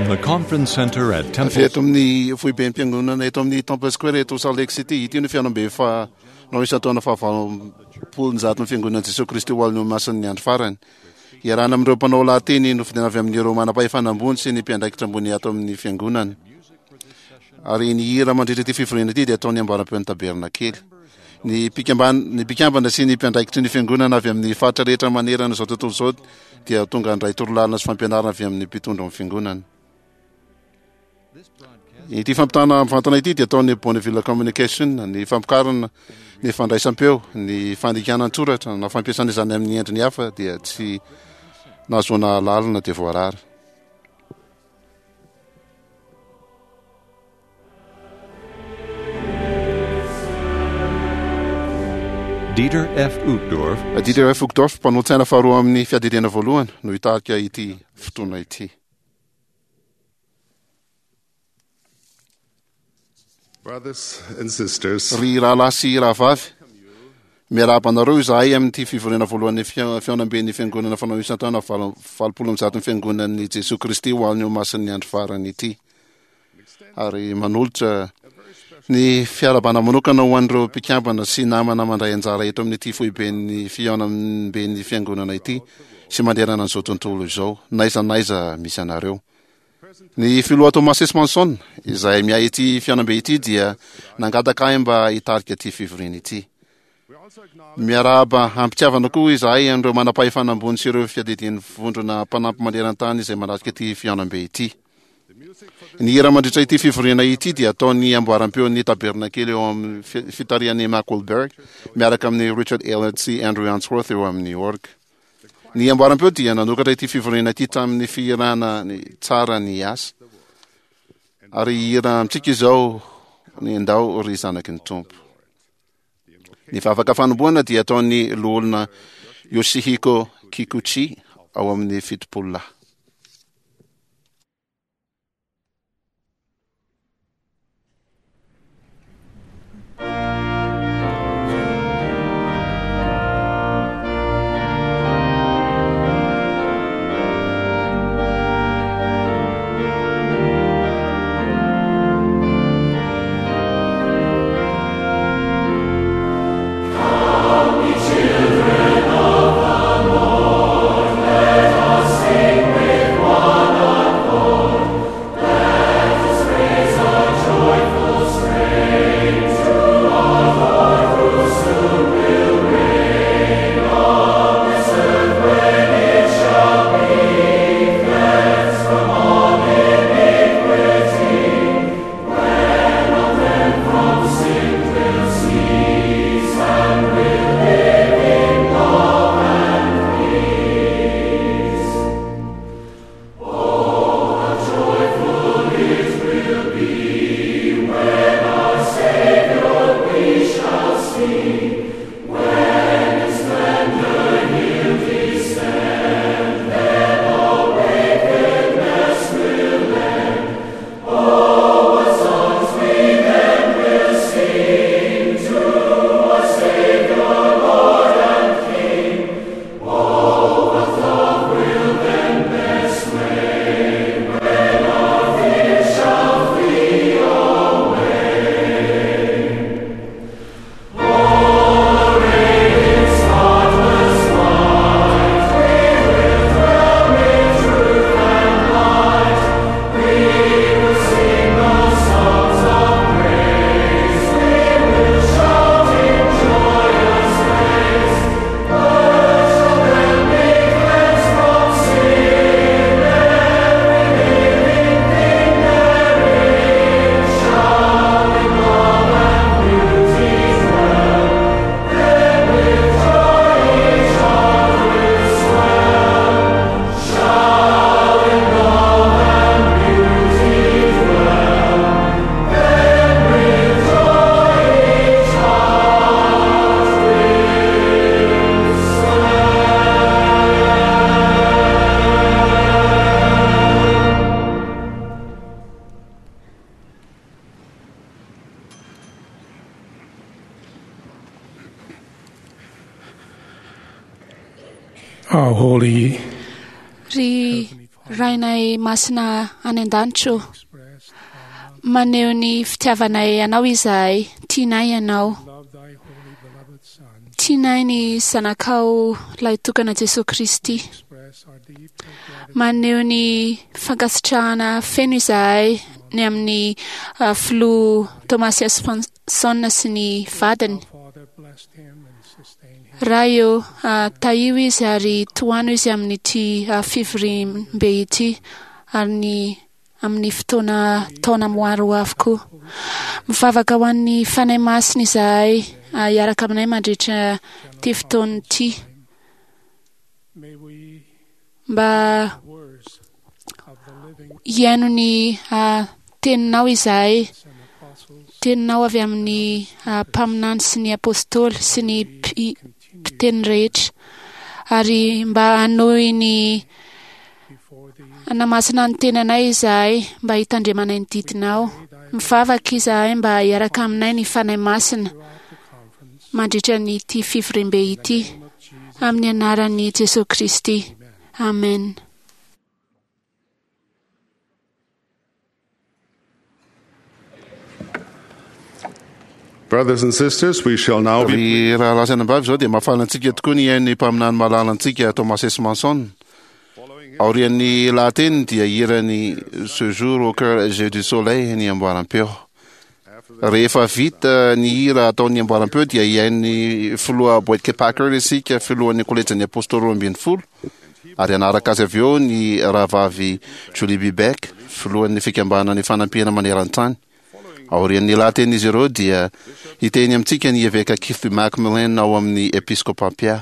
From the conference center at Avy Temple eto amin'ny foibem-piangonana eto amin'ny Temple Square eto Salt Lake City, ity no fihaonambe fahanao isan-taona fahavalopolonjaton'ny Fiangonan'i Jesoa Kristy ho an'ny Olomasin'ny Andro Farany. Iarahana amin'ireo mpanao lahateny nofidina avy amin'ireo manam-pahefana ambony sy ny mpiandraikitra ambony ato amin'ny Fiangonana. Ary ny hira mandritra ity fivoriana ity dia ataon'ny ambaram-peon'ny Tabernakely. Ny mpikambana, ny mpikambana sy ny mpiandraikitry ny Fiangonana avy amin'ny faritra rehetra manerana izao tontolo izao dia tonga handray torolalana sy fampianarana avy amin'ny mpitondra ny Fiangonana. Ity fampitana mivantana ity dia ataon'ny Bonneville Communication, ny fampikarana ny fandraisam-peo, ny fandikana an-tsoratra na fampiasana izany amin'ny endriny hafa dia tsy nahazoana alalana dia voarara. Dieter F. Uchtdorf. Dieter F. Uchtdorf, mpanolotsaina faharoa amin'ny fiadidiana voalohany, no hitarika ity fotoana ity. Brothers and sisters, Ry rahalahy sy rahavavy, miarahaba anareo izahay amin'ity fivoriana voalohan'ny fihaonamben'ny Fiangonana fanao isan-taona 188-n'ny Fiangonan'i Jesoa Kristy ho an'ny Olomasin'ny Andro Farany ity. Ary manolotra ny fiarahabana manokana ho an'ireo mpikambana sy namana mandray anjara eto amin'ity foiben'ny fihaonamben'ny Fiangonana ity sy manerana an'izao tontolo izao, n'aiza n'aiza misy anareo. Ny Filoha Thomas S. Monson, izay miahy ity fihaonambe ity, dia nangataka ahy mba hitarika ity fivoriana ity. Miarahaba am-pitiavana koa izahay an'ireo manam-pahefana ambony sy ireo fiadidian'ny vondrona mpanampy maneran-tany izay manatrika ity fihaonambe ity. Ny hira mandritra ity fivoriana ity dia ataon'ny amboaram-peon'ny Tabernakely eo amin'ny fitarihan'i Mark Wahlberg miaraka amin'i Richard Ehlert sy Andrew Unsworth eo amin'ny orga. Ny amboaram-peo dia nanokatra ity fivoriana ity tamin'ny fihirana ny Tsara ny asa. Ary hihira amintsika izao ny Ndao ry zanaky ny Tompo. Ny vavaka fanombohana dia ataon'ny loholona Yoshihiko Kikuchi ao amin'ny Fitopololahy. Our holy Ry Rainay masina any an-danitra ô, maneho ny fitiavanay Anao izahay, tianay Ianao. Tianay ny Zanakao Lahitokana Jesoa Kristy. Maneho ny fankasitrahana feno izahay ny amin'ny Filoha Thomas S. Monson sy ny vadiny. Ray ô, tahio izy ary tohano izy amin'ity fivoriambe ity ary ny amin'ny fotoana taona maro ho avy koa. Mivavaka ho an'ny Fanahy Masina izahay hiaraka aminay mandritra ity fotoana ity mba hihaino ny teninao izahay, teninao avy amin'ny mpaminany sy ny apostoly sy ny mpiteny rehetra, ary mba hanohy ny hanamasina ny tenanay izahay mba hitandremanay ny didinao. Mivavaka izahay mba hiaraka aminay ny Fanahy Masina mandritra ny ity fivoriambe ity. Amin'ny anaran'i Jesoa Kristy. Amen. Brothers and sisters, we shall now be Ry rahalahy sy anabavy, izao dia mahafaly antsika tokoa ny hihaino ny mpaminany malala antsika Thomas S. Manson. Aorian'ny lahateniny dia hiran'ny Ce jour au cœur j'ai du soleil ny amboaram-peo. Rehefa vita ny hira ataon'ny amboaram-peo dia hihaino ny filoha Boyd K. Packer isika, filohan'ny kolejin'ny Apôstôly 12, ary hanaraka azy avy eo ny rahavavy Julie B. Beck, filohan'ny Fikambanana Ifanampiana Maneran-tany. Aorian'ny lahatenin'izy ireo dia hiteny amintsika ny Eveka Keith B. McMillan ao amin'ny Episkopam-Pia.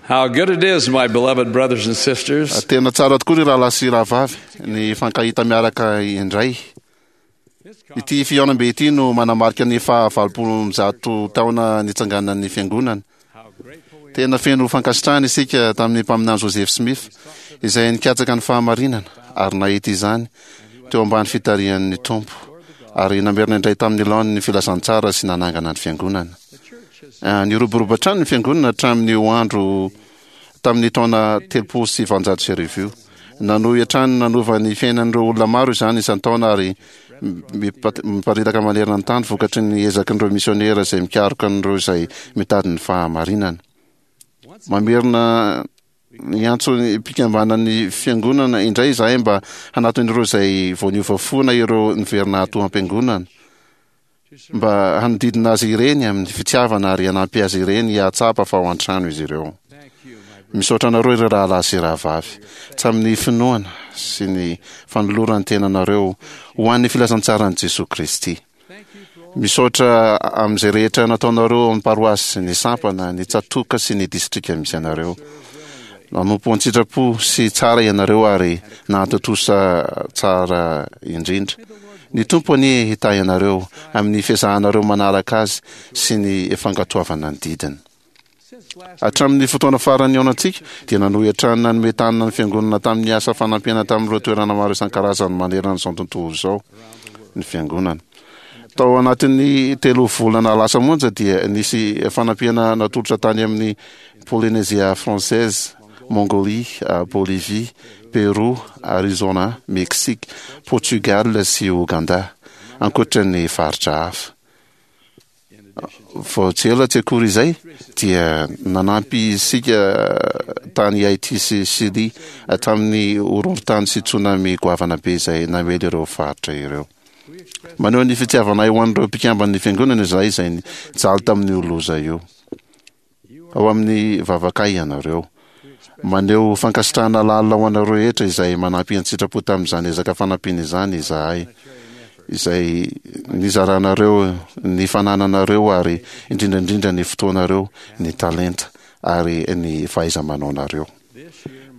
How good it is, my beloved brothers and sisters. Tena tsara tokoa ry rahalahy sy rahavavy ny hifankahita miaraka indray. Ity fihaonambe ity no manamarika ny faha 180 taona nitsanganan'ny fiangonana. Tena feno fankasitrahana isika tamin'ny mpaminany Joseph Smith izay nikatsaka ny fahamarinana ary nahita izany teo ambany fitarihan'ny Tompo ary namerina indray tamin'ny laoniny ny filazantsara sy nanangana ny fiangonana. Niroborobo hatrany ny fiangonana hatramin'io andro tamin'ny taona 1830 io. Nanohy hatrany nanova ny fiainan'ireo olona maro izany isan-taona ary miparitaka manerana ny tany vokatry ny ezakin'ireo misionera izay mikaroka an'ireo izay mitady ny fahamarinana. Mamerina Niantso ny mpikambanan'ny fiangonana indray izahay mba hanatona ireo izay vao niova fo na ireo niverina ato am-piangonana, mba hanodidina azy ireny amin'ny fitiavana ary hanampy azy ireny hahatsapa fa ao an-trano izy ireo. Misaotra anareo ry rahalahy sy rahavavy, tamin'ny finoana sy ny fanoloran-tenanareo ho an'ny filazantsaran'i Jesoa Kristy. Misaotra amin'izay rehetra nataonareo ao amin'ny paroasy, ny sampana, ny tsatòka sy ny distrika misy anareo. Nanompo an-tsitrapo sy tsara ianareo ary nahatontosa tsara indrindra. Ny Tompo anie hitahy anareo amin'ny fiezahanareo manaraka Azy sy ny fankatoavana ny didiny. Hatramin'ny fotoana farany nihaonantsika, dia nanohy hatrany nanome tanana ny Fiangonana tamin'ny asa fanampiana tamin'ireo toerana maro isan-karazany manerana izao tontolo izao ny Fiangonana. Tao anatin'ny telo volana lasa monja dia nisy fanampiana natolotra tany amin'ny Polynésia Française, Mongolie, Bolivie, Pérou, Arizona, Mexique, Portugal sy Ouganda, ankoatra ny faritra hafa. Vao tsy ela tsy akory izay dia nanampy isika tany Haiti sy Chili tamin'ny horohorontany sy tsunami goavana be izay namely ireo faritra ireo. Maneho ny fitiavanay ho an'ireo mpikamban'ny fiangonana izahay izay nijaly tamin'io loza io. Ao amin'ny vavakay ianareo. Maneho fankasitrahana lalina ho anareo rehetra izay manampy an-tsitrapo tamin'izany ezaka fanampiana izany izahay, izay nizaranareo ny fanananareo ary indrindra indrindra ny fotoanareo, ny talenta ary ny fahaiza-manaonareo.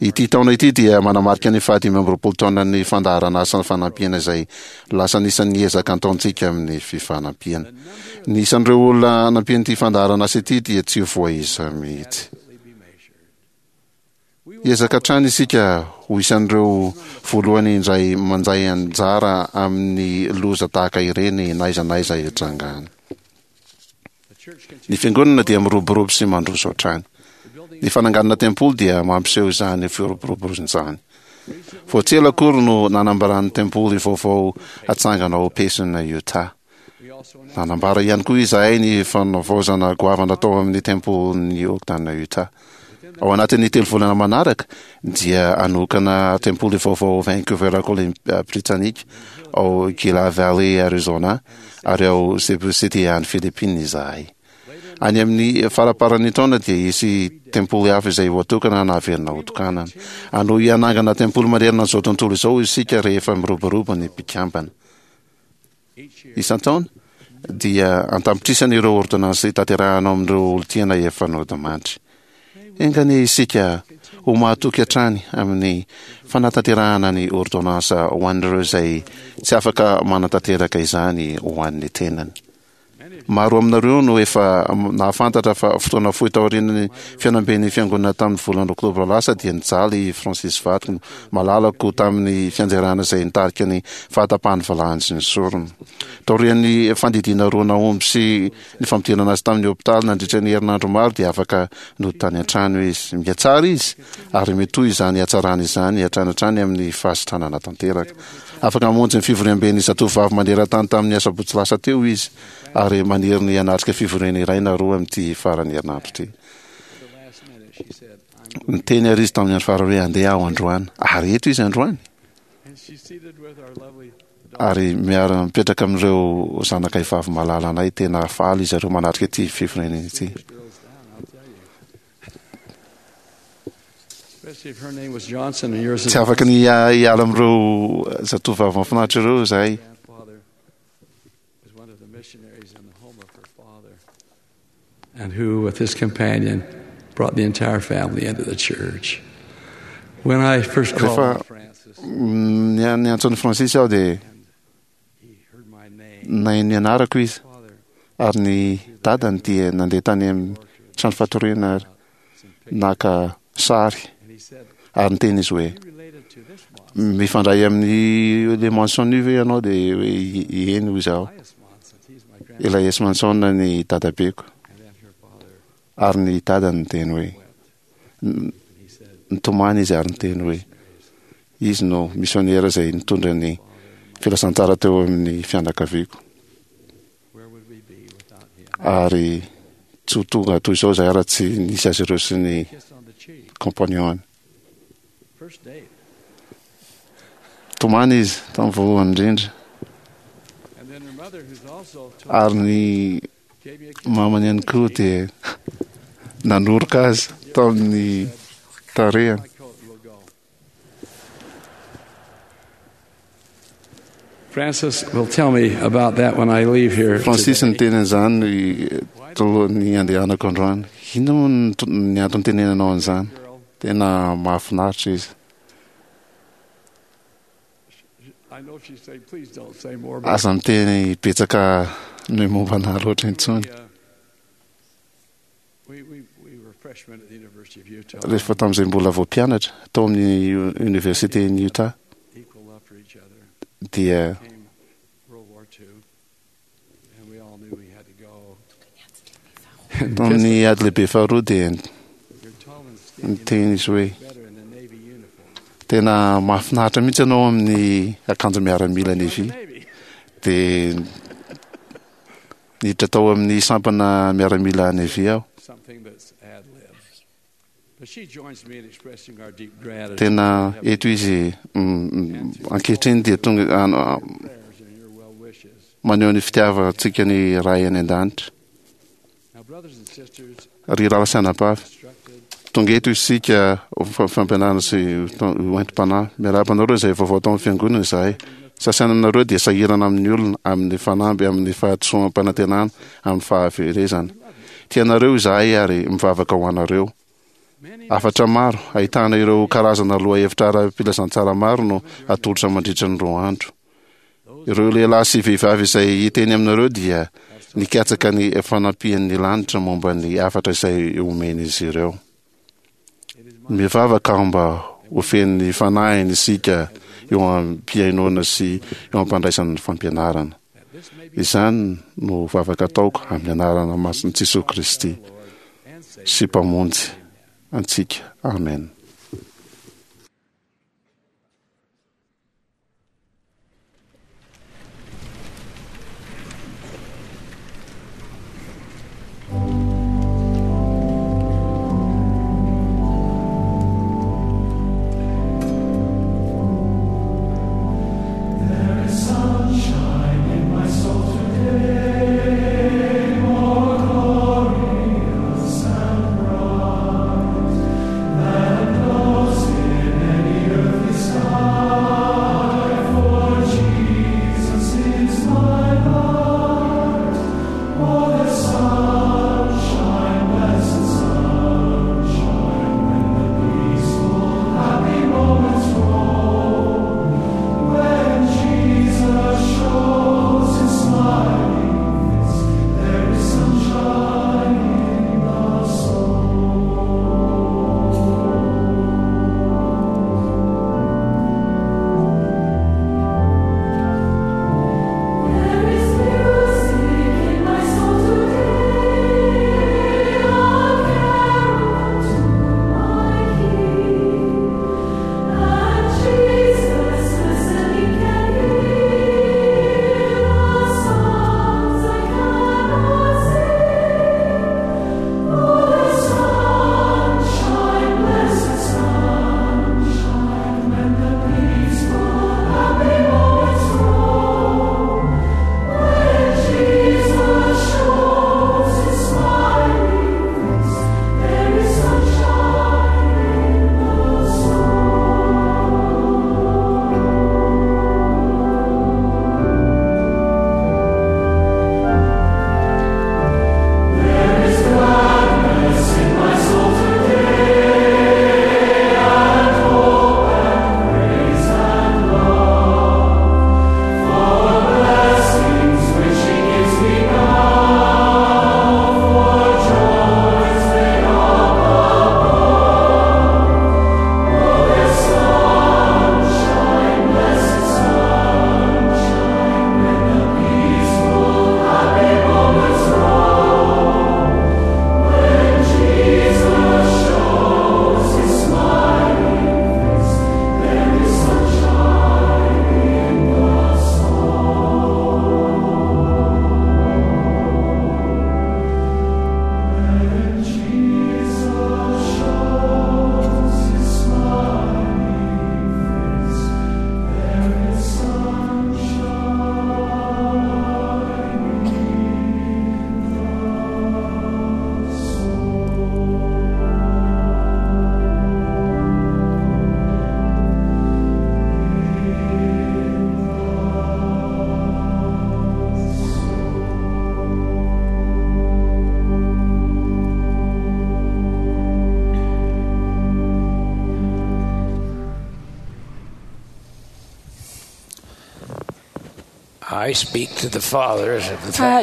Ity taona ity dia manamarika ny faha-25 taonan'ny fandaharan'asa fanampiana izay lasa anisan'ny ezaka antaontsika amin'ny fifanampiana. Ny isan'ireo olona nampian'ity fandaharan'asa ity dia tsy voaisa mihitsy. Hiezaka hatrany isika ho isan'ireo voalohany indray mandray anjara amin'ny loza tahaka ireny na aiza na aiza hitrangany. Ny Fiangonana dia miroborobo sy mandroso hatrany. Ny fananganana tempoly dia mampiseho izany firoborobozana izany. Vao tsy ela akory no nanambaran'ny tempoly vaovao hatsangana ao Payson, Utah. Nanambara ihany koa izahay ny fanavaozana goavana tao amin'ny tempolin'i Ogden, Utah. Ao anatin'ny telo volana manaraka dia hanokana tempoly vaovao ao Vancouver, Columbia Britanika, ao Gila Valley, Arizona, ary ao Cebu City any Philippines izahay. Any amin'ny faramparan'ny taona dia hisy tempoly hafa izay ho atokana na haverina hotokanana. Hanohy hanangana tempoly manerana an'izao tontolo izao isika rehefa miroborobo ny mpikambana. Isan-taona, dia an-tapitrisany ireo ôrdônansy tanterahana ao amin'ireo olon-tiana efa nodimandry. Enga anie isika ho mahatoky hatrany amin'ny fanatanterahana ny ôrdônansa ho an'ireo izay tsy afaka manatanteraka izany ho an'ny tenany. Maro aminareo no efa nahafantatra fa fotoana fohy taorian'ny fihaonamben'ny Fiangonana tamin'ny volana oktobra lasa dia nijaly i Francis vadiko malalako tamin'ny fianjerana izay nitarika ny fahatapahan'ny valahany sy ny sorony. Taorian'ny fandidiana roa nahomby sy ny fampidirana azy tamin'ny hopitaly nandritra ny herinandro maro dia afaka nody tany an-trano izy. Mihatsara izy ary mitohy izany hatsarana izany hatrany hatrany amin'ny fahasitranana tanteraka. Afaka mamonjy ny fivoriamben'ny Zatovovavy maneran-tany tamin'ny asabotsy lasa teo izy ary maniry ny hanatrika fivoriana iray na roa amin'ity faran'ny herinandro ity. Niteny àry izy tamin'ny andro farany hoe handeha aho androany. Ary eto izy androany. Ary miara-mipetraka amin'ireo zanakay vavy malalanay. Tena faly izy ireo manatrika ity fivoriana ity. Tsy afaka ny hiala amin'ireo zatovovavy mahafinaritra ireo izahay. And who, with his companion, brought the entire family into the church. When I first called Rehefa Francis, niantso an'i Francis aho dia nahay ny anarako izy ary ny dadany dia nandeha tany amin'ny trano fatoriana ary naka sary ary niteny izy hoe mifandray amin'ny le Manson io ve ianao dia hoe eny hoy izaho ilay S Manson ny dadabeko ary ny dadany niteny hoe nitomany izy ary niteny hoe izy no misionera izay nitondra ny filazantsara teo amin'ny fianakaviako ary tsy ho tonga toy izao izahay raha tsy nisy azy ireo sy ny compagnon-ny. Tomany izy tamin'ny voalohany indrindra. Ary ny mamany ihany koa dia nanoroka azy tamin'ny tarehiny. Francis will tell me about that when I leave here. Francis niteny an'izany talohan'ny handehanako androany. Inona moa ny antony tenenanao an'izany? Tena mahafinaritra izy. Aza miteny betsaka ny momba anà loatra intsony. Rehefa tamin'izay mbola vao mpianatra tao amin'ny Oniversiten'i Utah dia tamin'ny ady lehibe faharoa dia niteny izy hoe tena mahafinaritra mihitsy ianao amin'ny akanjo miaramila Navy. Dia Niditra tao amin'ny sampana miaramila Navy aho. Tena eto izy ankehitriny dia tonga maneho ny fitiavantsika ny Ray any an-danitra. Ry rahalahy sy anabavy, tonga eto isika ho fampianarana sy ho entim-panahy. Miarahaba anareo izay vaovao tao amin'ny fiangonana izahay. Sasany aminareo dia sahirana amin'ny olona, amin'ny fanamby, amin'ny fahadisoam-panantenana, amin'ny fahaverezana. Tianareo izahay ary mivavaka ho anareo. Hafatra maro, ahitana ireo karazana lohahevitra ara-pilazantsara maro no atolotra mandritra ny roa andro. Ireo lehilahy sy vehivavy izay hiteny aminareo dia nikatsaka ny fanampian'ny lanitra momba ny hafatra izay omen'izy ireo. Mivavaka aho mba ho feno ny Fanahiny isika eo am-pihainoana sy eo am-pandraisana ny fampianarana. Izany no vavaka ataoko amin'ny anarana masin'i Jesoa Kristy sy Mpamonjy antsika. Amen.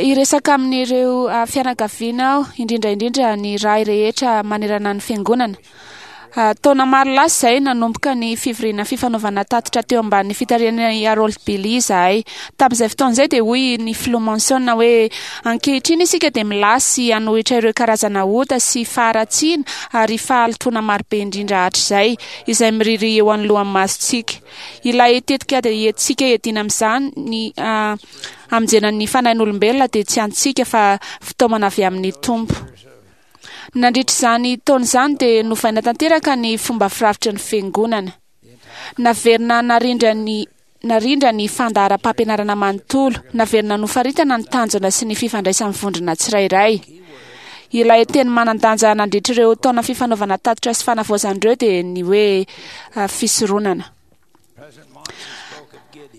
Hiresaka amin'ireo fianakaviana aho, indrindra indrindra ny ray rehetra manerana ny fiangonana. Taona maro lasa izay, nanomboka ny fivoriana fifanaovana tatitra teo ambanin'ny fitarihan'i Harold Bailey izahay. Tamin'izay fotoana izay dia hoy ny Filoha Monson hoe, Ankehitriny isika dia milasy hanohitra ireo karazana ota sy faharatsiana ary fahalotoana marobe indrindra hatrizay, izay miririha eo anoloan'ny masontsika. Ilay tetikady entintsika hiadiana amin'izany ny hamonjena ny fanahin'olombelona dia tsy antsika fa fitaomana avy amin'ny Tompo. Nandritra izany taona izany dia novaina tanteraka ny fomba firafitry ny Fiangonana. Naverina narindra ny narindra ny fandaharam-pampianarana manontolo, naverina nofaritana ny tanjona sy ny fifandraisan'ny vondrona tsirairay. Ilay teny manan-danja nandritra ireo taona fifanaovana tatitra sy fanavaozana ireo dia ny hoe fisoronana.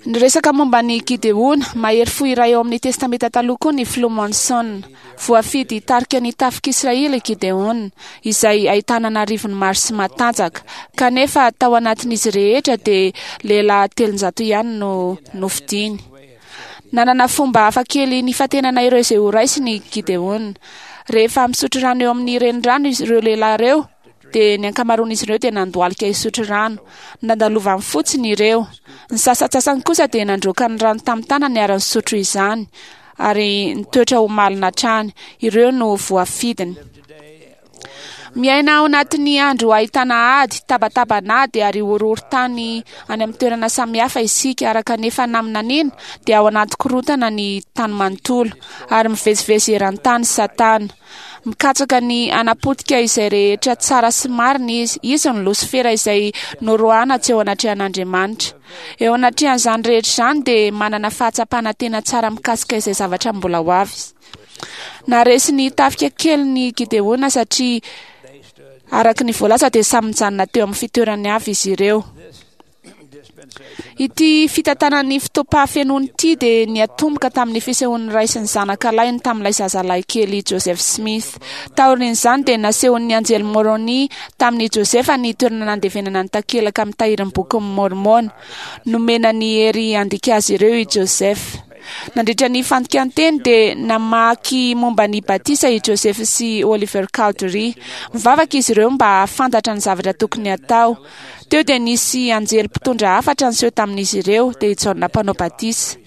Niresaka momba an'i Gideona, mahery fo iray ao amin'ny Testamenta Taloha koa ny Filoha Monson. Voafidy hitarika ny tafik'Israely i Gideona, izay ahitana an'arivony maro sy matanjaka. Kanefa tao anatin'izy rehetra dia lehilahy 300 ihany no nofidiny. Nanana fomba hafakely nifantenana ireo izay horaisiny i Gideona. Rehefa misotro rano eo amin'ny renirano ireo lehilahy ireo, dia ny ankamaroan'izy ireo dia nandohalika hisotro rano. Nandalovany fotsiny ireo. Ny sasantsasany kosa dia nandroaka ny rano tamin'ny tanany ary nisotro izany, ary nitoetra ho malina hatrany. Ireo no voafidiny. Miaina ao anatin'ny andro ahitana ady, tabataban'ady ary horohorontany any amin'ny toerana samihafa isika, araka ny efa naminaniana dia ao anaty korontana ny tany manontolo ary mivezivezy eran-tany Satana. Mikatsaka ny hanapotika izay rehetra tsara sy marina izy. Izy no Losifera izay noroahana tsy eo anatrehan'Andriamanitra. Eo anatrehan'izany rehetra izany dia manana fahatsapana tena tsara mikasika izay zavatra mbola ho avy izy. Naharesy ny tafika kelin'i Gideona satria araka ny voalaza dia samy nijanona teo amin'ny fitoerany avy izy ireo. Ity fitantanan'ny fotoam-pahafenoana ity dia niatomboka tamin'ny fisehoan'ny ray sy ny zanaka lahiny tamin'ilay zazalahy kely Joseph Smith. Taorian'izany dia nasehon'ny anjely Moroni tamin'i Joseph ny toerana nandevenana ny takelaka mitahiry ny Bokin'i Môrmôna. Nomena ny hery handika azy ireo i Joseph. Nandritra ny fandikan-teny dia namaky momba ny batisa i Joseph sy Oliver Cowdery. Mivavaka izy ireo mba hahafantatra ny zavatra tokony hatao. Teo dia nisy anjely mpitondra hafatra niseho tamin'izy ireo, dia i Jaona Mpanao Batisa.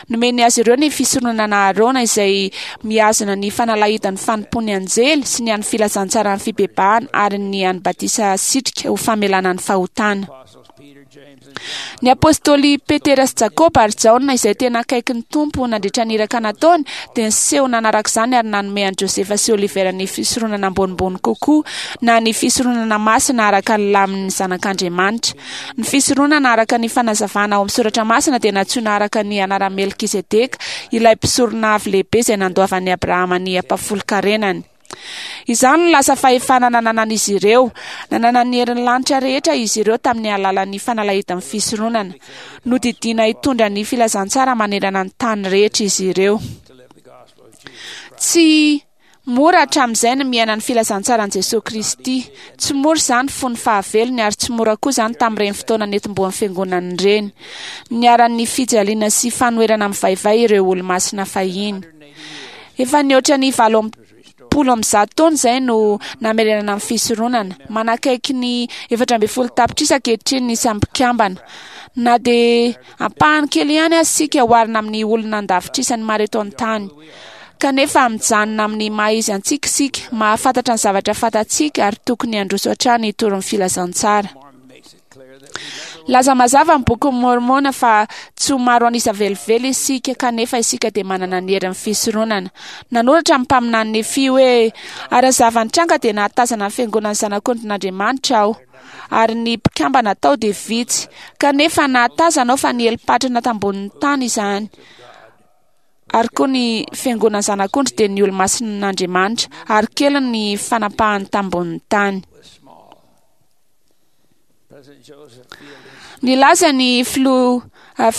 Nomeny azy ireo ny fisoronana Arona izay mihazona ny fanalahidan'ny fanompoan'ny anjely sy ny an'ny filazantsaran'ny fibebahana ary ny an'ny batisa asitrika ho famelana ny fahotana. Ny apostoly Petera sy Jakoba ary Jaona izay tena akaiky ny Tompo nandritra ny iraka nataony dia niseho nanaraka izany ary nanome an'i Josefa sy Olivera ny fisoronana ambonimbony kokoa na ny fisoronana masina araka ny lamin'ny Zanak'Andriamanitra. Ny fisoronana araka ny fanazavana ao amin'ny soratra masina dia nantsoina araka ny anaran'i Melkizedeka, ilay mpisorona avo lehibe izay nandoavan'i Abrahama ny ampahafolon-karenany. Izany no lasa fahefana nananan'izy ireo. Nanana ny herin'ny lanitra rehetra izy ireo tamin'ny alalan'ny fanalahidin'ny fisoronana. Nodidiana hitondra ny filazantsara manerana ny tany rehetra izy ireo. Tsy mora hatramin'izay ny miaina ny filazantsaran'i Jesoa Kristy. Tsy mora izany fony fahavelony ary tsy mora koa izany tamin'ireny fotoana netombohan'ny fiangonana ireny. Niharan'ny fijaliana sy fanoherana mivaivay ireo olomasina fahiny. Efa nihoatra ny 180 taona izay no namerenana ny fisoronana. Manakaiky ny 14 tapitrisa ankehitriny ny isan'ny mpikambana. Na dia ampahany kely ihany aza isika oharina amin'ny olona an-davitrisany maro eto an-tany. Kanefa mijanona amin'ny maha izy antsika isika, mahafantatra ny zavatra fantatsika ary tokony handroso hatrany hitory ny filazantsara. Laza mazava ny Bokin'i Môrmôna fa tsy ho maro an'isa velively isika, kanefa isika dia manana ny herin'ny fisoronana. Nanoratra ny mpaminany Nefia hoe, Ary ny zava-nitranga dia nahatazana ny fiangonan'ny Zanak'ondrin'Andriamanitra aho, ary ny mpikambana tao dia vitsy, kanefa nahatazana aho fa niely patrana tambonin'ny tany izany, ary koa ny fiangonan'ny Zanak'ondry dia ny olomasin'Andriamanitra, ary kely ny fanapahany tambonin'ny tany. Nilaza ny filoha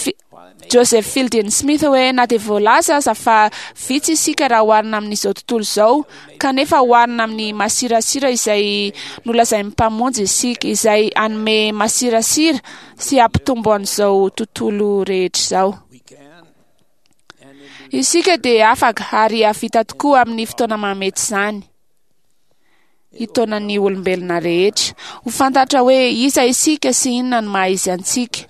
Joseph Fielding Smith hoe na dia voalaza aza fa vitsy isika raha oharina amin'izao tontolo izao, kanefa oharina amin'ny masirasira izay nolazain'ny Mpamonjy isika, izay hanome masirasira sy hampitombo an'izao tontolo rehetra izao. Isika dia afaka ary hahavita tokoa amin'ny fotoana mahamety izany. hitaona ny olombelona rehetra. Ho fantatra hoe iza isika sy inona no maha izy antsika.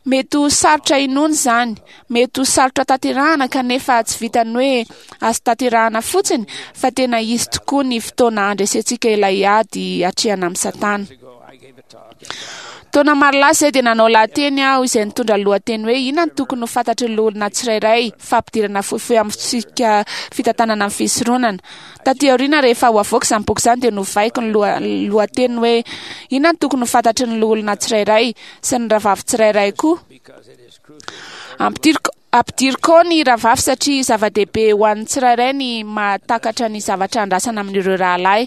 Mety ho sarotra inoana izany, mety ho sarotra tanterahana kanefa tsy vitan'ny hoe azo tanterahana fotsiny fa tena hisy tokoa ny fotoana handresentsika ilay ady atrehana amin'i Satana. Taona maro lasa izay dia nanao lahateny aho izay nitondra lohateny hoe Inona no tokony ho fantatry ny loholona tsirairay, fampidirana fohifohy amin'ny fitsipika fitantanana ny fisoronana. Taty aoriana rehefa ho avoaka izany boky izany dia novaiko ny lohateny hoe Inona no tokony ho fantatry ny loholona tsirairay sy ny rahavavy tsirairay koa. Ampidiriko ampidiriko ao ny rahavavy satria zava-dehibe ho an'ny tsirairay ny mahatakatra ny zavatra andrasana amin'ireo rahalahy.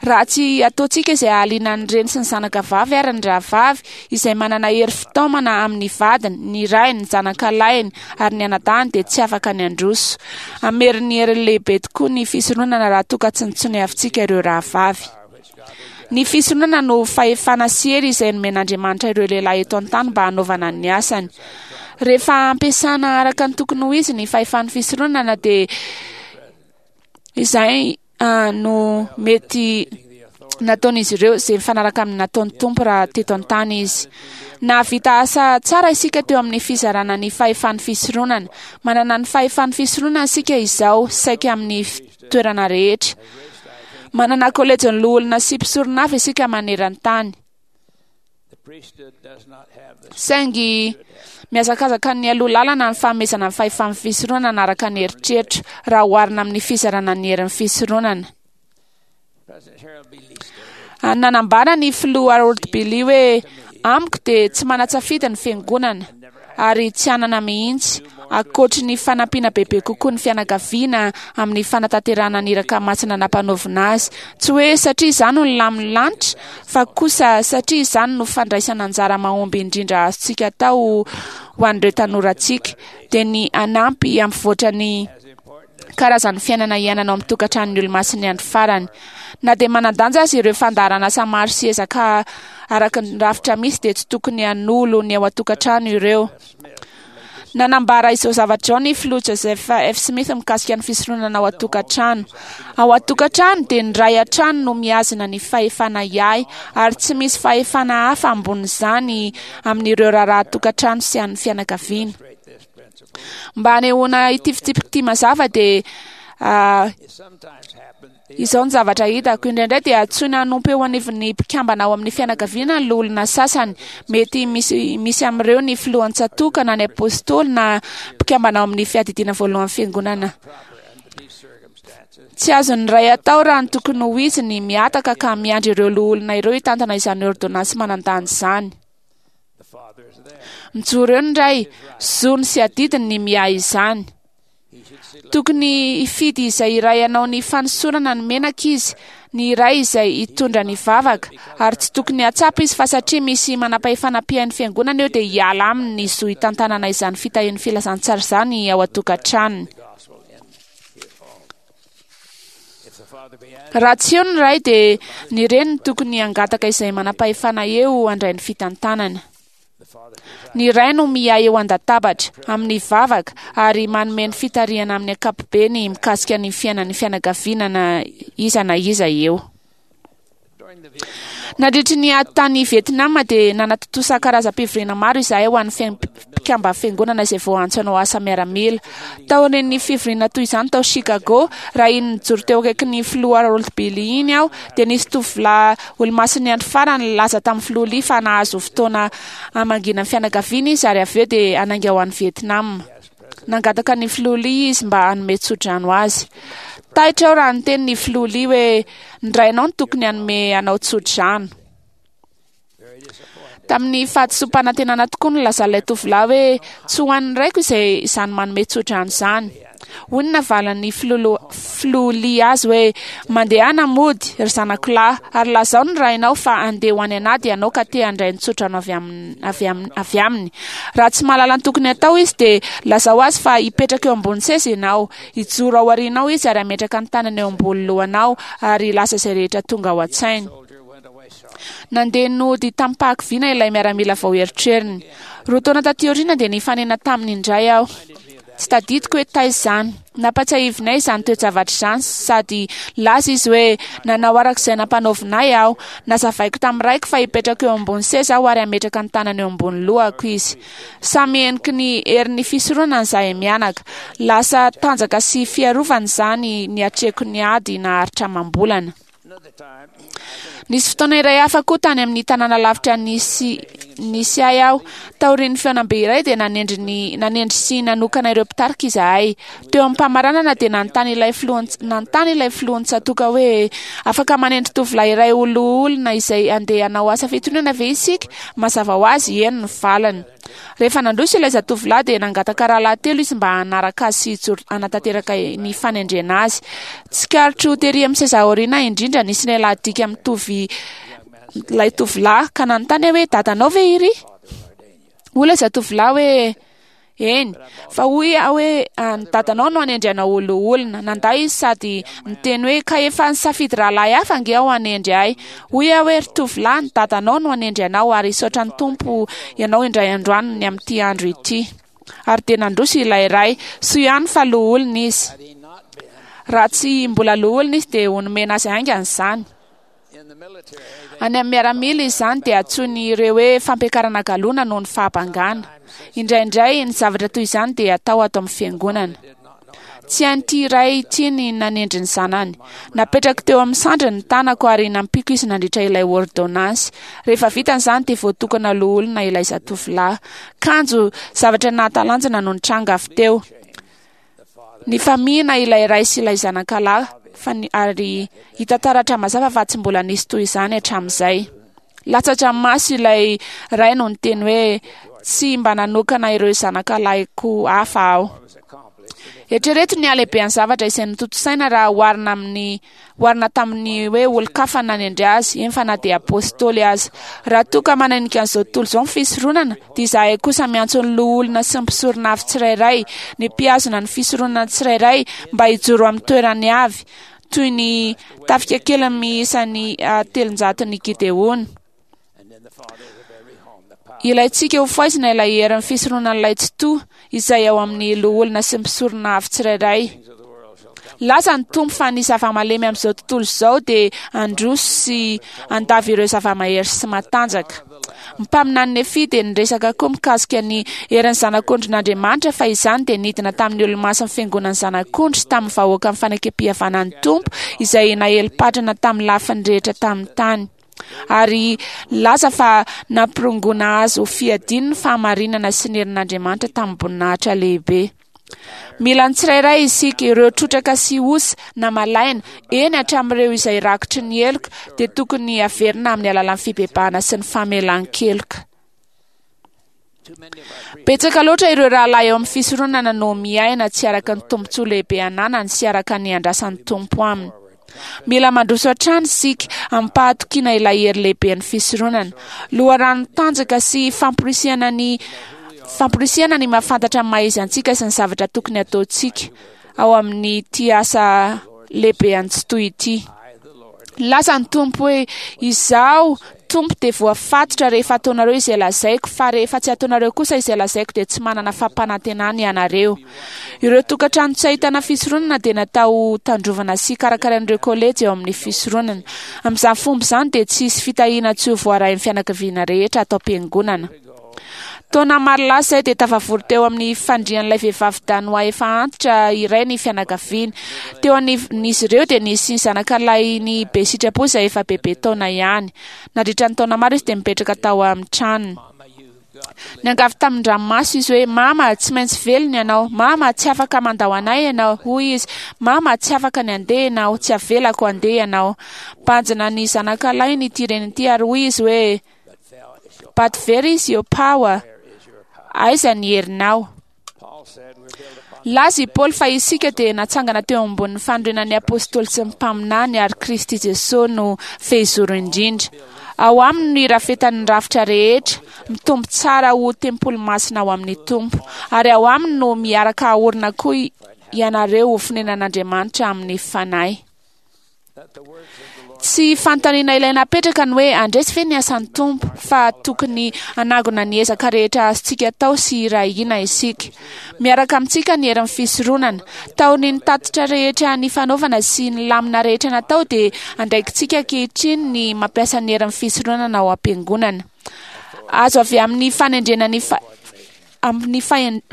Raha tsy ataontsika izay hahaliana ny reny sy ny zanaka vavy ary ny rahavavy izay manana hery fitaomana amin'ny vadiny, ny rainy, ny zanakalahiny ary ny anadahiny dia tsy afaka ny handroso. Hamerin'ny heriny lehibe tokoa ny fisoronana raha toa ka tsy nitsoniavintsika ireo rahavavy. Ny fisoronana no fahefana sy hery izay nomen'Andriamanitra ireo lehilahy eto an-tany mba hanaovana ny asany. Rehefa ampiasana araka ny tokony ho izy ny fahefan'ny fisoronana dia izay no mety Nataon'izy ireo izay mifanaraka amin'ny nataon'ny Tompo raha teto an-tany izy. Nahavita asa tsara isika teo amin'ny fizarana ny fahefan'ny fisoronana. Manana ny fahefan'ny fisoronana isika izao saika amin'ny toerana rehetra. Manana kolejin'ny loholona sy mpisorona avy isika maneran-tany. Saingy mihazakazaka ny aloha lalana ny fanomezana ny fahefan'ny fisoronana araka ny eritreritra raha oharina amin'ny fizarana ny herin'ny fisoronana. Nanambara ny filoha Harold B. Lee hoe amiko dia tsy manan-tsafidy ny fiangonana ary tsy hanana mihitsy ankoatry ny fanampiana bebe kokoa ny fianakaviana amin'ny fanatanterahana ny iraka masina nampanaovina azy. Tsy hoe satria izany no lamin'ny lanitra fa kosa satria izany no fandraisana anjara mahomby indrindra azontsika atao ho an'ireo tanorantsika dia ny hanampy hampivoatra ny karazan'ny fiainana iainana ao amin'ny tokantranon'ny Olomasin'ny Andro Farany. Na dia manan-danja aza ireo fandaharan'asa maro sy ezaka araka ny rafitra misy dia tsy tokony hanolo ny ao an-tokantrano ireo. Nanambara izao zavatra izao ny filoha Joseph F. Smith mikasika ny fisoronana ao an-tokantrano. Ao an-tokantrano dia ny ray hatrany no mihazona ny fahefana hiahy ary tsy misy fahefana hafa ambonin'izany amin'ireo raharaha tokantrano sy an'ny fianakaviana. Mba hanehoana ity fitsipika ity mazava dia izao ny zavatra hitako. Indraindray dia antsoina hanompo eo anivon'ny mpikambana ao amin'ny fianakaviana ny loholona sasany. Mety misy misy amin'ireo ny filohan'ny tsatòka na ny apôstôly na mpikambana ao amin'ny fiadidiana voalohan'ny fiangonana. Tsy azon'ny ray atao raha ny tokony ho izy ny mihataka ka miandry ireo loholona ireo hitantana izany ôrdônansy manan-danja izany. Mijoro eo ny ray, zony sy adidiny ny miahy izany. Tokony hifidy izay iray hanao ny fanosorana ny menaka izy, ny iray izay hitondra ny vavaka, ary tsy tokony hahatsapa izy fa satria misy manam-pahefana mpihaino fiangonana eo dia hiala aminy ny zo hitantanana izany fitahian'ny filazantsara izany ao an-tokantranony. Raha tsy eo ny ray dia ny reny no tokony hangataka izay manam-pahefana eo handray ny fitantanana. Ny ray no miahy eo an-databatra, amin'ny vavaka, ary manome ny fitarihana amin'ny ankapobeny mikasika ny fiainan'ny fianakaviana na iza na iza eo. Nandritry ny ady tany Vietnam dia nanatontosa karazam-pivoriana maro izahay ho an'ny mpikamba fiangonana izay voaantso hanao asa miaramila. Taorian'ny fivoriana toy izany tao Chicago, raha iny nijoro teo akaikin'ny filoha Harold B. Lee iny aho, dia nisy tovolahy Olomasin'ny Andro Farany nilaza tamin'ny filoha Lee fa nahazo fotoana hamangiana ny fianakaviany izy ary avy eo dia hanainga ho any Vietnam. Nangataka ny filoha Lee izy mba hanome tsodrano azy. Taitra aho raha niteny ny filoha Lee hoe, Ny rainao no tokony hanome anao tsodrano. Tamin'ny fahadisoam-panantenana tokoa no nilazan'ilay tovolahy hoe, Tsy ho an'ny raiko izay izany manome tsodrano izany. Hoy ny navalin'ny filoha Lee azy hoe, Mandehana mody, ry zanako lahy, ary lazao ny rainao fa handeha ho any an'ady ianao ka te handray ny tsodrano avy aminy, avy aminy. Raha tsy mahalala ny tokony hatao izy dia lazao azy fa hipetraka eo ambony seza ianao, hijoro ao aorianao izy ary hametraka ny tanany eo ambony lohanao ary hilaza izay rehetra tonga ao an-tsainy. Nandeha nody tamim-pahakiviana ilay miaramila vao erotreriny. Roa taona taty aoriana dia nifanena taminy indray aho. Tsy tadidiko hoe taiza izany. Nampatsiahivinay izany toe-javatra izany sady nilaza izy hoe, Nanao araka izay nampanaovina ahy aho. Nazavaiko tamin'ny raiko fa hipetraka eo ambony seza aho ary hametraka ny tanany eo ambony lohako izy. Samy heniky ny herin'ny fisoronana izahay mianaka. Lasa tanjaka sy fiarovana izany niatreko ny ady naharitra amam-bolana. Nisy fotoana iray hafa koa tany amin'ny tanàna lavitra nisy nisy ahy aho. Taorian'ny fihaonambe iray dia nanendry ny nanendry sy nanokana ireo mpitarika izahay. Teo am-pamaranana dia nanontany ilay filoha nanontany ilay filohan'ny tsatòka hoe afaka manendry tovolahy iray ho loholona izay handeha hanao asa fitoriana ve isika? Mazava ho azy, eny ny valiny. Rehefa nandroso ilay zatovolahy dia nangataka rahalahy telo izy mba hanaraka azy sy hijoro hanatanteraka ny fanendrena azy. Tsikaritro tery amin'ny seza aoriana indrindra nisy lehilahy dika mitovy ilay tovolahy ka nanontany aho hoe dadanao ve iry? Hoy ilay zatovolahy hoe eny, fa hoy aho hoe ny dadanao no hanendry anao ho loholona. Nandà izy sady niteny hoe ka efa nisafidy rahalahy hafa ange aho hanendry ahy. Hoy aho hoe, Ry tovolahy, ny dadanao no hanendry anao, ary hisaotra ny Tompo ianao indray androany ny amin'ity andro ity. Ary dia nandroso ilay ray. Soa ihany fa loholona izy. Raha tsy mbola loholona izy dia ho nomena azy haingana izany. Any amin'ny miaramila izany dia antsoin'ireo hoe fampiakarana galona noho ny fahabangana. Indraindray ny zavatra toy izany dia atao ato amin'ny fiangonana. Tsy hain'ity ray ity ny nanendry ny zanany. Napetrako teo amin'ny sandriny ny tanako ary nampiako izy nandritra ilay ôrdônansy. Rehefa vita izany dia voatokana loholona ilay zatovolahy. Kanjo, zavatra nahatalanjona no nitranga avy teo. Nifamihina ilay ray sy ilay zanakalahy fa ny, ary hita taratra mazava fa tsy mbola nisy toy izany hatramin'izay. Latsa-dranomaso ilay ray no niteny hoe, Tsy mba nanokana ireo zanakalahiko hafa aho. Eritrereto ny halehibean'ny zavatra izay notontosaina raha oharina amin'ny oharina tamin'ny hoe olon-kafa nanendry azy, eny fa na dia apostoly aza. Raha toa ka mananika an'izao tontolo izao ny fisoronana, dia izahay kosa miantso ny loholona sy ny mpisorona avy tsirairay, ny mpihazona ny fisoronana tsirairay, mba hijoro amin'ny toerany avy, toy ny tafika kely miisa ny telonjaton'i Gideona. Ilaintsika ho faizina ilay herin'ny fisoronan'ilay Tsitoha, izay ao amin'ny loholona sy mpisorona avy tsirairay. Laza ny Tompo fa ny zava-malemy amin'izao tontolo izao dia handroso sy handavo ireo zava-mahery sy matanjaka. Ny mpaminany Nefia dia niresaka koa mikasika ny herin'ny Zanak'ondrin'Andriamanitra fa izany dia nidina tamin'ny olomasin'ny Fiangonan'ny Zanak'ondry sy tamin'ny vahoakan'ny Fanekem-pihavanan'ny Tompo izay naelim-patrana tamin'ny lafiny rehetra tamin'ny tany. Ary nilaza fa nampirongoana azy ho fiadiany ny fahamarinana sy ny herin'Andriamanitra tamim-boninahitra lehibe. Mila ny tsirairay isika, ireo trotraka sy osa na malaina, eny hatramin'ireo izay rakotry ny heloka, dia tokony haverina amin'ny alalan'ny fibebahana sy ny famelan-keloka. Betsaka loatra ireo rahalahy eo amin'ny fisoronana no miaina tsy araka ny tombontsoa lehibe ananany sy araka ny andrasan'ny Tompo aminy. Mila mandroso hatrany isika amim-pahatokiana ilay hery lehiben'ny fisoronana. Loharano tanjaka sy famporisihana ny famporisihana ny mahafantatra ny maha-izy antsika sy ny zavatra tokony hataontsika ao amin'ity asa lehibe an'i Tsitoha ity. Nilaza ny Tompo hoe, Izaho, Tompo, dia voafatotra rehefa ataonareo izay lazaiko, fa rehefa tsy ataonareo kosa izay lazaiko dia tsy manana fampanantenana ianareo. Ireo tokantrano tsy ahitana fisoronana dia natao ho tandrovana sy karakarain'ireo kolejy eo amin'ny fisoronana. Amin'izany fomba izany dia tsy hisy fitahiana tsy ho voarain'ny fianakaviana rehetra ato am-piangonana. Taona maro lasa izay dia tafavory teo amin'ny fandrian'ilay vehivavy Danoà efa antitra iray ny fianakaviany. Teo anivon'izy ireo dia nisy zanakalahiny be sitrapo izay efa bebe taona ihany. Nandritra ny taona maro izy dia nipetraka tao amin'ny tranony. Niangavy tamin-dranomaso izy hoe, Mama, tsy maintsy velona ianao. Mama, tsy afaka mandao anay ianao, hoy izy. Mama, tsy afaka ny handeha ianao. Tsy avelako handeha ianao. Banjina ny zanakalahiny ity reny ity ary hoy izy hoe, But where is your power? Aiza ny herinao? Nilaza i Paoly fa isika dia natsangana teo ambonin'ny fanorenan'ny apostoly sy ny mpaminany ary Kristy Jesosy no fehizoro indrindra. Ao aminy no irafetan'ny rafitra rehetra, mitombo tsara ho tempoly masina ao amin'ny Tompo. Ary ao aminy no miaraka aorina koa ianareo ho fonenan'Andriamanitra amin'ny Fanahy. Tsy fanontaniana ilaina apetraka ny hoe handresy ve ny asan'ny Tompo, fa tokony hanangona ny ezaka rehetra azontsika atao sy hiray hina isika. Miaraka amintsika ny herin'ny fisoronana. Taorian'ny tatitra rehetra nifanaovana sy ny lamina rehetra natao dia andraikitsika ankehitriny ny mampiasa ny herin'ny fisoronana ao am-piangonana. Azo avy amin'ny fanendrena ny amin'ny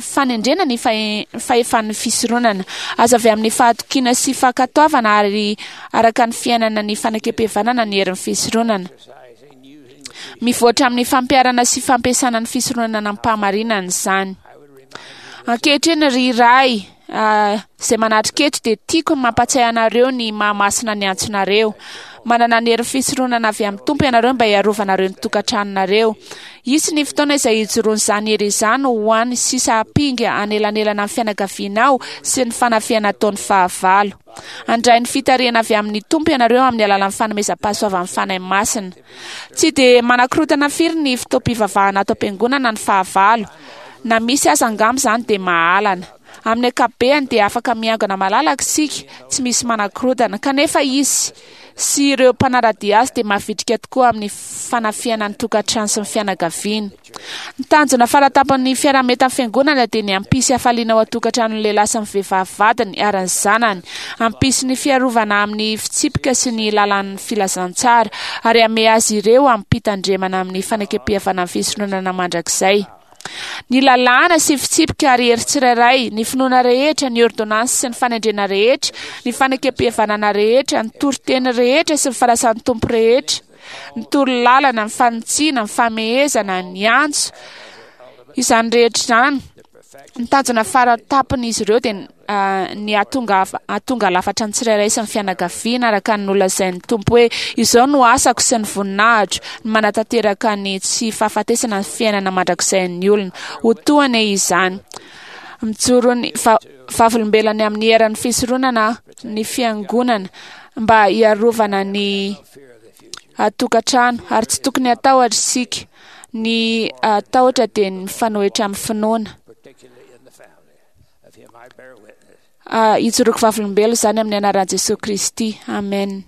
fanendrena ny fahefan'ny fisoronana. Azo avy amin'ny fahatokiana sy fankatoavana ary araka ny fiainana ny fanekempihavanana ny herin'ny fisoronana. Mivoatra amin'ny fampiharana sy fampiasana ny fisoronana amim-pahamarinana izany. Ankehitriny ry Ray, izay manatrika eto dia tiako ny mampatsiahy anareo ny maha-masina ny antsonareo. Manana ny herin'ny fisoronana avy amin'ny Tompo ianareo mba hiarovanareo ny tokantranonareo. Hisy ny fotoana izay hijoroan'izany hery izany ho an'ny sisa ampinga hanelanelana ny fianakavianao sy ny fanafihana ataon'ny fahavalo. Handray ny fitarihana avy amin'ny Tompo ianareo amin'ny alalan'ny fanomezam-pahasoavan'ny Fanahy Masina. Tsy dia manakorontana firy ny fotoam-pivavahana ato am-piangonana ny fahavalo. Na misy aza angamba izany dia mahalana. Amin'ny ankapobeany dia afaka miangona malalaka isika, tsy misy manakorontana. Kanefa hisy. sy ireo mpanara-dia azy dia mavitrika tokoa amin'ny fanafihana ny tokantrano sy ny fianakaviana. Ny tanjona faratampon'ny fiaraha-mientan'ny Fiangonana dia ny hampisy hafaliana ao an-tokantranon'ny lehilahy sy ny vehivavy vadiny ary ny zanany, hampisy ny fiarovana amin'ny fitsipika sy ny lalàn'ny filazantsara, ary hamehy azy ireo amim-pitandremana amin'ny fanekempihavanan'ny fisoronana mandrakizay. Ny lalàna sy fitsipika ary hery tsirairay, ny finoana rehetra, ny ôrdônansy sy ny fanendrena rehetra, ny fanekempihavanana rehetra, ny toriteny rehetra sy ny fanasan'ny Tompo rehetra, ny torolalana, ny fanitsiana, ny famehezana, ny antso, izany rehetra izany, ny tanjona fara-tampon'izy ireo dia ny hahatonga hahatonga lafatra ny tsirairay sy ny fianakaviana araka ny nolazain'ny Tompo hoe izao no asako sy ny voninahitro, ny manatanteraka ny tsy fahafatesana ny fiainana mandrakizain'ny olona. Ho toa anie izany. Mijoro ny va vavolombelona ny amin'ny eran'ny fisoronana ny fiangonana mba hiarovana ny tokantrano ary tsy tokony hatahotra isika. Ny tahotra dia ny mifanohitra amin'ny finoana. Ijoroako vavolombelona izany amin'ny anaran'i Jesoa Kristy. Amen.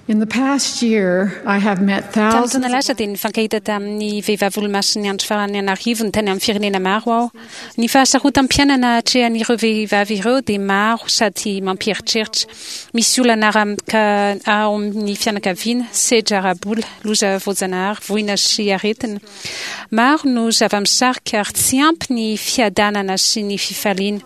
In the past year, I have met Tamin'ny thousands taona lasa dia nifankahita tamin'ny vehivavy olomasin'ny andro farany an'arivony tany amin'ny firenena maro aho. Ny fahasarotam-piainana atrehan'ireo vehivavy ireo dia maro sady mampieritreritra. Misy olana ara ao amin'ny fianakaviana, sedra ara-bola, loza voajanahary, voina sy aretina. Maro no zava-misarika ary tsy ampy ny fiadanana sy ny fifaliana.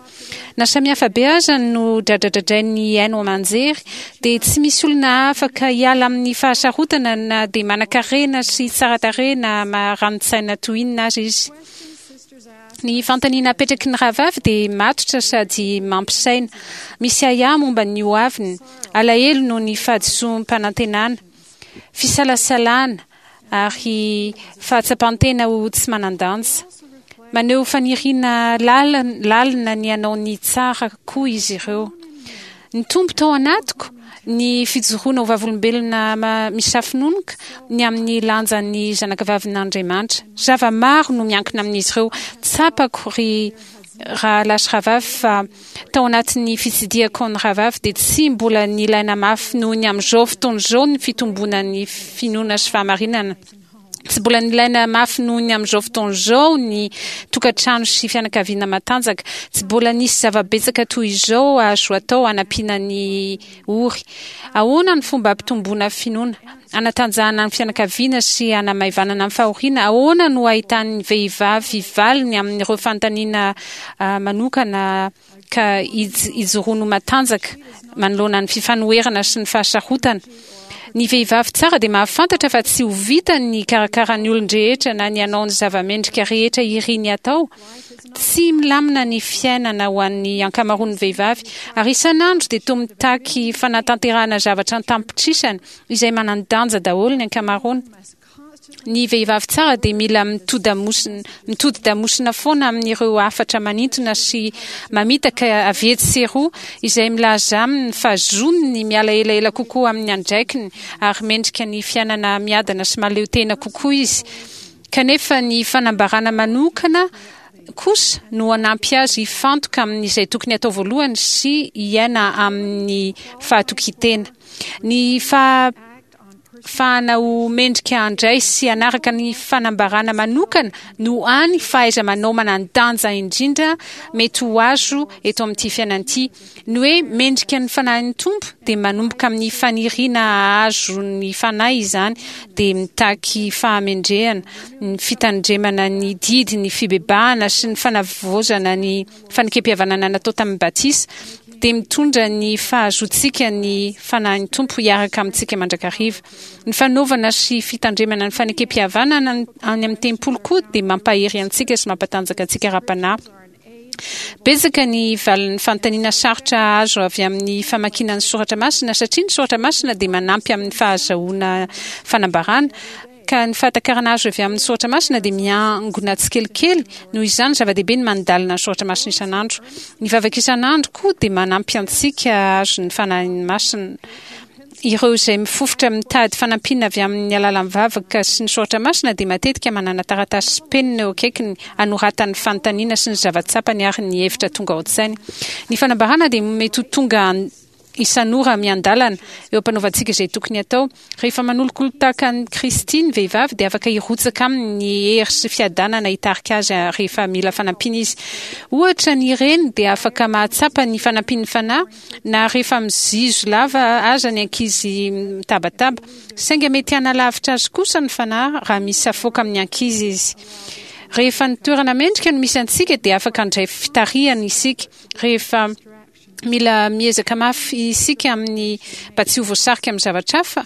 Na samihafa be aza no dradradradrain'ny haino aman-jery dia tsy misy olona afaka hiala amin'ny fahasarotana na dia manankarena sy tsara tarehy na marani-tsaina toy inona aza izy. Ny fanontaniana apetraky ny rahavavy dia matotra sady mampisaina. Misy ahiahy momba ny hoaviny, alahelo noho ny fahadisoam-panantenana, fisalasalana, ary fahatsapan-tena ho tsy manan-danja. Maneho faniriana lalina ny hanao ny tsara koa izy ireo. Nitombo tao anatiko ny fijoroana ho vavolombelona misafononoka ny amin'ny lanjan'ny zanakavavin'Andriamanitra. Zava-maro no miankina amin'izy ireo. Tsapako, ry rahalahy sy rahavavy, fa Tao anatin'ny fitsidihako ny rahavavy dia tsy mbola nilaina mafy noho ny amin'izao fotoana izao ny fitomboana ny finoana sy fahamarinana. Tsy mbola nilaina mafy noho ny amin'izao fotoana izao ny tokantrano sy fianakaviana matanjaka. Tsy mbola nisy zava-betsaka toy izao azo atao hanampiana ny ory. Ahoana ny fomba hampitomboana finoana, hanatanjahana ny fianakaviana sy hanamaivanana ny fahoriana? Ahoana no ahitan'ny vehivavy valiny amin'ireo fanontaniana manokana ka hijoroany ho matanjaka manoloana ny fifanoherana sy ny fahasarotana? Ny vehivavy tsara dia mahafantatra fa tsy ho vitany ny hikarakara ny olon-drehetra na ny hanao ny zava-mendrika rehetra iriny hatao. Tsy milamina ny fiainana ho an'ny ankamaroan'ny vehivavy, ary isan'andro dia toa mitaky fanatanterahana zavatra an-tampitrisany izay manan-danja daholo ny ankamaroany. Ny vehivavy tsara dia mila mitodi-damosina foana amin'ireo hafatra manintona sy mamitaka avy etsy sy eroa izay milaza aminy fa zony ny miala elaela kokoa amin'ny andraikiny ary mendrika ny fiainana miadana sy mahaleo tena kokoa izy. Kanefa ny fanambarana manokana kosa no hanampy azy hifantoka amin'izay tokony hatao voalohany sy hiaina amin'ny fahatokian-tena. Ny fahafahana ho mendrika handray sy hanaraka ny fanambarana manokana no hany fahaiza-manao manan-danja indrindra mety ho azo eto amin'ity fiainana ity. Ny hoe mendrika ny Fanahin'ny Tompo dia manomboka amin'ny faniriana hahazo ny Fanahy izany, dia mitaky fahamendrehana, ny fitandremana ny didy, ny fibebahana sy ny fanavaozana ny fanekem-pihavanana natao tamin'ny batisa, dia mitondra ny fahazoantsika ny Fanahin'ny Tompo hiaraka amintsika mandrakariva. Ny fanaovana sy fitandremana ny fanekem-pihavanana any amin'ny tempoly koa dia mampahery antsika sy mampatanjaka antsika ara-panahy. Betsaka ny valin'ny fanontaniana sarotra azo avy amin'ny famakiana ny soratra masina, satria ny soratra masina dia manampy amin'ny fahazahoana fanambarana, ka ny fahatakarana azo avy amin'ny soratra masina dia miangona tsikelikely, noho izany zava-dehibe ny mandalina ny soratra masina isan'andro. Ny vavaka isan'andro koa dia manampy antsika hahazo ny Fanahy Masina. Ireo izay mifofotra mitady fanampiana avy amin'ny alalan'ny vavaka sy ny soratra masina dia matetika manana taratasy sy penina eo akaikiny hanoratany fanontaniana sy ny zava-tsapany ary ny hevitra tonga ao an-tsainy. Ny fanambarana dia mety ho tonga isan'ora miandalana eo am-panaovantsika izay tokony hatao. Rehefa manolokolo tahaka an'i Kristy ny vehivavy dia afaka hirotsaka aminy ny hery sy fiadanana hitarika azy rehefa mila fanampiana izy. Ohatra, ny reny dia afaka mahatsapa ny fanampian'ny Fanahy Na rehefa mizizo lava aza ny ankizy mitabataba. Saingy mety hanalavitra azy kosa ny fanahy raha misafoaka amin'ny ankizy izy. Rehefa ny toerana mendrika no misy antsika dia afaka handray fitarihana isika. Rehefa mila miezaka mafy isika amin'ny mba tsy ho voasarika amin'ny zavatra hafa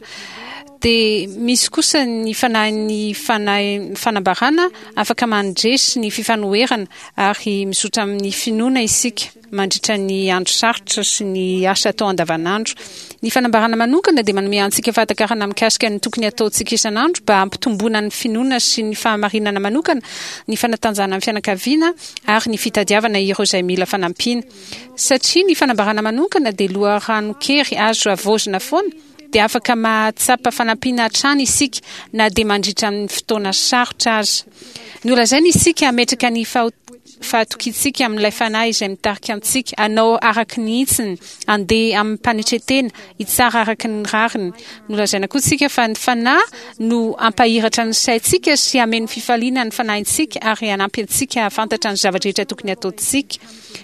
dia misy kosa ny fanahin'ny fanahy fanambarana afaka mandresy ny fifanoherana ary mizotra amin'ny finoana isika. mandritra ny andro sarotra sy ny asa atao andavanandro. Ny fanambarana manokana dia manome antsika fahatakarana mikasika ny tokony hataontsika isan'andro mba hampitomboana ny finoana sy ny fahamarinana manokana, ny fanatanjahana ny fianakaviana ary ny fitadiavana ireo izay mila fanampiana. Satria ny fanambarana manokana dia loharanon-kery azo havaozina foana, dia afaka mahatsapa fanampiana hatrany isika na dia mandritra ny fotoana sarotra aza. Nolazaina isika hametraka ny fahatokiantsika amin'ilay Fanahy izay mitarika antsika hanao araka ny hitsiny, handeha amim-panetren-tena, hitsara araka ny rariny. Nolazaina koa isika fa ny Fanahy no hampahiratra ny saintsika sy hameno fifaliana ny fanahintsika ary hanampy antsika hahafantatra ny zava-drehetra tokony hataontsika.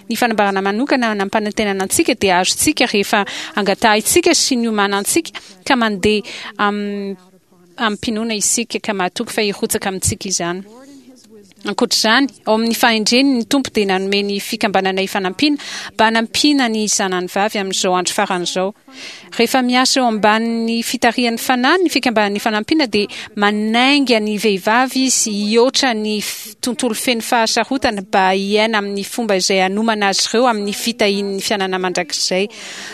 Ny fanambarana manokana nampanantenana antsika dia azontsika rehefa angatahintsika sy niomanantsika ka mandeha amim-pinoana isika ka mahatoky fa hirotsaka amintsika izany. Ankoatra izany, ao amin'ny fahendreny ny Tompo dia nanome ny Fikambanana Ifanampiana mba hanampiana ny zanany vavy amin'izao andro farany izao. Rehefa miasa eo ambanin'ny fitarihan'ny Fanahy ny Fikambanana Ifanampiana dia manainga ny vehivavy izy hihoatra ny tontolo feno fahasarotana mba hiaina amin'ny fomba izay hanomana azy ireo amin'ny fitahian'ny fiainana mandrakizay.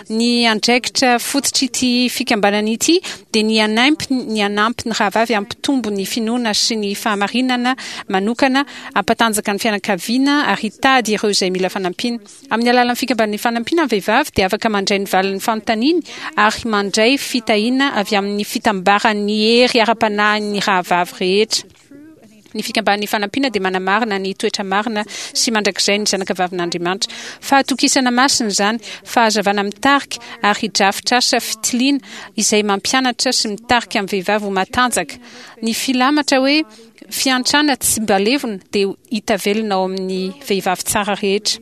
Ny andraikitra fototr'ity fikambanana ity dia ny hanampy ny hanampy ny rahavavy hampitombo ny finoana sy ny fahamarinana manokana, hampatanjaka ny fianakaviana ary hitady ireo izay mila fanampiana. Amin'ny alalan'ny fikambanan'ny fanampiana ny vehivavy dia afaka mandray ny valin'ny fanontaniany ary mandray fitahiana avy amin'ny fitambaran'ny hery ara-panahin'ny rahavavy rehetra. Ny fikambanan'ny fanampiana dia manamarina ny toetra marina sy mandrakizay ny zanakavavin'Andriamanitra. Fahatokisana masina izany, fahazavana mitarika ary drafitr'asa fitiliana izay mampianatra sy mitarika ny vehivavy ho matanjaka. Ny filamatra hoe Fiantrana tsy mba levona dia hita velona ao amin'ny vehivavy tsara rehetra.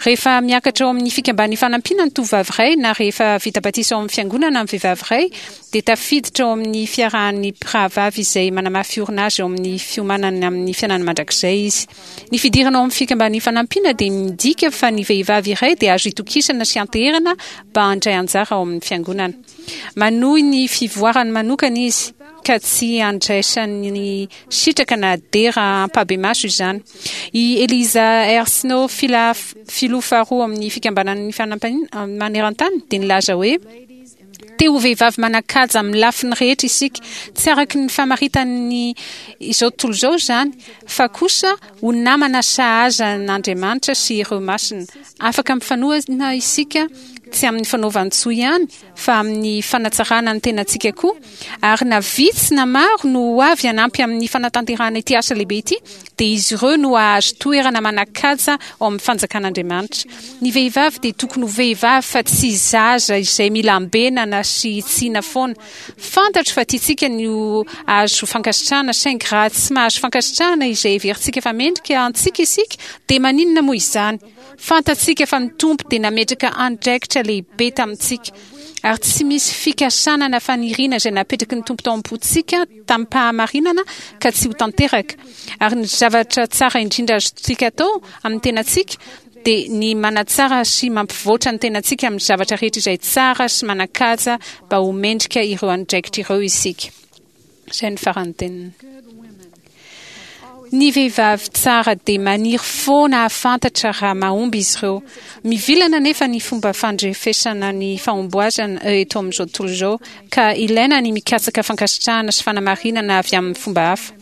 Rehefa miakatra ao amin'ny fikamban'ny fanampiana ny tovovavy iray na rehefa vita batisa ao amin'ny fiangonana ny vehivavy iray dia tafiditra ao amin'ny fiarahan'ny mpirahavavy izay manamafy orina azy ao amin'ny fiomanany amin'ny fiainana mandrakizay izy. Ny fidirana ao amin'ny fikamban'ny fanampiana dia midika fa ny vehivavy iray dia azo itokisana sy anteherana mba handray anjara ao amin'ny fiangonana. Manohy ny fivoarany manokana izy. ka tsy andraisany sitraka na dera ampahibemaso izany. I Eliza R. Snow, filoha faharoa amin'ny Fikambanan'ny Fanampiana Maneran-tany, dia nilaza hoe, Te ho vehivavy manan-kaja amin'ny lafiny rehetra isika, tsy araka ny famaritan'ny izao tontolo izao izany, fa kosa ho namana sahaza an'Andriamanitra sy ireo masina. Afaka mifanohana isika, tsy amin'ny fanaovan-tsoa ihany, fa amin'ny fanatsarana ny tenantsika koa, ary na vitsy na maro no ho avy hanampy amin'ny fanatanterahana ity asa lehibe ity, dia izy ireo no hahazo toerana manan-kaja ao amin'ny fanjakan'Andriamanitra. Ny vehivavy dia tokony ho vehivavy fa tsy zaza izay mila ambenana sy hitsiana foana. Fantatro fa tiantsika ny ho azo fankasitrahana, saingy raha tsy mahazo fankasitrahana izay heverintsika fa mendrika antsika isika, dia maninona moa izany? Fantatsika fa ny Tompo dia nametraka andraikitra lehibe tamintsika, ary tsy misy fikasana na faniriana izay napetraky ny Tompo tao am-pontsika tamim-pahamarinana ka tsy ho tanteraka. Ary ny zavatra tsara indrindra azontsika atao amin'ny tenantsika dia ny manatsara sy mampivoatra ny tenantsika amin'ny zavatra rehetra izay tsara sy manan-kaja mba ho mendrika ireo andraikitra ireo isika. Izay no faran'ny teniny. Ny vehivavy tsara dia maniry foana hahafantatra raha mahomby izy ireo. Mivilana anefa ny fomba fandrefesana ny fahomboazana eto amin'izao tontolo izao, ka ilaina ny mikatsaka fankasitrahana sy fanamarinana avy amin'ny fomba hafa.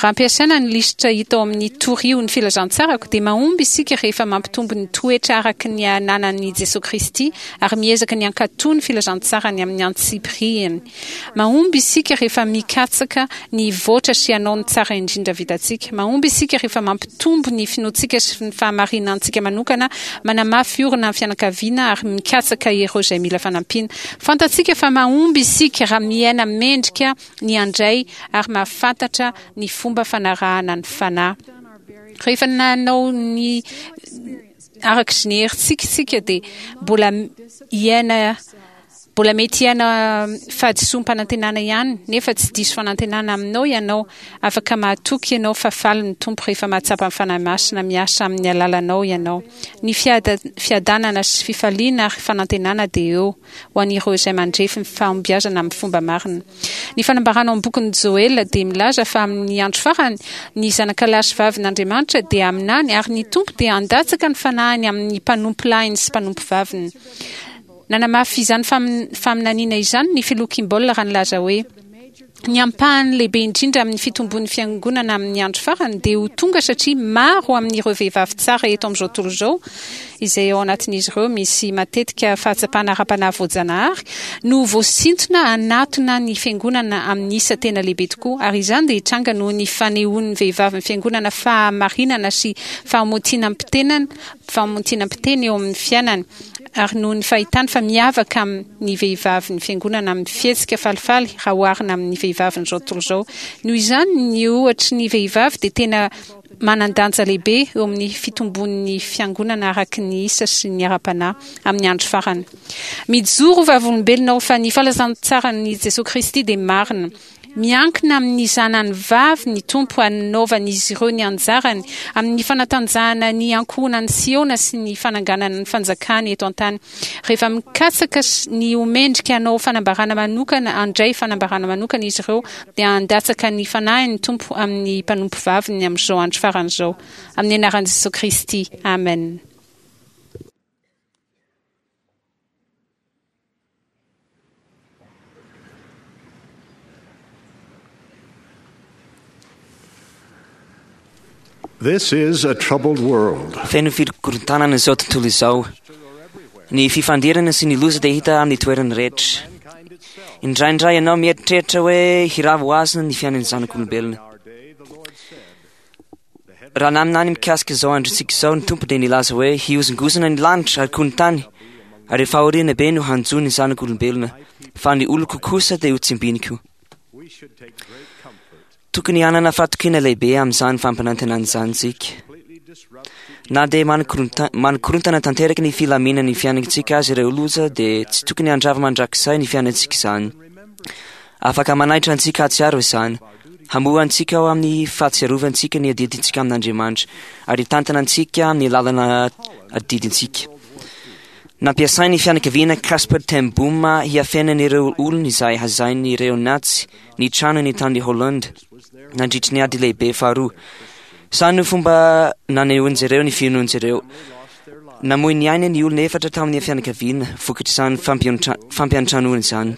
Raha ampiasaina ny lisitra hita ao amin'ny Torio ny Filazantsarako, dia mahomby isika rehefa mampitombo ny toetra araka ny ananan'i Jesoa Kristy ary miezaka ny hankatò ny filazantsarany amin'ny antsipiriany. Mahomby isika rehefa mikatsaka ny hivoatra sy hanao ny tsara indrindra vitantsika. Mahomby isika rehefa mampitombo ny finoantsika sy ny fahamarinantsika manokana, manamafy orina ny fianakaviana ary mikatsaka ireo izay mila fanampiana. Fantatsika fa mahomby isika raha miaina mendrika ny handray ary mahafantatra ny fomba fanarahana ny Fanahy. Rehefa nanao ny araka ny herintsika isika dia mbola hiaina Mbola mety hiaina fahadisoam-panantenana ihany, nefa tsy diso fanantenana aminao ianao. Afaka mahatoky ianao fa faly ny Tompo rehefa mahatsapa ny Fanahy Masina miasa amin'ny alalanao ianao. Ny fiadanana sy fifaliana ary fanantenana dia eo ho an'ireo izay mandrefy ny fahombiazana amin'ny fomba marina. Ny fanambarana ao amin'ny bokin'i Joela dia milaza fa amin'ny andro farany, ny zanakalahy sy vavin'Andriamanitra dia haminany ary ny Tompo dia handatsaka ny Fanahiny amin'ny mpanompolahiny sy mpanompovaviny. Nanamafy izany faminaniana izany ny Filoha Kimball raha nilaza hoe, Ny ampahany lehibe indrindra amin'ny fitombon'ny Fiangonana amin'ny andro farany dia ho tonga satria maro amin'ireo vehivavy tsara eto amin'izao tontolo izao, izay ao anatin'izy ireo misy matetika fahatsapana ara-panahy voajanahary, no ho voasintona hanatona ny Fiangonana amin'ny isa tena lehibe tokoa, ary izany dia hitranga noho ny fanehoan'ny vehivavin'ny Fiangonana fahamarinana sy fahamotinam-pitenana fahamontinam-piteny eo amin'ny fiainany, ary noho ny fahitany fa miavaka amin'ny vehivavy ny Fiangonana amin'ny fihetsika falifaly raha oharina amin'ny vehivavin'izao tontolo izao. Noho izany, ny ohatry ny vehivavy dia tena manan-danja lehibe eo amin'ny fitombon'ny Fiangonana araka ny isa sy ny ara-panahy amin'ny andro farany. Mijoro ho vavolombelona aho fa ny falazantsaran'i Jesoa Kristy dia marina. Miankina amin'ny zanany vavy ny Tompo hanaovan'izy ireo ny anjarany amin'ny fanatanjahana ny ankohonan'i Siona sy ny fananganana ny fanjakany eto an-tany. Rehefa mikatsaka ny ho mendrika hanao fanambarana manokana, handray fanambarana manokana izy ireo, dia handatsaka ny Fanahiny ny Tompo amin'ny mpanompovaviny amin'izao andro farany izao. Amin'ny anaran'i Jesoa Kristy, amena. This is a troubled world. Feno fikorontanana izao tontolo izao. Ny fifandirana sy ny loza dia hita amin'ny toerany rehetra. Indraindray ianao mieritreritra hoe hirava ho azy ny fiainan'ny zanak'olombelona. Raha naminany mikasika izao androntsika izao ny Tompo dia nilaza hoe hihozongozona ny lanitra ary koa ny tany, ary fahoriana be no hanjo ny zanak'olombelona, fa ny oloko kosa dia ho tsimbiniko. Tokony hanana fatokiana lehibe amin'izany fampanantenana izany isika. Na dia manakorontana tanteraka ny filaminan'ny fiainantsika aza ireo loza dia tsy tokony handrava mandrakizay ny fiainantsika izany. Afaka manaitra antsika hahatsiaro izany, hamoha antsika ao amin'ny fahatsiarovantsika ny adidintsika amin'Andriamanitra, ary hitantana antsika amin'ny lalana adidintsika. Nampiasain'ny fianakaviana Casper ten Boom hiafenan'ireo olony izay hazain'ireo Nazi ny tranony tany Hollande nandritry ny Ady Lehibe Faharoa. Izany no fomba nanehoan'izy ireo ny finoan'izy ireo. Namoy ny ainy ny olona efatra tamin'ny fianakaviana vokatr'izany fampiantranoana izany.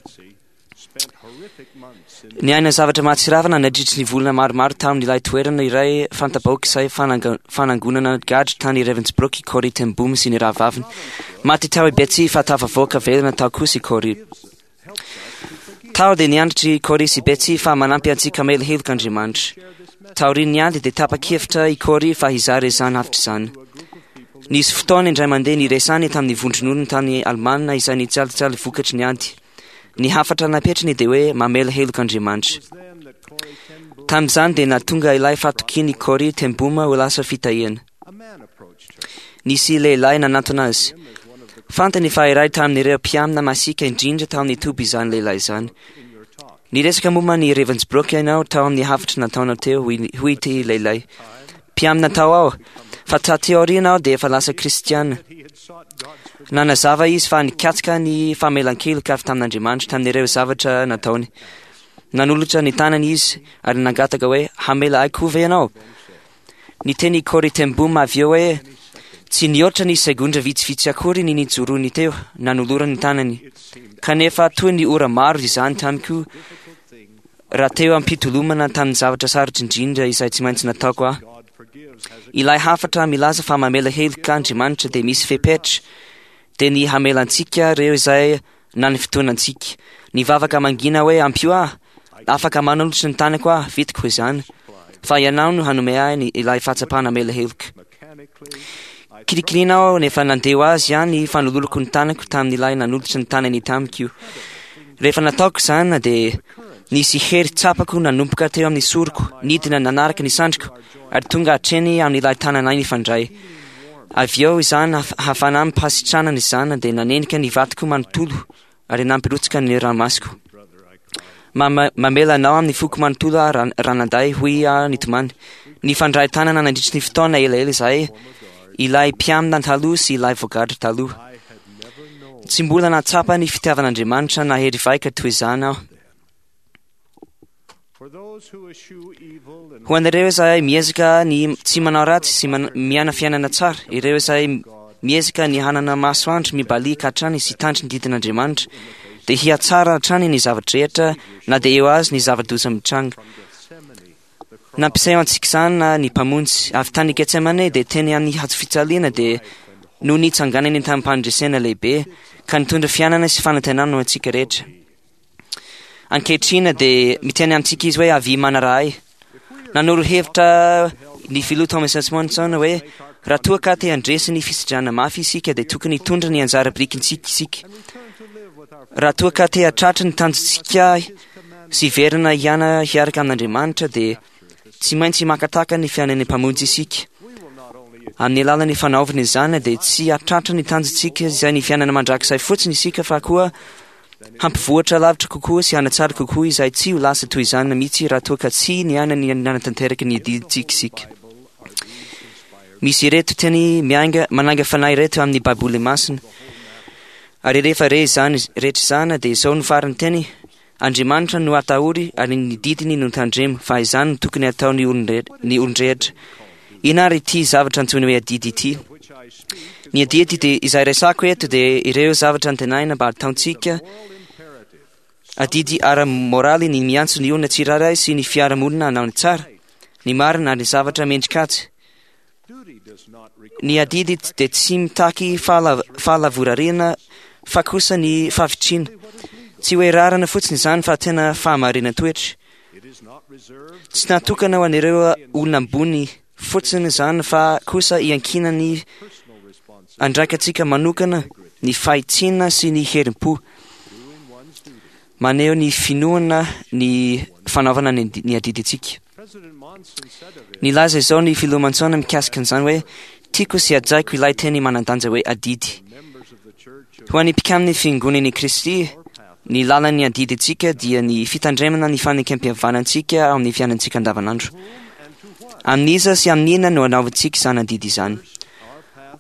Niaina zavatra mahatsiravina nandritry ny volana maromaro tamin'ilay toerana iray fanta-bahoaka izay fanangonana gadra tany Ravensbrück i Corrie ten Boom sy ny rahavaviny. Maty tao i Betsy fa tafavoaka velona tao kosa i Corrie. Tao dia nianatra i Corrie sy Betsy fa manampy antsika hamela heloka Andriamanitra. Taorian'ny ady dia tapa-kevitra i Corrie fa hizara izany hafatra izany. Nisy fotoana indray mandeha niresany tamin'ny vondron'olona tany Alemana izay nijalijaly vokatry ny ady. Ny hafatra napetrany dia hoe mamela heloka Andriamanitra. Tamin'izany dia nahatonga ilay fahatokian'i Corrie ten Boom ho lasa fitahiana. Nisy lehilahy nanantona azy. Fantany fa iray tamin'ireo mpiamina masiaka indrindra tao amin'ny toby izany lehilahy izany. Niresaka momba ny Ravensbrück ianao tao amin'ny hafatra nataonao teo, hoy ity lehilahy. Mpiamina tao aho, fa taty aoriana aho dia efa lasa kristiana. Nanazava izy fa nikatsaka ny famelan-keloka avy tamin'Andriamanitra tamin'ireo zavatra nataony. Nanolotra ny tanany izy ary nangataka hoe, Hamela ahy koa ve ianao? Niteny i Corrie ten Boom avy eo hoe tsy nihoatra ny segondra vitsivitsy akory ny nijoroany teo nanolorany ny tanany. Kanefa toy ny ora maro izany tamiko raha teo am-pitolomana tamin'ny zavatra sarotra indrindra izay tsy maintsy nataoko aho. Ilay hafatra milaza fa mamela heloka Andriamanitra dia misy fepetra, dia ny hamela antsika ireo izay nanifotoana antsika. Nivavaka mangina hoe ampio aho, afaka manolotra ny tanako aho, vitako izany, fa ianao no hanome ahy ny ilay fahatsapana hamela heloka. Kirikiriana aho nefa nandeha ho azy ihany fanolorako ny tanako tamin'ilay nanolotra ny tanany tamiko. Rehefa nataoko izany dia nisy hery tsapako nanomboka teo amin'ny soroko, nidina nanaraka ny sandriko ary tonga hatreny amin'ilay tananay nifandray. Avy eo izany hafanam-pahasitranana izany dia nanenika ny vatako manontolo ary nampirotsaka ny ranomasoko. Mamela anao amin'ny foko manontolo aho ranadahy, hoy aho nitomany. Nifandray tanana nandritry ny fotoana elaela izahay, ilay mpiamina taloha sy ilay voagadra taloha. Tsy mbola nahatsapa ny fitiavan'Andriamanitra nahery vaika toy izany aho. Ho an'ireo izay miezaka ny tsy manao ratsy sy miaina fiainana tsara, ireo izay miezaka ny hanana masoandro mibaliaka hatrany sy hitandro ny didin'Andriamanitra, dia hihatsara hatrany ny zava-drehetra na dia eo azy ny zava-doza mitranga. Nampiseho antsika izany ny Mpamonjy. Avy tany Getsemane dia teny amin'ny hazo fijaliana dia no nitsanganany tamim-pandresena lehibe ka nitondra fiainana sy fanantenana ho antsika rehetra. Ankehitriny dia miteny amintsika izy hoe avia manaraha ahy. Nanoro hevitra ny filoha Thomas S. Monson hoe raha toa ka te handresy ny fisidrana mafy isika dia tokony hitondra ny anjara birikintsika isika. Raha toa ka te hahatratra ny tanjontsika sy hiverina hiana hiaraka amin'Andriamanitra dia tsy maintsy makataka ny fiainan'ny Mpamonjy isika. Amin'ny alalan'ny fanaovana izany dia tsy hahatratra ny tanjontsika izay ny fiainana mandrakizay fotsiny isika fa koa hampivoatra lavitra kokoa sy hanatsara kokoa izay tsy ho lasa toy izany mihitsy raha toa ka tsy niaina ny nanatanteraka ny adidintsika isika. Misy ireto teny miainga manainga fanahy ireto amin'ny Baiboly Masina. Ary rehefa re izany rehetra izany dia izao no farany teny, Andriamanitra no atahory ary ny didiny no tandremo, fa izany no tokony hataon'ny olon-drehetra. Inona ary ity zavatra antsoina hoe adidy ity? Ny adidy dia izay resako eto dia ireo zavatra antenaina mba hataontsika, adidy ara-moraly ny miantso ny olona tsirairay sy ny fiarahamonina hanao ny tsara, ny marina ary ny zavatra mendrika-kaja. Ny adidy dia tsy mitaky fahalavorariana fa kosa ny fahavitriana. Tsy hoe rarana fotsiny izany fa tena fahamarinan-toetra. Tsy natokana ho an'ireo olona ambony fotsiny izany fa kosa iankinan'ny andraikantsika manokana ny fahitsiana sy ny herim-po. Maneho ny finoana ny fanaovana ny adidintsika. Nilaza izao ny filoha Monson mikasika an'izany hoe, Tiako sy hajaiko ilay teny manan-danja hoe adidy. Ho an'ny mpikamin'ny Fiangonan'i Kristy, ny lalan'ny adidintsika dia ny fitandremana ny fanekempihavanantsika ao amin'ny fiainantsika andavanandro. Amin'iza sy amin'inona no anaovantsika izany adidy izany?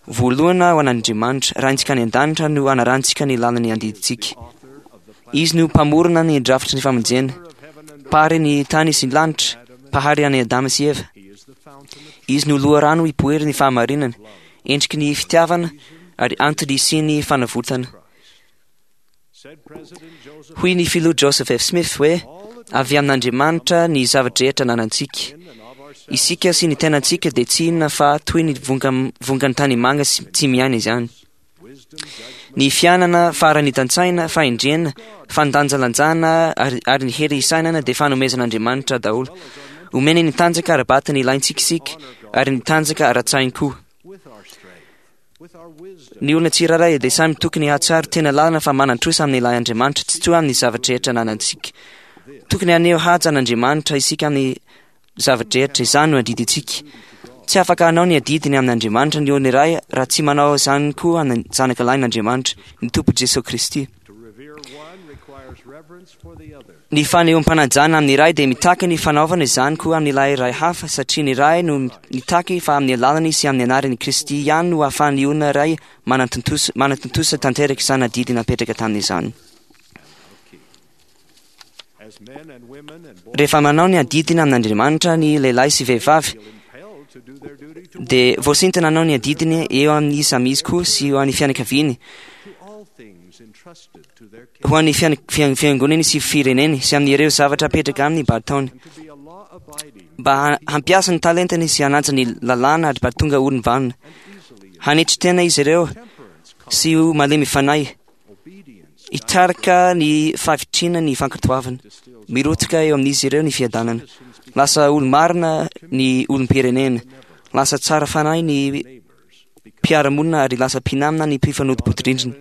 Voalohany ho an'Andriamanitra, Raintsika any an-danitra no anarahantsika ny lalan'ny adidintsika. Izy no mpamorona ny drafitry ny famonjena, mpahary ny tany sy ny lanitra, mpahary an'i Adama sy Eva. Izy no loharano ipoiran'ny ny fahamarinana, endriky ny fitiavana ary antony hisian'ny fanavotana. Hoy ny filoha Joseph F. Smith hoe, Avy amin'Andriamanitra ny zava-drehetra ananantsika. Isika sy ny tenantsika dia tsy inona fa toy ny vongan'ny tanimanga sy tsy miaina izany. Ny fiainana, faharanitan-tsaina, fahendrena, fandanjalanjana ary ny hery hisainana dia fanomezan'Andriamanitra daholo. Omeny ny tanjaka ara-batana ilaintsika isika ary ny tanjaka ara-tsainy koa. Ny olona tsirairay dia samy tokony hahatsiaro tena lalina fa manan-trosa amin'ilay Andriamanitra tsitoha amin'ny zava-drehetra ananantsika. Tokony haneho haja an'Andriamanitra isika amin'ny zava-drehetra, izany no adidintsika. Tsy afaka hanao ny adidiny amin'Andriamanitra ny olona iray raha tsy manao izany koa ny Zanaka Lahin'Andriamanitra, ny Tompo Jesoa Kristy. Ny fanehoam-panajana amin'ny iray dia mitaky ny fanaovana izany koa amin'ilay iray hafa, satria ny Ray no mitaky fa amin'ny alalany sy amin'ny anaran'i Kristy ihany no ahafahan'ny olona iray manatontosa tanteraka izany adidy napetraka taminy izany. Rehefa manao ny adidiny amin'Andriamanitra ny lehilahy sy vehivavy, Dia voasintona hanao ny adidiny eo amin'ny samy izy koa sy ho an'ny fianakaviany, ho an'ny fiangonany sy fireneny sy amin'ireo zavatra apetraka aminy mba hataony, mba hampiasa ny talentany sy hanaja ny lalàna ary mba tonga olom-banona. Hanetry tena izy ireo sy ho malemy fanahy. Hitarika ny fahavitriana ny fankatoavana. Mirotsaka eo amin'izy ireo ny fiadanana. Lasa olo-marina ny olom-pirenena. Lasa tsara fanahy ny mpiara-monina ary lasa mpinamana ny mpifanolo-bodirindrina.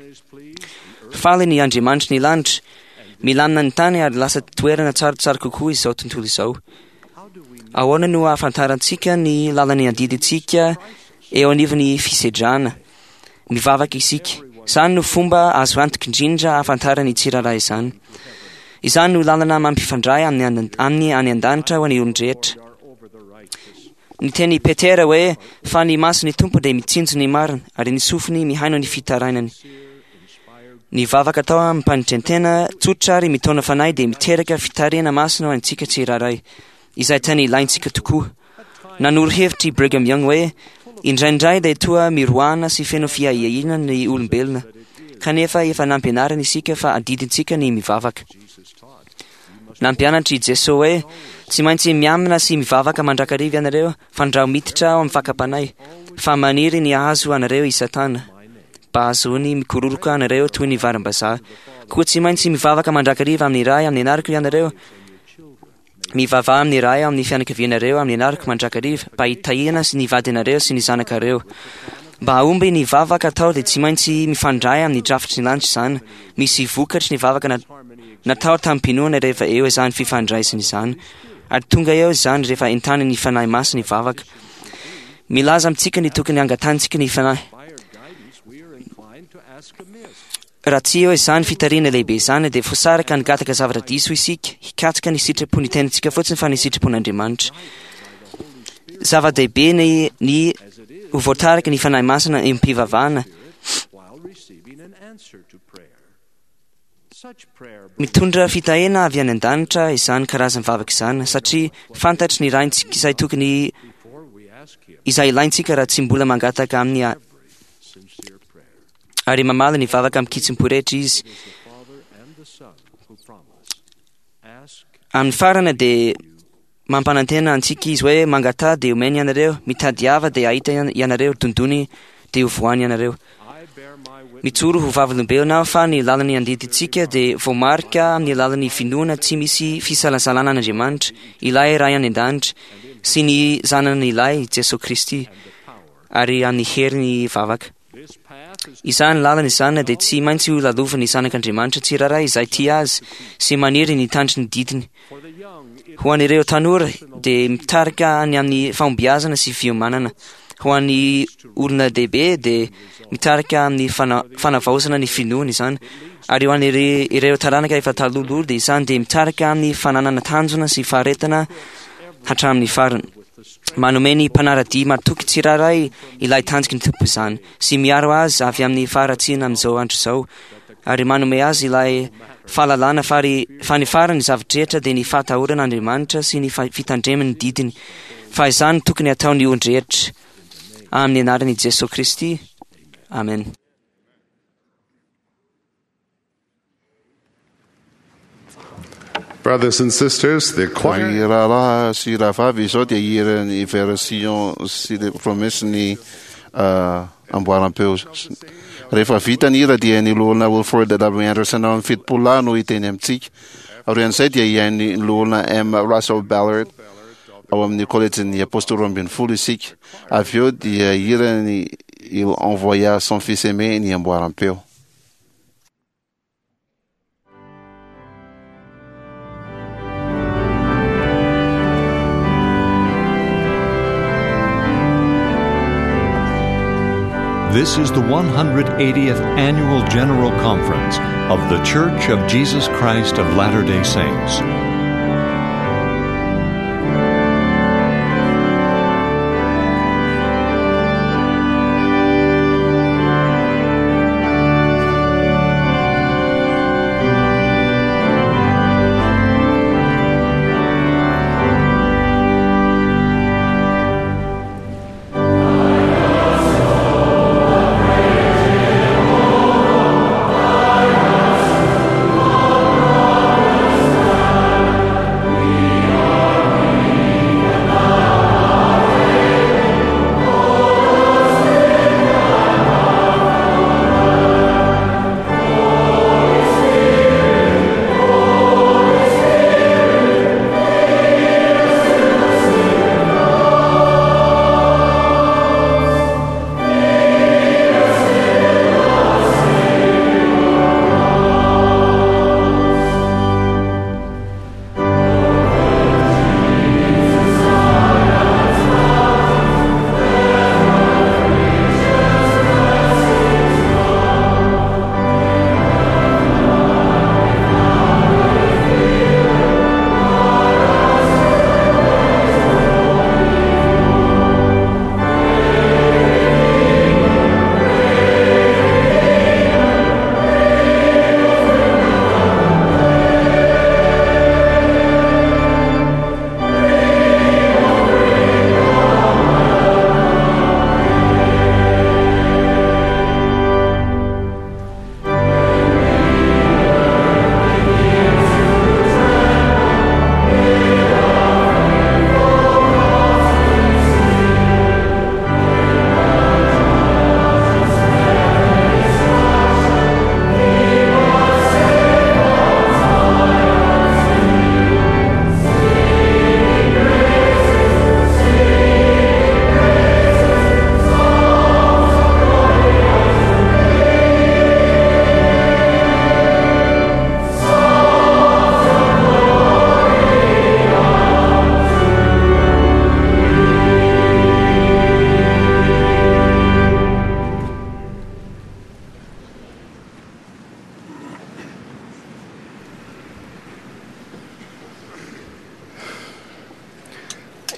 Faly ny Andriamanitry ny lanitra. Milamina ny tany ary lasa toerana tsaratsara kokoa izao tontolo izao. Ahoana no ahafantarantsika ny lalan'ny adidintsika eo anivon'ny fisedrana? Mivavaka isika. Izany no fomba azo antoka indrindra ahafantaran'ny tsirairay izany. Izany no lalana mampifandray amin'ny aminy any an-danitra ho an'ny olon-drehetra. Niteny i Petera hoe, Fa ny mason'ny Tompo dia mitsinjo ny marina, ary ny sofiny mihaino ny fitarainany. Ny vavaka atao amim-panetren-tena tsotra ary mitaona fanahy dia miteraka fitarihana masina ho antsika tsirairay, izay tena ilaintsika tokoa. Nanoro hevitra i Brigham Young hoe, Indraindray dia toa miroana sy feno fiahiahiana ny olombelona, kanefa efa nampianarina isika fa adidintsika ny mivavaka. Nampianatra i Jesoa hoe, Tsy maintsy miamina sy mivavaka mandrakariva ianareo, fandrao miditra ao amin'ny fakam-panahy, fa maniry ny hahazo anareo i Satana, mba hahazoany mikororoka anareo toy ny varim-bazaha. Koa tsy maintsy mivavaka mandrakariva amin'ny Ray amin'ny anarako ianareo, Mivavaha amin'ny Ray ao amin'ny fianakavianareo amin'ny anarako mandrakariva mba hitahiana sy ny vadinareo sy ny zanakareo. Mba hahomby ny vavaka atao dia tsy maintsy mifandray amin'ny drafitry ny lanitra izany. Misy vokatry ny vavaka natao tamim-pinoana rehefa eo izany fifandraisana izany. Ary tonga eo izany rehefa entanin'ny Fanahy Masina ny vavaka. Milaza amintsika ny tokony hangatahantsika ny Fanahy. Raha tsy eo izany fitarihana lehibe izany dia voasaraka hangataka zavatra diso isika, hikatsaka ny sitrapon'ny tenantsika fotsiny fa ny sitrapon'Andriamanitra. Zava-dehibe ny ny ho voatarika ny Fanahy Masina eo am-pivavahana. Mitondra fitahiana avy any an-danitra izany karazan'ny vavaka izany satria fantatry ny Raintsika izay tokony izay ilaintsika raha tsy mbola mangataka aminy ary mamaly ny vavaka amin-kitsim-po rehetra izy. Amin'ny farany dia mampanantena antsika izy hoe mangataha dia omeny ianareo, mitadiava dia hahita ianareo, dondony dia ho voany ianareo. Mijoro ho vavolombelona aho fa ny lalan'ny andidintsika dia voamarika amin'ny alalan'ny finoana tsy misy fisalasalana an'Andriamanitra, ilay Ray any an-danitra, sy ny Zanany ilay, Jesoa Kristy, ary amin'ny herin'ny vavaka. Izany lalana izany dia tsy maintsy ho lalovan'ny zanak'Andriamanitra tsirairay izay tia Azy sy maniry ny hitandro ny didiny. Ho an'ireo tanora dia mitarika any amin'ny fahombiazana sy fiomanana. Ho an'ny olona lehibe dia mitarika amin'ny fanavaozana ny finoana izany. Ary ho an'ireo taranaka efa talohaloha dia izany dia mitarika amin'ny fananana tanjona sy faharetana hatramin'ny farany. Manome ny mpanara-dia matoky tsirairay ilay tanjoky ny Tompo izany, sy miaro azy avy amin'ny faharatsiana amin'izao andro izao, ary manome azy ilay fahalalana fa ry fa ny farany zava-drehetra dia ny fahatahorana Andriamanitra sy ny fitandremany ny didiny, fa izany tokony hataon'ny olon-drehetra. Amin'ny anaran'i Jesoa Kristy. Amen. Brothers and sisters, the choir. Ry rahalahy sy rahavavy, izao dia hiran'ny version sy le promesse ny amboaram-peo. Rehefa vita ny hira dia ny loholona Wilford W. Anderson ao amin'ny 70 lahy no hiteny amintsika. Aorian'izay dia hihaino ny loholona M. Russell Ballard ao amin'ny kolejin'ny Apostoly 12 isika. Avy eo dia hiran'ny Il envoya son fils aimé ny amboaram-peo. This is the 180th Annual General Conference of The Church of Jesus Christ of Latter day Saints.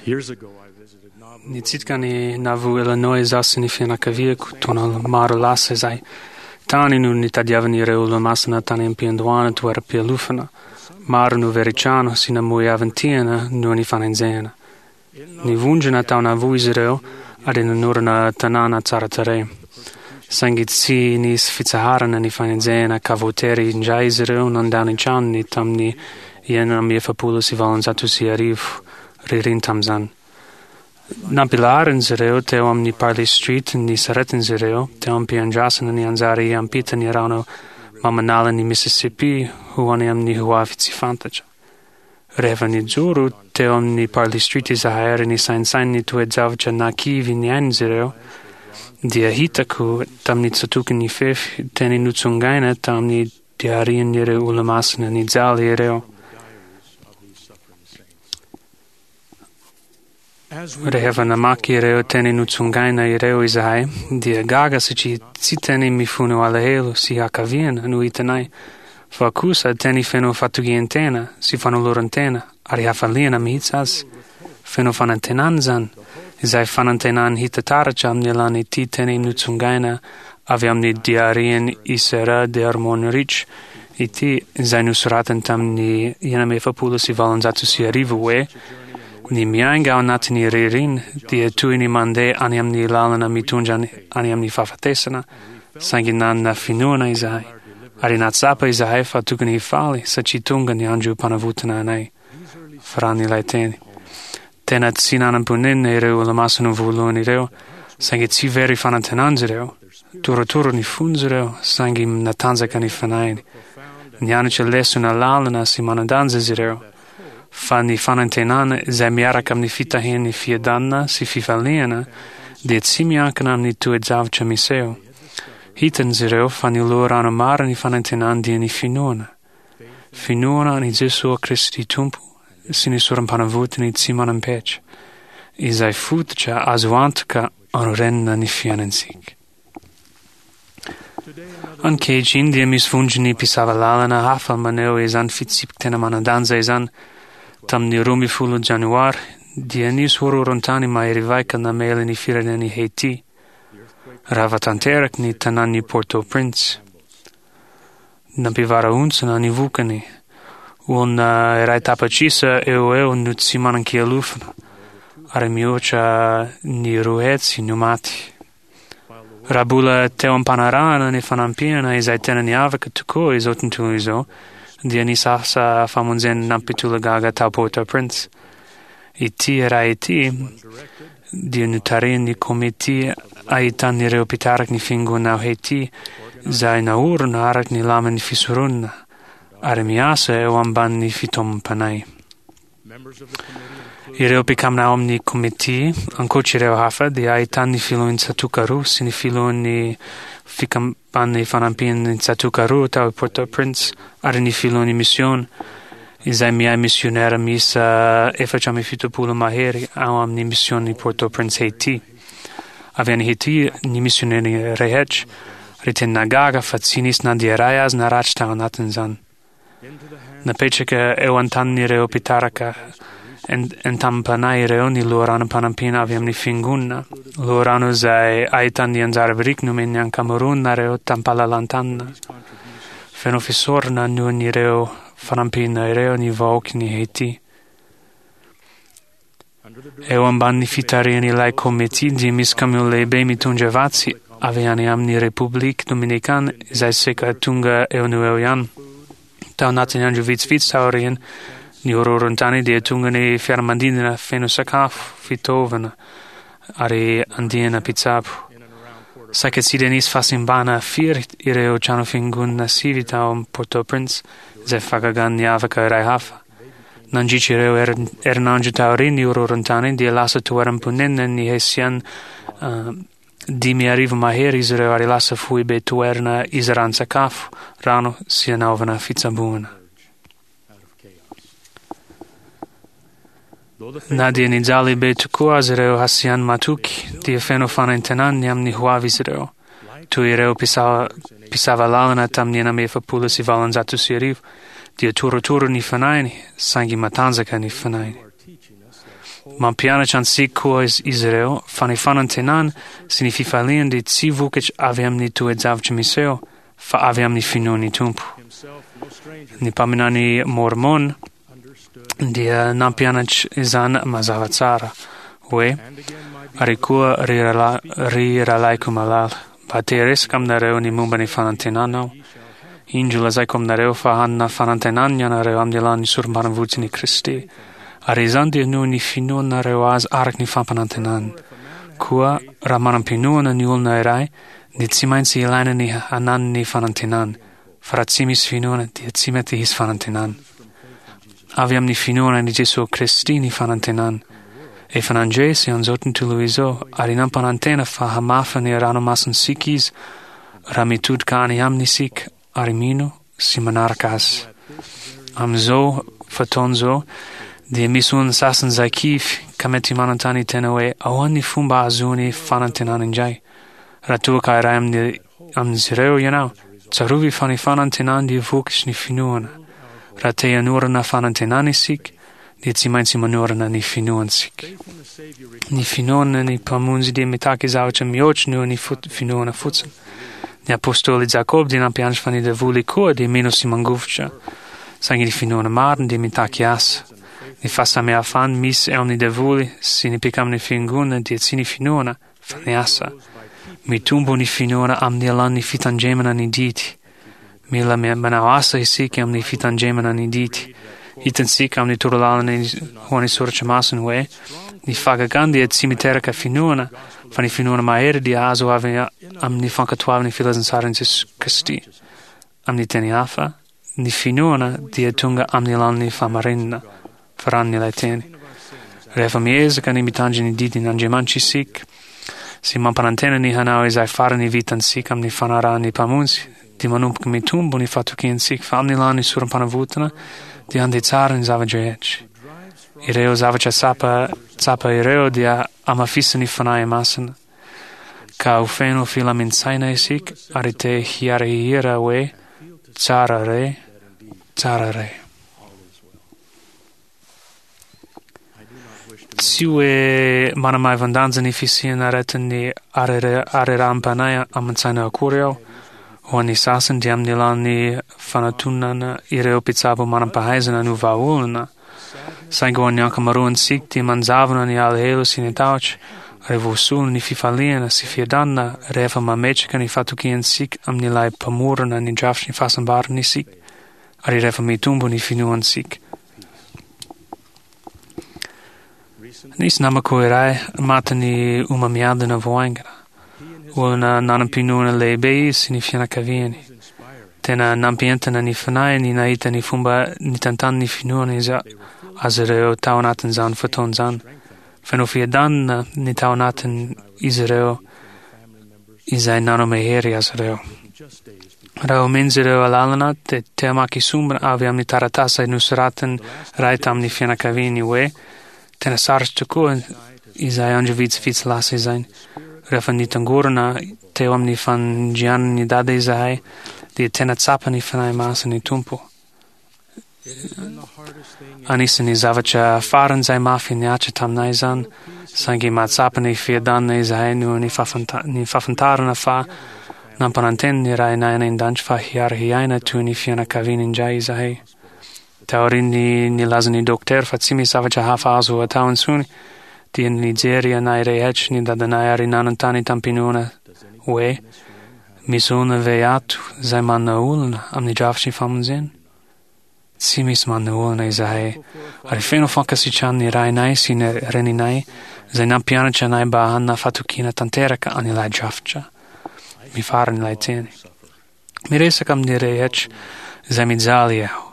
Nitsidika an'i Nauvoo, Illinois izaho sy ny fianakaviako taona maro lasa izay. Tany no nitadiavan'ireo Olomasina tany am-piandohana toeram-pialofana. Maro no very trano sy namoy havan-tiana noho ny fanenjehana. Nivondrona tao Nauvoo izy ireo ary nanorina tanàna tsara tarehy. Saingy tsy nisy fitsaharana ny fanenjehana ka voatery indray izy ireo nandao ny tranony tamin'ny 1846, ririny tamin'izany. Nampilaharin'izy ireo teo amin'ny Parley Street ny saretin'izy ireo teo am-piandrasana ny anjara hiampita ny rano mamanalan'i Mississippi ho any amin'ny hoavy tsy fantatra. Rehefa nijoro teo amin'ny Parley Street izahay ary nisaintsaina ny toe-javatra nahakivy niainan'izy ireo, dia hitako tamin'ny tsatoky ny fefy teny notsongaina tamin'ny diarian'ireo Olomasina nijaly ireo. Rehefa namaky ireo teny notsongaina ireo izahay, dia gaga satria tsy teny mifono alahelo sy hakaviana no hitanay, fa kosa teny feno fatokian-tena sy fanoloran-tena ary hafaliana mihitsy aza. Feno fanantenana izany, izay fanantenana hita taratra amin'ny alalan'ity teny notsongaina avy amin'ny diarian'i Sarah Dearmon Rich ity, izay nosoratany tamin'ny 1846 hoe, Ny miainga ao anatin'ny ririna dia toy ny mandeha any amin'ny lalana mitondra any amin'ny fahafatesana, saingy nanana finoana izahay, ary nahatsapa izahay fa tokony hifaly satria tonga ny androm-panavotana anay. Faran'ilay teny. Tena tsy nanam-ponenana ireo Olomasina voalohany ireo, saingy tsy very fanantenana izy ireo. Torotoro ny fon'izy ireo, saingy natanjaka ny fanahiny. Nianatra lesona lalina sy manan-danja izy ireo, fa ny fanantenana izay miaraka amin'ny fitahian'ny fiadanana sy fifaliana dia tsy miankina amin'ny toe-javatra miseho. Hitan'izy ireo fa ny loharano marin'ny fanantenana dia ny finoana. Finoana an'i Jesoa Kristy Tompo sy ny sorom-panavotany tsy manam-petra, izay fototra azo antoka anorenana ny fiainantsika. Ankehitriny dia misy vondron'ny mpisava lalana hafa maneho izany fitsipika tena manan-danja izany. Tamin'ny 12 Janoary, dia nisy horohoron-tany mahery vaika namely ny firenen'i Haiti. Rava tanteraka ny tanàn'i Port-au-Prince. Nampivarahontsana ny vokany. Olona iray tapitrisa eo ho eo no tsy manan-kialofana, ary mihoatra ny 200 no maty. Raha mbola teo am-panarahana ny fanampiana izay tena niavaka tokoa izao tontolo izao, dia nisy asa famonjena nampitolagaga tao Port-au-Prince. Ity iray ity dia notarihin'ny komity ahitan'ireo mpitariky ny Fiangonana ao Haiti izay naorina araka ny lamin'ny fisoronana ary miasa eo ambanin'ny fitaomam-panahy. Ireo mpikambana ao amin'ny komity, ankoatra ireo hafa, dia ahitan'ny filohan'ny tsatòka roa sy ny filohan'ny Fikambanan'ny Fanampian'ny Tsatòka roa tao Port-au-Prince ary ny filohan'ny misiôna, izay miahy misiônera miisa 74 mahery ao amin'ny misiôn'i Port-au-Prince Haiti. Avy any Haiti ny misiônera rehetra, ary tena nahagaga fa tsy nisy na dia iray aza naratra tao anatin'izany. Napetraka eo an-tanin'ireo mpitaraka entam-panahy ireo ny loharanom-panampiana avy amin'ny Fiangonana, loharano izay ahitana ny anjara biriky nomen'ny ankamaroanareo tamim-pahalalan-tanana. Feno fisaorana noho ireo fanampiana ireo ny vahoakan'i Haiti. Eo ambanin'ny fitarihan'ilay komity dia misy kamiao lehibe mitondra vatsy avy any amin'ny République Dominicane izay saika tonga eo no eo ihany. Tao anatin'ny andro vitsivitsy taorian' ny horohoron-tany dia tonga ny fiaramanidina feno sakafo, fitaovana ary andiana mpitsabo. Saika tsy dia nisy fahasimbana firy ireo trano fiangonana sivy tao Port-au-Prince izay fahagagana niavaka iray hafa. Nandritra ireo herinandro taorian'ny horohoron-tany dia lasa toeram-ponenana ny Hessian 5000 mahery izy ireo ary lasa foibe toerana izaran-tsakafo, rano sy anaovana fitsaboana. Na dia nijaly be tokoa aza ireo Hessian matoky dia feno fanantenana ny amin'ny hoavy izy ireo. Toy ireo mpisava lalana tamin'ny 1846 dia torotoro ny fanahiny, saingy matanjaka ny fanahiny. Mampianatra antsika koa izy ireo fa ny fanantenana sy ny fifaliana dia tsy vokatra avy amin'ny toe-javatra miseho fa avy amin'ny finoan'ny Tompo. Ny mpaminany Môrmôna dia nampianatra izany mazava tsara hoe, Ary koa, ry rahalahy, ry rahalahiko malala, mba te hiresaka aminareo ny momba ny fanantenana aho. Indro lazaiko aminareo fa hanana fanantenana ianareo amin'ny alalan'ny sorom-panavotsin'i Kristy, ary izany dia noho ny finoanareo Azy araka ny fampanantenany. Koa raha manam-pinoana ny olona iray, dia tsy maintsy ilaina ny hananany fanantenana, fa raha tsy misy finoana dia tsy mety hisy fanantenana. Avy amin'ny finoana an'i Jesoa Kristy ny fanantenana. Efa nandresy an'izao tontolo izao ary nampanantena fa hamafa ny ranomasintsika Izy raha mitodika any Aminy isika ary mino sy manaraka Azy. Amin'izao fotoana izao dia misy olona sasany izay kivy ka mety manontany tena hoe ahoana ny fomba ahazoany fanantenana indray. Raha toa ka iray amin'ny amin'izy ireo ianao, tsarovy fa ny fanantenana dia vokatry ny finoana. Raha te hanorina fanantenana isika, dia tsy maintsy manorina ny finoantsika. Ny finoana ny Mpamonjy dia mitaky zavatra mihoatra noho ny finoana fotsiny. Ny apostoly Jakoba dia nampianatra fa ny devoly koa dia mino sy mangovitra. Saingy ny finoana marina dia mitaky asa. Ny fahasamihafana misy eo amin'ny devoly sy ny mpikamban'ny fiangonana dia tsy ny finoana, fa ny asa. Mitombo ny finoana amin'ny alalan'ny fitandremana ny didy. Mila manao asa isika amin'ny fitandremana ny didy. Hitantsika amin'ny torolalana ho an'ny soratra masina hoe ny fahagagana dia tsy miteraka finoana, fa ny finoana mahery dia azo avy amin'ny fankatoavan'ny filazantsaran'i Jesoa Kristy. Amin'ny teny hafa, ny finoana dia tonga amin'ny alalan'ny fahamarinana, faran'ilay teny. Rehefa miezaka ny mitandrina ny didin'Andriamanitra isika, sy mampanantena ny hanao izay farany vitantsika amin'ny fanarahan'ny Mpamonjy, dia manomboka mitombo ny fatokiantsika fa amin'ny alalan'ny sorom-panavotana dia handeha tsara ny zava-drehetra. Ireo zavatra tsapa tsapa ireo dia hamafisin'ny Fanahy Masina, ka ho feno filamin-tsaina isika ary te hiara-hihira hoe, Tsara re, tsara re. Tsy hoe manamaivan-danja ny fisian'ny aretin'ny harerahan-panahy aman-tsaina akory aho. Ho an'ny sasany dia amin'ny alalan'ny fanatonana ireo mpitsabo manam-pahaizana no vahaolana. Saingy ho an'ny ankamaroantsika dia manjavona ny alahelo sy ny tahotra ary voasolo ny fifaliana sy fiadanana rehefa mametraka ny fatokiantsika amin'ilay Mpamorona ny drafitry ny fahasambarana isika. ary rehefa mitombo ny finoantsika. Nisy namako iray matin'ny homamiadana vao haingana. Olona nanam-pinoana lehibe izy sy ny fianakaviany. Tena nampientana ny fanahiny nahita ny fomba nitantanany ny finoana izy azy ireo tao anatin'izany fotoana izany. Feno fiadanana ny tao anatin'izy ireo izay nanome hery azy ireo. Raha omen'izy ireo alalana, dia te hamaky sombina avy amin'ny taratasy nosoratan'ny ray tamin'ny fianakaviany hoe, Tena sarotra tokoa izay andro vitsivitsy lasa izay. Rehefa nitangorona teo amin'ny fandrianan'i Dada izahay, dia tena tsapa ny Fanahy Masin'ny Tompo. Anisan'ny zavatra faran'izay mafy nihatra taminay izany, saingy mahatsapa ny fiadanana izahay noho ny ny fahafantarana fa nampanantena ny Rainay any An-danitra fa hiara-hiaina toy ny fianakaviana indray izahay. Taorian'ny nilazan'ny dokotera fa tsy misy zavatra hafa azo atao intsony, dia nijery anay rehetra ny dadanay ary nanontany tamim-pinoana hoe, Misy olona ve ato izay manana olana amin'ny drafitry ny famonjena? Tsy misy manana olana izahay, ary feno fankasitrahana ny rainay sy ny reninay izay nampianatra anay mba hanana fatokiana tanteraka an'ilay drafitra. Mifarana ilay teny. Miresaka amin'ny rehetra izay mijaly aho,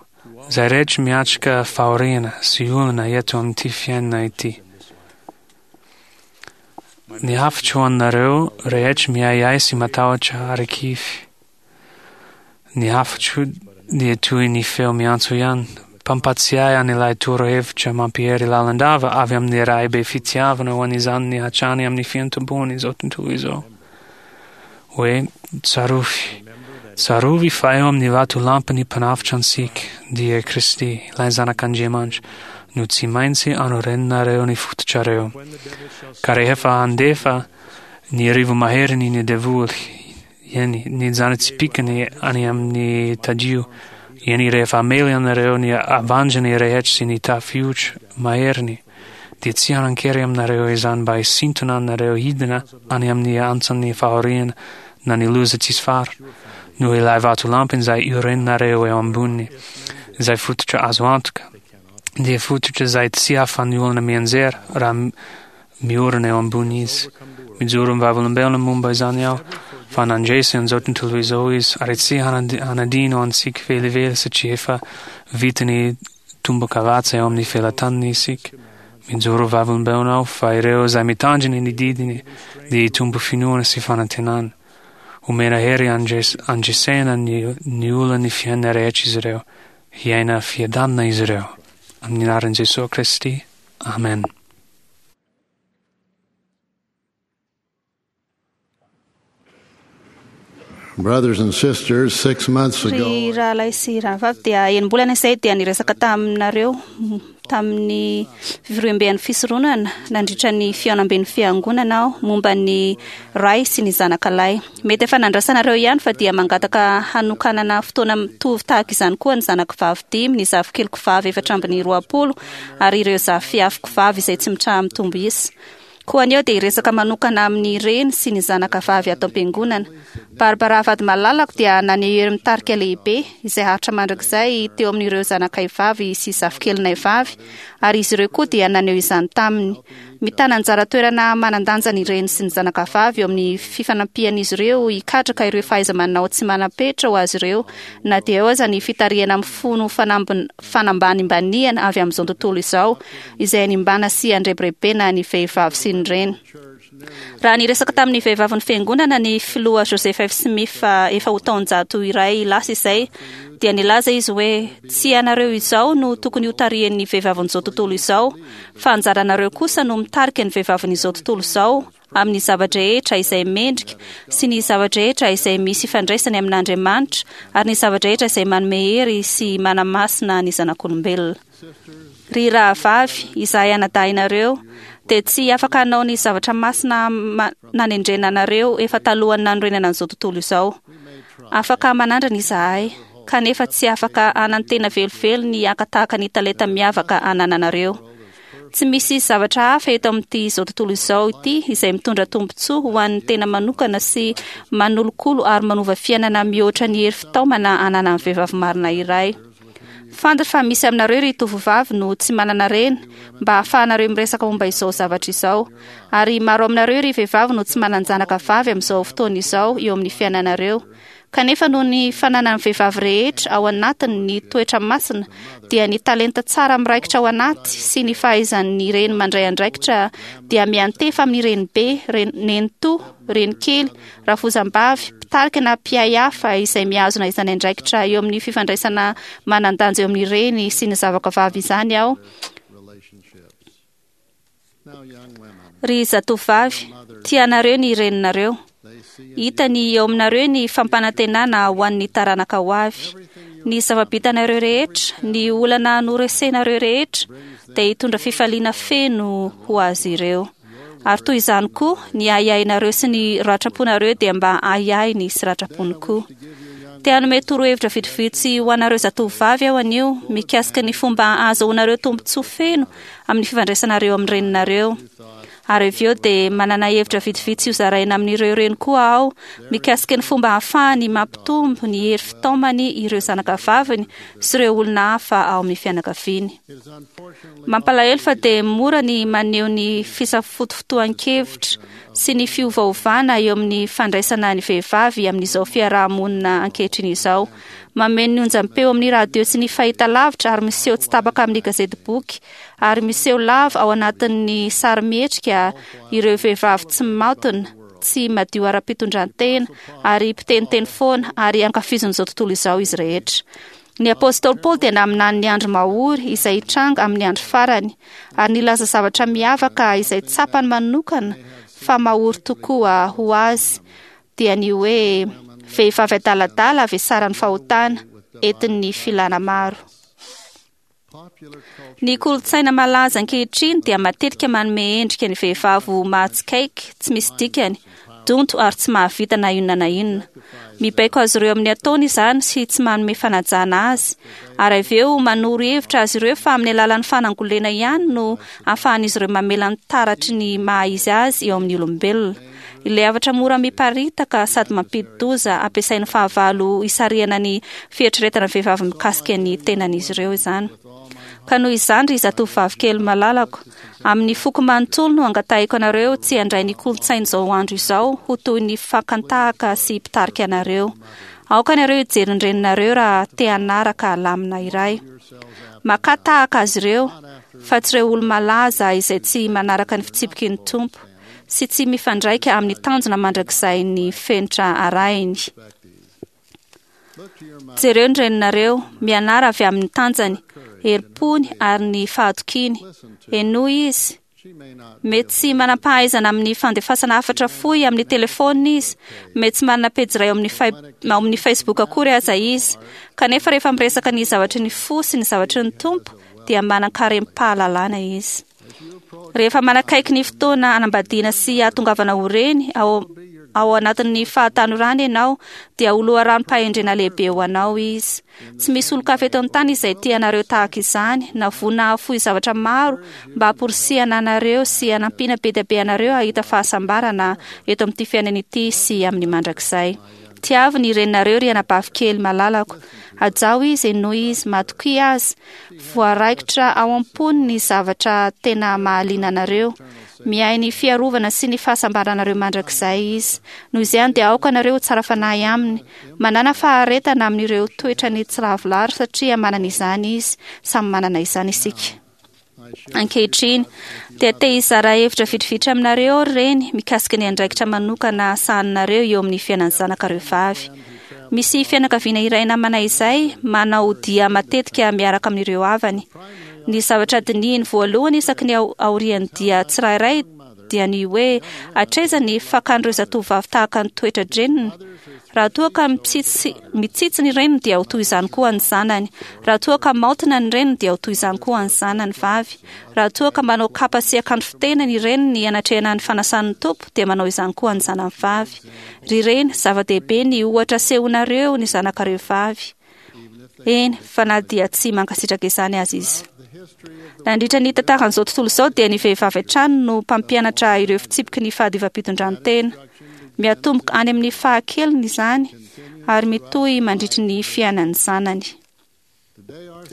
izay rehetra miatrika fahoriana sy olana eto amin'ity fiainana ity. Ny hafatro ho anareo rehetra miahiahy sy matahotra ary kivy. Ny hafatro dia toy ny feo miantso ihany, mpampatsiahy an'ilay torohevitra mampihery lalandava avy amin'ny Ray be fitiavana ho an'izany hatrany amin'ny fiantombohan'izao tontolo izao. Hoe, Tsarovy, tsarovy fa eo amin'ny vatolampy ny Mpanavotra antsika, dia Kristy, ilay Zanak'Andriamanitra. no tsy maintsy anorenanareo ny fototrareo. Ka rehefa handefa ny rivo-maheriny ny devoly, eny, ny zana-tsipìkany any amin'ny tadio, eny, rehefa hamely anareo ny avandrany rehetra sy ny tafiotra maheriny, dia tsy hanan-kery aminareo izany mba hisintona anareo hidina any amin'ny antsan'ny fahoriana na ny loza tsisy fara, noho ilay vatolampy izay iorenanareo eo amboniny, izay fototra azo antoka, dia fototra izay tsy ahafahan'ny olona mianjera raha miorina eo ambony izy. Mijoro ho vavolombelona momba izany aho, fa nandresy an'izao tontolo izao izy, ary tsy hanadino antsika velively satria efa vitany tombokavatsa eo amin'ny felatanany isika. Mijoro ho vavolombelona aho fa ireo izay mitandrina ny didiny dia hitombo finoana sy fanantenana. Homena hery handresena ny olan'ny fiainana rehetra izy ireo. Hiaina fiadanana izy ireo. Amin'ny anaran'i Jesoa Kristy, Amen. Brothers and sisters, six months ago. Ry rahalahy sy rahavavy dia enim-bolana izay dia niresaka taminareo tamin'ny fivoriamben'ny fisoronana nandritra ny fihaonamben'ny fiangonana aho momba ny ray sy ny zanaka lahy. Mety efa nandrasanareo ihany fa dia mangataka hanokanana fotoana mitovy tahaka izany koa ny zanako vavy dimy, ny zafikeliko vavy 24 ary ireo zafiafiko vavy izay tsy mitraha-mitombo isa. Koa anio dia hiresaka manokana amin'ny reny sy ny zanaka vavy ato am-piangonana. Barbara vady malalako dia naneho hery mitarika lehibe izay haharitra mandrakizay teo amin'ireo zanakay vavy sy zafikelinay vavy, ary izy ireo koa dia naneho izany taminy. Mitana anjara toerana manan-danja ny reny sy ny zanaka vavy eo amin'ny fifanampian'izy ireo hikatraka ireo fahaiza-manao tsy manam-petra ho azy ireo, na dia eo aza ny fitarihana mifono fanambanimbaniana avy amin'izao tontolo izao, izay hanimbana sy handrebirebena ny vehivavy sy ny reny. Raha niresaka tamin'ny vehivavin'ny Fiangonana ny Filoha Joseph F. Smith efa ho taonjato iray lasa izay, dia nilaza izy hoe, Tsy ianareo izao no tokony hotarihin'ny vehivavin'izao tontolo izao, fa anjaranareo kosa no mitarika ny vehivavin'izao tontolo izao amin'ny zava-drehetra izay mendrika sy ny zava-drehetra izay misy ifandraisany amin'Andriamanitra ary ny zava-drehetra izay manome hery sy manamasina ny zanak'olombelona. Ry rahavavy, izahay anadahinareo dia tsy afaka hanao ny zavatra masina nanendrena anareo efa talohan'ny nanorenana an'izao tontolo izao. Afaka manandrana izahay, kanefa tsy afaka hanantena velively ny haka tahaka ny talenta miavaka anananareo. Tsy misy zavatra hafa eto amin'ity izao tontolo izao ity izay mitondra tombontsoa ho an'ny tena manokana sy manolokolo ary manova fiainana mihoatra ny hery fitaomana ananan'ny vehivavy marina iray. Fantatra fa misy aminareo ry tovovavy no tsy manana reny mba hahafahanareo miresaka momba izao zavatra izao. Ary maro aminareo ry vehivavy no tsy manan-janaka vavy amin'izao fotoana izao eo amin'ny fiainanareo. Kanefa noho ny fananan'ny vehivavy rehetra ao anatiny ny toetra masina, dia ny talenta tsara miraikitra ao anaty sy ny fahaizan'ny reny mandray andraikitra dia miantefa amin'ny renibe, nenitoa, renikely, rafozam-bavy, mpitarika na mpiahy hafa izay mihazona izany andraikitra eo amin'ny fifandraisana manan-danja eo amin'ny reny sy ny zavaka vavy izany aho. Ry zatovovavy, tia anareo ny reninareo. Hitany eo aminareo ny fampanantenana ho an'ny taranaka ho avy. Ny zava-bitanareo rehetra, ny olana noresenareo rehetra, dia hitondra fifaliana feno ho azy ireo. Ary toy izany koa, ny ahiahinareo sy ny ratram-ponareo dia mba ahiahiny sy ratram-pony koa. Te hanome torohevitra vitsivitsy ho anareo zatovovavy aho anio mikasika ny fomba ahazahoanareo tombontsoa feno amin'ny fifandraisanareo amin'ny reninareo. Ary avy eo dia manana hevitra vitsivitsy hozaraina amin'ireo reny koa aho mikasika ny fomba ahafahany mampitombo ny hery fitaomany ireo zanakavaviny sy ireo olona hafa ao amin'ny fianakaviany. Mampalahelo fa dia mora ny maneho ny fisafotofotoan-kevitra sy ny fiovaovana eo amin'ny fandraisana ny vehivavy amin'izao fiaraha-monina ankehitriny izao. Mameno ny onjam-peo amin'ny radio sy ny fahitalavitra ary miseho tsy tapaka amin'ny gazetiboky ary miseho lava ao anatin'ny sarimihetsika ireo vehivavy tsy maotina, tsy madio ara-pitondran-tena ary mpiteniteny foana ary ankafizin'izao tontolo izao izy rehetra. Ny apostoly Paoly dia naminany ny andro mahory izay hitranga amin'ny andro farany, ary nilaza zavatra miavaka izay tsapany manokana fa mahory tokoa ho azy, dia ny hoe vehivavy adaladala avesaran'ny fahotana, entin'ny filana maro. Ny kolontsaina malaza ankehitriny dia matetika manome endrika ny vehivavy ho mahatsikaiky, tsy misy dikany, donto ary tsy mahavita na inona na inona. Mibaiko azy ireo amin'ny ataony izany sy tsy manome fanajana azy, ary avy eo manoro hevitra azy ireo fa amin'ny alalan'ny fanangolena ihany no ahafahan'izy ireo mamela ny taratry ny maha izy azy eo amin'ny olombelona. Ilay hafatra mora miparitaka sady mampidi-doza ampiasain'ny fahavalo hisarihana ny fieritreretana vehivavy mikasika ny tenan'izy ireo izany. Ka noho izany, ry zatovovavy kely malalako, amin'ny foko manontolo no angatahiko anareo tsy handray ny kolontsain'izao andro izao ho toy ny fakan-tahaka sy mpitarika anareo. Aoka ianareo hijery ny reninareo raha te hanaraka lamina iray. Makà tahaka azy ireo, fa tsy ireo olo-malaza izay tsy manaraka ny fitsipiky ny Tompo sy tsy mifandraika amin'ny tanjona mandrakizain'ny fenitra arahiny. Jereo ny reninareo, mianara avy amin'ny tanjany, herim-pony ary ny fahatokiany. Henoy izy. Mety tsy manam-pahaizana amin'ny fandefasana hafatra fohy amin'ny telefaonina izy, mety tsy manana pejy iray ao amin'ny ao amin'ny Facebook akory aza izy. Kanefa rehefa miresaka ny zavatry ny fo sy ny zavatry ny Tompo, dia manan-karem-pahalalana izy. Rehefa manakaiky ny fotoana hanambadiana sy hahatongavana ho reny ao ao anatin'ny fahatanorana ianao, dia ho loharanom-pahendrena lehibe ho anao izy. Tsy misy olon-kafa eto an-tany izay tia anareo tahaka izany, na vonona hahafoy zavatra maro mba hamporisihana anareo sy hanampiana be dia be anareo hahita fahasambarana eto amin'ity fiainana ity sy amin'ny mandrakizay. Tiavo ny reninareo ry anabavy kely malalako. Hajao izy, henoy izy, matokia azy. Voaraikitra ao am-pony ny zavatra tena mahaliana anareo. Miahy ny fiarovana sy ny fahasambaranareo mandrakizay izy. Noho izany dia aoka nareo ho tsara fanahy aminy. Manàna faharetana amin'ireo toetrany tsy lavorary satria manana izany izy. Samy manana izany isika. Ankehitriny, dia te hizara hevitra vitrivitry aminareo aho ry reny mikasika ny andraikitra manokana sahaninareo eo amin'ny fiainan'ny zanakareo vavy. Misy fianakaviana iray namana izay manao dia matetika miaraka amin'ireo havany. Ny zavatra dinihiny voalohany isaky ny aorian'ny dia tsirairay dia ny hoe hatraiza ny fakan'ireo zatovovavy tahaka ny toetra-dreniny. Raha toa ka mitsitsy mitsitsy ny reniny dia ho toy izany koa ny zanany. Raha toa ka maotina ny reniny dia ho toy izany koa ny zanany vavy. Raha toa ka manao kapa sy akanjo fitena ny reniny hanatrehana ny fanasan'ny Tompo dia manao izany koa ny zanany vavy. Ry reny, zava-dehibe ny ohatra asehonareo ny zanakareo vavy. Eny, fa na dia tsy mankasitraka izany aza izy. Nandritra ny tantaran'izao tontolo izao dia ny vehivavy hatrany no mpampianatra ireo fitsipiky ny fahadiovam-pitondran-tena. Miatomboka any amin'ny fahakeliny izany ary mitohy mandritry ny fiainan'ny zanany.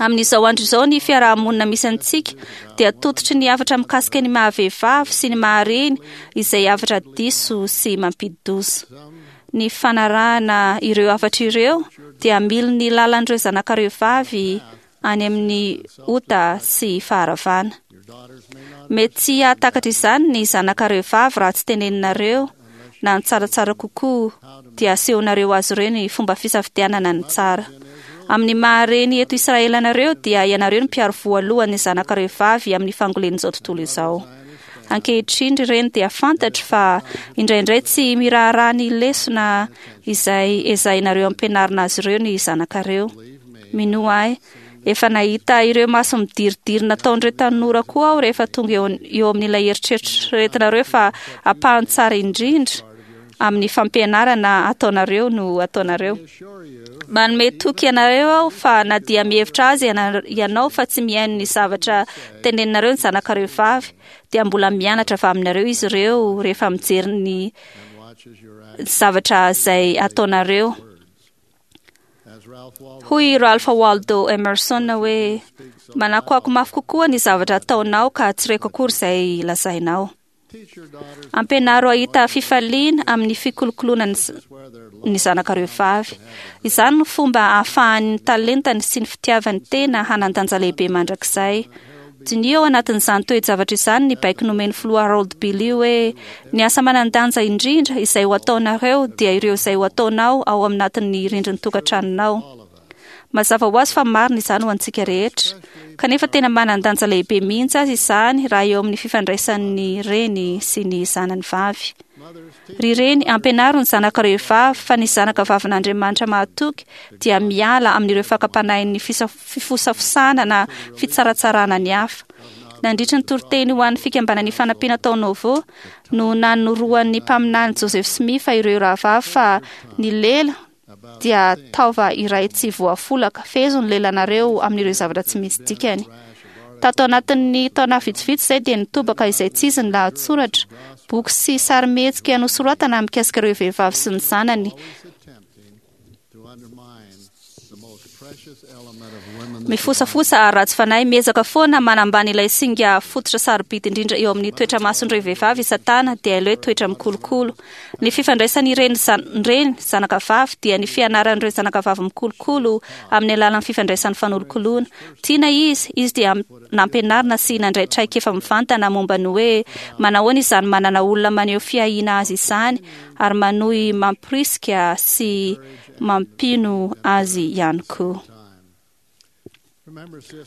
Amin'izao andro izao ny fiaraha-monina misy antsika dia tototry ny hafatra mikasika ny maha-vehivavy sy ny maha-reny izay hafatra diso sy mampidi-doza. Ny fanarahana ireo hafatra ireo dia hamily ny lalan'ireo zanakareo vavy any amin'ny ota sy faharavana. Mety tsy hahatakatra izany ny zanakareo vavy raha tsy teneninareo na ny tsaratsara kokoa dia asehonareo azy ireo ny fomba fisafidianana ny tsara. Amin'ny maha-reny eto Israely anareo dia ianareo no mpiaro voalohany ny zanakareo vavy amin'ny fangolen'izao tontolo izao. Ankehitriny ry reny dia fantatro fa indraindray tsy miraharaha ny lesona izay ezahinareo ampianarina azy ireo ny zanakareo. Minoa ahy, efa nahita ireo maso midiridiry nataon'ireo tanora koa aho rehefa tonga eo eo amin'ilay eritreretinareo fa ampahany tsara indrindra amin'ny fampianarana ataonareo no ataonareo. Manome toky anareo aho fa na dia mihevitra azy ianao fa tsy mihaino ny zavatra teneninareo ny zanakareo vavy, dia mbola mianatra avy aminareo izy ireo rehefa mijery ny zavatra izay ataonareo. Hoy i Ralph Waldo Emerson hoe, Manakoako mafy kokoa ny zavatra ataonao ka tsy reko akory izay lazainao. Ampianaro hahita fifaliana amin'ny fikolokoloana ny zanakareo vavy. Izany no fomba ahafahan'ny talentany sy ny fitiavany tena hanan-danja lehibe mandrakizay. Diniho ao anatin'izany toe-javatra izany ny baiko nomen'ny Filoha Harold B. Lee hoe, Ny asa manan-danja indrindra izay ho ataonareo dia ireo izay ho ataonao ao aminatin'ny rindrin'ny tokantranonao. Mazava ho azy fa marina izany ho antsika rehetra, kanefa tena manan-danja lehibe mihitsy aza izany raha eo amin'ny fifandraisan'ny reny sy ny zanany vavy. Ry reny, ampianaro ny zanakareo vavy fa ny zanaka vavin'Andriamanitra mahatoky dia miala amin'ireo fakam-panahin'ny fifosafosana na fitsaratsarana ny hafa. Nandritra ny toriteny ho an'ny fikambanan'ny fanampiana tao Nauvoo no nanoroan'ny mpaminany Joseph Smith ireo rahavavy fa ny lela dia taova iray tsy voafolaka. Fehezo ny lelanareo amin'ireo zavatra tsy misy dikany. Tato anatin'ny taona vitsivitsy izay dia nitobaka izay tsy izy ny lahatsoratra, boky sy sarimihetsika nosoratana mikasika ireo vehivavy sy ny zanany. Mifosafosa ary ratsy fanahy, miezaka foana manambany ilay singa fototra sarobidy indrindra eo amin'ny toetra mason'ireo vehivavy i Satana, dia ilay hoe toetra mikolokolo. Ny fifandraisan'ireny reny zanaka vavy dia ny fianaran'ireo zanaka vavy mikolokolo amin'ny alalan'ny fifandraisan'ny fanolokoloana. Tiana izy, izy dia nampianarina sy nandray traikefa mivantana momba ny hoe manahoana izany manana olona maneho fiahiana azy izany ary manohy mamporisika sy mampino azy ihany koa.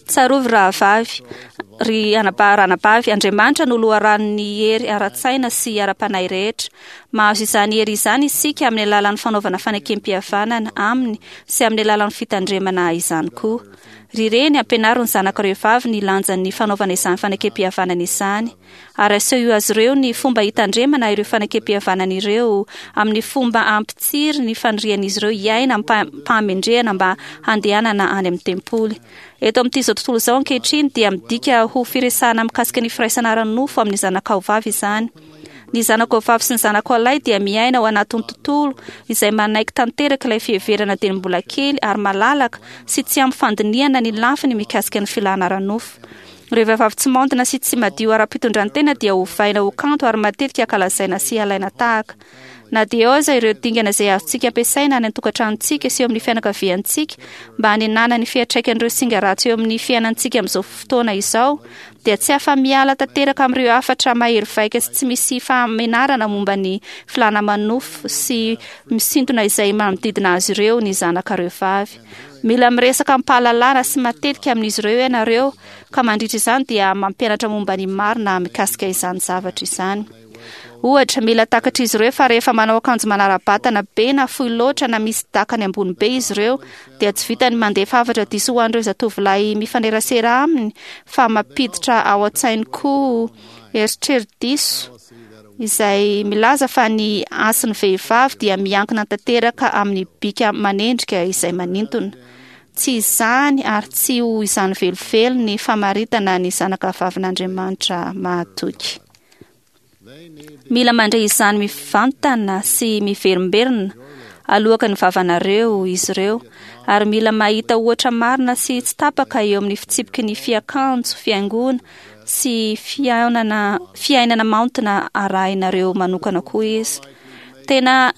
Tsarovy rahavavy, ry anabavy, Andriamanitra no loharanon'ny hery ara-tsaina sy ara-panahy rehetra. Mahazo izany hery izany isika amin'ny alalan'ny fanaovana fanekem-pihavanana aminy sy amin'ny alalan'ny fitandremana izany koa. Ry reny, ampianaro ny zanakareo vavy ny lanjan'ny fanaovana izany fanekem-pihavanana izany. Ary asehoy azy ireo ny fomba hitandremana ireo fanekem-pihavanana ireo amin'ny fomba hampitsiry ny fanirian'izy ireo hiaina amim-pahamendrehana mba handehanana any amin'ny tempoly. Eto amin'ity izao tontolo izao ankehitriny dia midika ho firesahana mikasika ny firaisana ara-nofo amin'ny zanakao vavy izany. Ny zanakao vavy sy ny zanakao lahy dia miaina ao anatin'ny tontolo izay manaiky tanteraka ilay fiheverana dieny mbola kely ary malalaka sy tsy ampy fandinihana ny lafiny mikasika ny filàna ara-nofo. Ireo vehivavy tsy maontina sy tsy madio ara-pitondran-tena dia ovaina ho kanto ary matetika ankalazaina sy alaina tahaka. Na dia eo aza ireo dingana izay azontsika ampiasaina any an-tokantranontsika sy eo amin'ny fianakaviantsika mba hanenana ny fiantraikan'ireo singa ratsy eo amin'ny fiainantsika amin'izao fotoana izao, dia tsy afa-miala tanteraka amin'ireo hafatra mahery vaika sy tsy misy fahamenarana momba ny filàna manofo sy misintona izay manodidina azy ireo ny zanakareo vavy. Mila miresaka amim-pahalalana sy matetika amin'izy ireo ianareo, ka mandritra izany dia mampianatra momba ny marina mikasika izany zavatra izany. Ohatra, mila takatr'izy ireo fa rehefa manao akanjo manara-batana be na fohy loatra na misy dakany ambony be izy ireo, dia tsy vitan'ny mandefa hafatra diso ho an'ireo zatovolahy mifanerasera aminy fa mampiditra ao an-tsainy koa eritreri-diso izay milaza fa ny hasin'ny vehivavy dia miankina tanteraka amin'ny bika manendrika izay manintona. Tsy izany ary tsy ho izany velively ny famaritana ny zanaka vavin'Andriamanitra mahatoky. Mila mandre izany mivantana sy miverimberina aloaka ny vavanareo izy ireo, ary mila mahita ohatra marina sy tsy tapaka eo amin'ny fitsipiky ny fiakanjo, fihaingoana sy fihaonana, fiainana maontina arahinareo manokana koa izy. Tena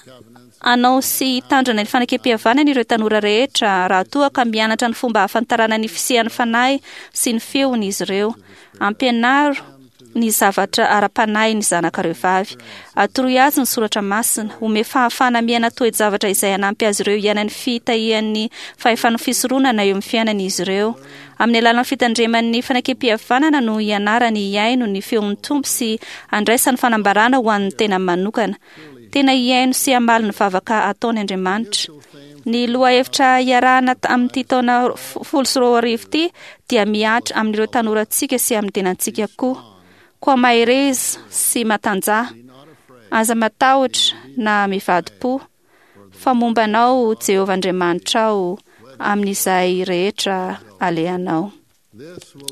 Hanao sy hitandrina ny fanekem-pihavanana ireo tanora rehetra raha toa ka mianatra ny fomba hahafantarana ny fisian'ny Fanahy sy ny feony izy ireo. Ampianaro ny zavatra ara-panahy ny zanakareo vavy. Atoroy azy ny soratra masina. Omeo fahafahana miaina toe-javatra izay hanampy azy ireo hiaina ny fitahian'ny fahefan'ny fisoronana eo amin'ny fiainany izy ireo. Amin'ny alalan'ny fitandreman'ny fanekem-pihavanana no hianarany hihaino ny feon'ny Tompo sy handraisany fanambarana ho an'ny tenany manokana. Tena hihaino sy hamaly ny vavaka ataony Andriamanitra. Ny lohahevitra iarahana amin'ity taona 2010 ity dia mihatra amin'ireo tanorantsika sy amin'ny tenantsika koa. Koa mahereza sy matanjaha. Aza matahotra na mivadi-po, fa momba anao Jehovah Andriamanitrao amin'izay rehetra alehanao.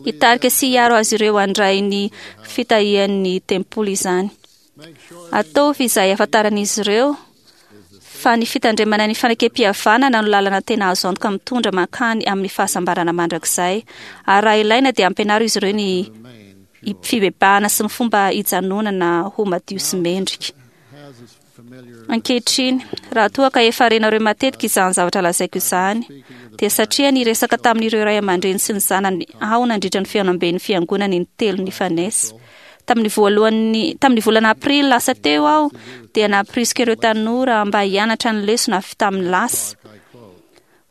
Hitarika sy hiaro azy ireo handray ny fitahian'ny tempoly izany. Ataovy izay hahafantaran'izy ireo fa ny fitandremana ny fanekem-pihavanana no lalana tena azo antoka mitondra mankany amin'ny fahasambarana mandrakizay. Ary raha ilaina dia ampianaro izy ireo ny fibebahana sy ny fomba hijanonana ho madio sy mendrika. Ankehitriny, raha toa ka efa renareo matetika izany zavatra lazaiko izany, dia satria niresaka tamin'ireo ray aman-dreny sy ny zanany aho nandritra ny fihaonamben'ny fiangonana intelo nifanesy. Tamin'ny voalohan'ny, tamin'ny volana aprily lasa teo aho dia nampirisika ireo tanora mba hianatra ny lesona avy tamin'ny lasa.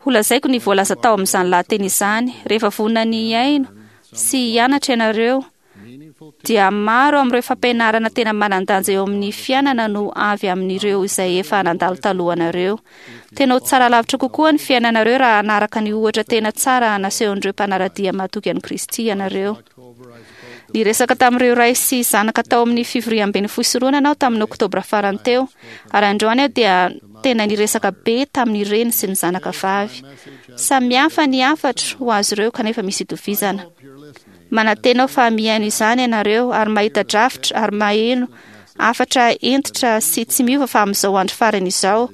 Holazaiko ny voalaza tao amin'izany lahateny izany, rehefa vonona ny hihaino sy hianatra ianareo, dia maro amin'ireo fampianarana tena manan-danja eo amin'ny fiainana no avy amin'ireo izay efa nandalo talohanareo. Tena ho tsara lavitra kokoa ny fiainanareo raha hanaraka ny ohatra tena tsara nasehon'ireo mpanara-dia mahatoky an'i Kristy ianareo. Niresaka tamin'ireo ray sy zanaka tao amin'ny fivoriamben'ny fisoronana aho tamin'ny oktobra farany teo, ary androany aho dia tena niresaka be tamin'ny reny sy ny zanaka vavy. Samy hafa ny hafatro ho azy ireo kanefa misy itovizana. Manantena aho fa mihaino izany ianareo ary mahita drafitra ary maheno hafatra hentitra sy tsy miova fa amin'izao andro farany izao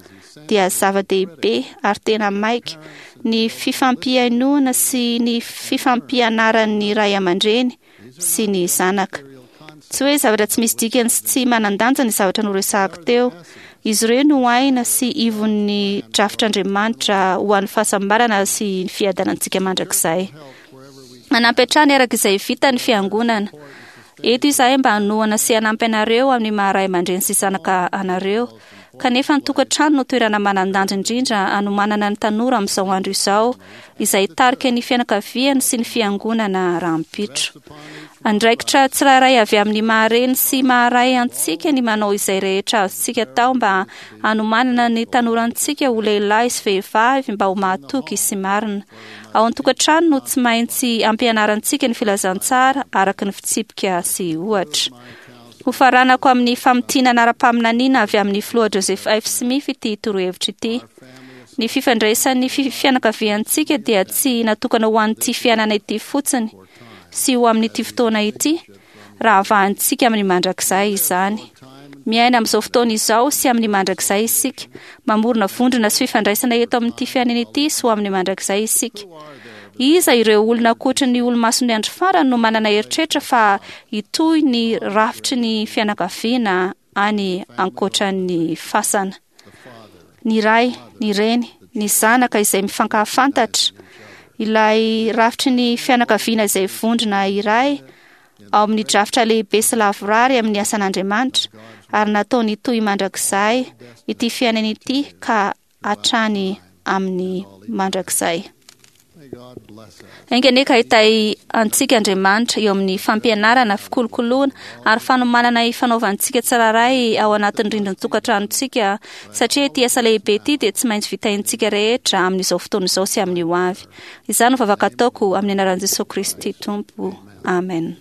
dia zava-dehibe ary tena maika ny fifampihainoana sy ny fifampianaran'ny ray aman-dreny sy ny zanaka. Tsy hoe zavatra tsy misy dikany sy tsy manan-danja ny zavatra noresahako teo. Izy ireo no aina sy ivon'ny drafitr'Andriamanitra ho an'ny fahasambarana sy ny fiadanantsika mandrakizay. Hanampy hatrany araka izay vita ny fiangonana. Eto izahay mba hanohana sy hanampy anareo amin'ny maha ray aman-dreny sy zanaka anareo. Kanefa ny tokantrano no toerana manan-danja indrindra hanomanana ny tanora amin'izao andro izao, izay hitarika ny fianakaviany sy ny fiangonana rahampitso. Andraikitra tsirairay avy amin'ny maha reny sy maha ray antsika ny manao izay rehetra azontsika atao mba hanomanana ny tanorantsika ho lehilahy sy vehivavy mba ho mahatoky sy marina. Ao an-tokantrano no tsy maintsy ampianarantsika ny filazantsara araka ny fitsipika sy ohatra. Hofaranako amin'ny famintinana ara-paminaniana avy amin'ny Filoha Joseph F. Smith ity torohevitra ity. Ny fifandraisan'ny fianakaviantsika dia tsy natokana ho an'ity fiainana ity fotsiny sy ho amin'ity fotoana ity, raha avahantsika amin'ny mandrakizay izany. Miaina amin'izao fotoana izao sy amin'ny mandrakizay isika. Mamorona vondrona sy fifandraisana eto amin'ity fiainana ity sy ho amin'ny mandrakizay isika. Iza ireo olona ankoatry ny olomason'ny andro farany no manana eritreritra fa hitohy ny rafitry ny fianakaviana any ankoatran'ny fasana? Ny ray, ny reny, ny zanaka izay mifankahafantatra, ilay rafitry ny fianakaviana izay vondrona iray ao amin'ny drafitra lehibe sy lavorary amin'ny asan'Andriamanitra ary nataony hitohy mandrakizay ity fiainana ity ka hatrany amin'ny mandrakizay. Enga anie ka hitahy antsika Andriamanitra eo amin'ny fampianarana, fikolokoloana ary fanomanana ifanaovantsika tsirairay ao anatin'ny rindrin-tokantranontsika satria ity asa lehibe ity dia tsy maintsy vitaintsika rehetra amin'izao fotoana izao sy amin'ny ho avy. Izany no vavaka ataoko amin'ny anaran'i Jesoa Kristy Tompo. Amen.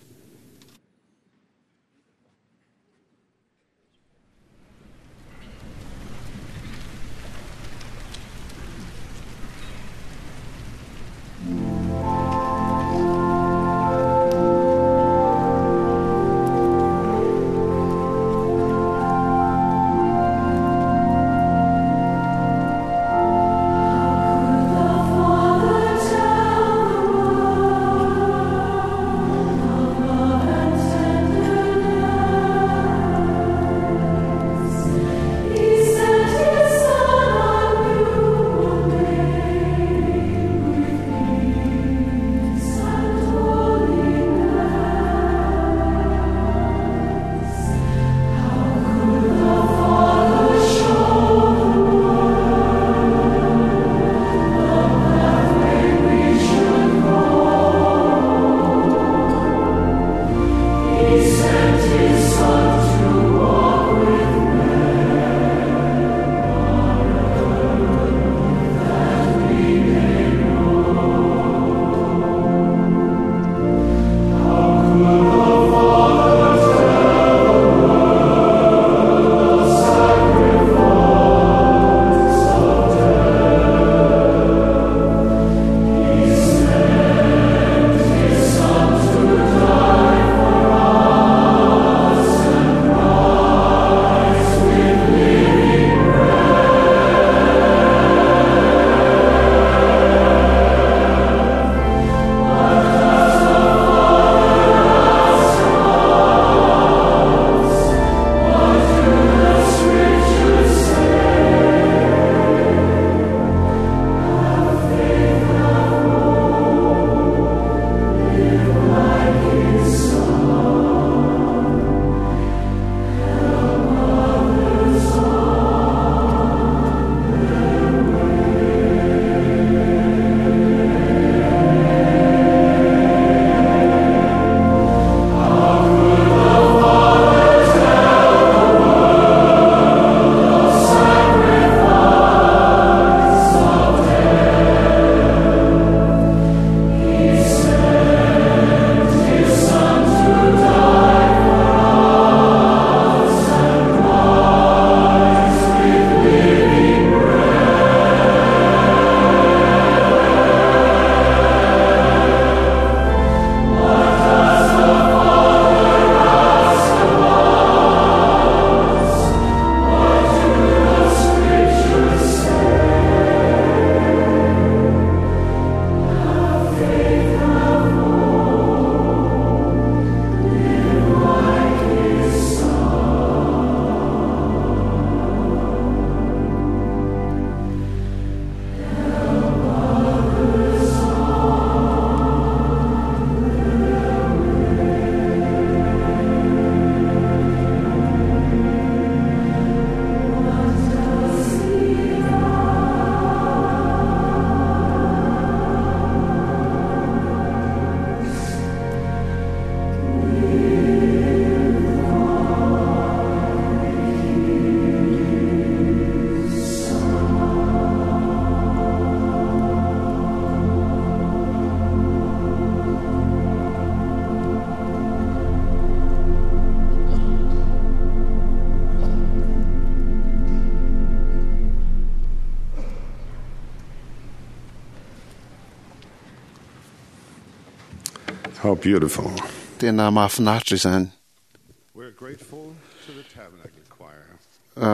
How beautiful. Tena mahafinaritra izany.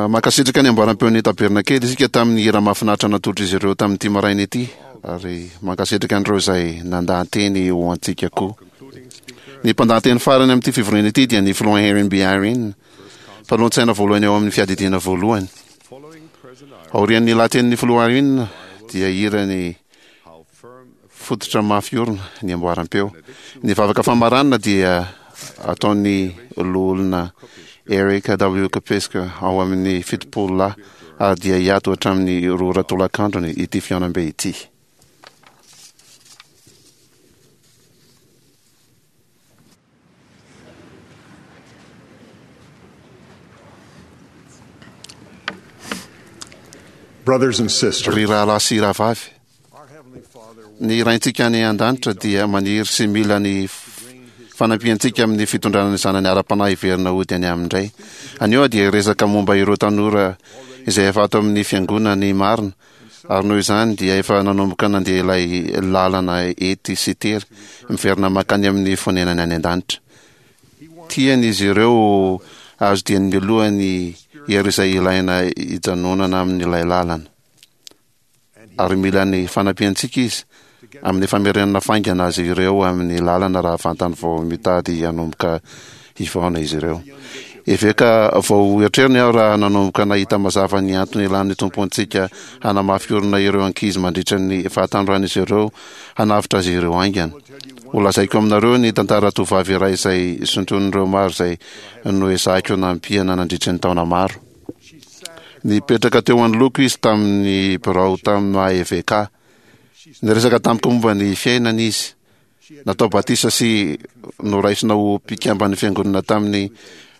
Mankasitraka ny amboaram-peon'ny Tabernakely isika tamin'ny hira mahafinaritra natolotr'izy ireo tamin'ity maraina ity, ary mankasitraka an'ireo izay nandaha-teny ho antsika koa. Ny mpandaha-teny farany amin'ity fivoriana ity dia ny Filoha Henry B. Eyring, mpanolotsaina voalohany ao amin'ny Fiadidiana Voalohany. Aorian'ny lahatenin'ny Filoha Eyring dia hira ny fototra mafy orina ny amboaram-peo. Ny vavaka famaranana dia ataon'ny Loholona Eric W. Kopeska ao amin'ny 70 lahy ary dia hiato hatramin'ny 2 ora tolakandrony ity fihaonambe ity. Brothers and sisters. Ry rahalahy sy rahavavy, ny Raintsika any an-danitra dia maniry sy mila ny fanampiantsika amin'ny fitondrana ny zanany ara-panahy hiverina hody any aminy indray. Anio aho dia hiresaka momba ireo tanora izay efa ato amin'ny fiangonany marina ary noho izany dia efa nanomboka nandeha ilay lalana ety sy tery miverina mankany amin'ny fonenany any an-danitra. Tian' izy ireo azo dieny mialoha ny hery izay ilaina hijanonana amin'ilay lalana. Ary mila ny fanampiantsika izy amin'ny famerenana faingana azy ireo amin'ny lalana raha vantany vao mitady hanomboka hivaona izy ireo. Eveka vao eritreriny aho raha nanomboka nahita mazava ny antony ilan'ny Tompo antsika hanamafy orina ireo ankizy mandritra ny fahatanoran'izy ireo hanavotra azy ireo haingana. Holazaiko aminareo ny tantara tovovavy iray izay sintonin'ireo maro izay noezahiko nampiana nandritra ny taona maro. Nipetraka teo anoloako izy tamin'ny birao tamin'ny maha eveka. Niresaka tamiko momba ny fiainany izy. Natao batisa sy noraisina ho mpikamban'ny fiangonana tamin'ny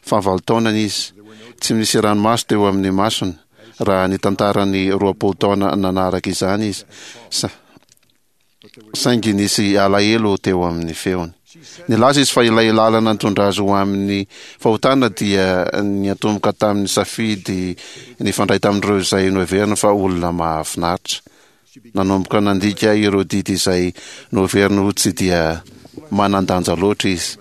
fahavalo taonany izy. Tsy nisy ranomaso teo amin'ny masony raha nitantara ny 20 taona nanaraka izany izy, saingy nisy alahelo teo amin'ny feony. Nilaza izy fa ilay lalana nitondra azy ho amin'ny fahotana dia niantomboka tamin'ny safidy nifandray tamin'ireo izay noheveriny fa olona mahafinaritra. Nanomboka nandika ireo didy izay noheveriny ho tsy dia manan-danja loatra izy.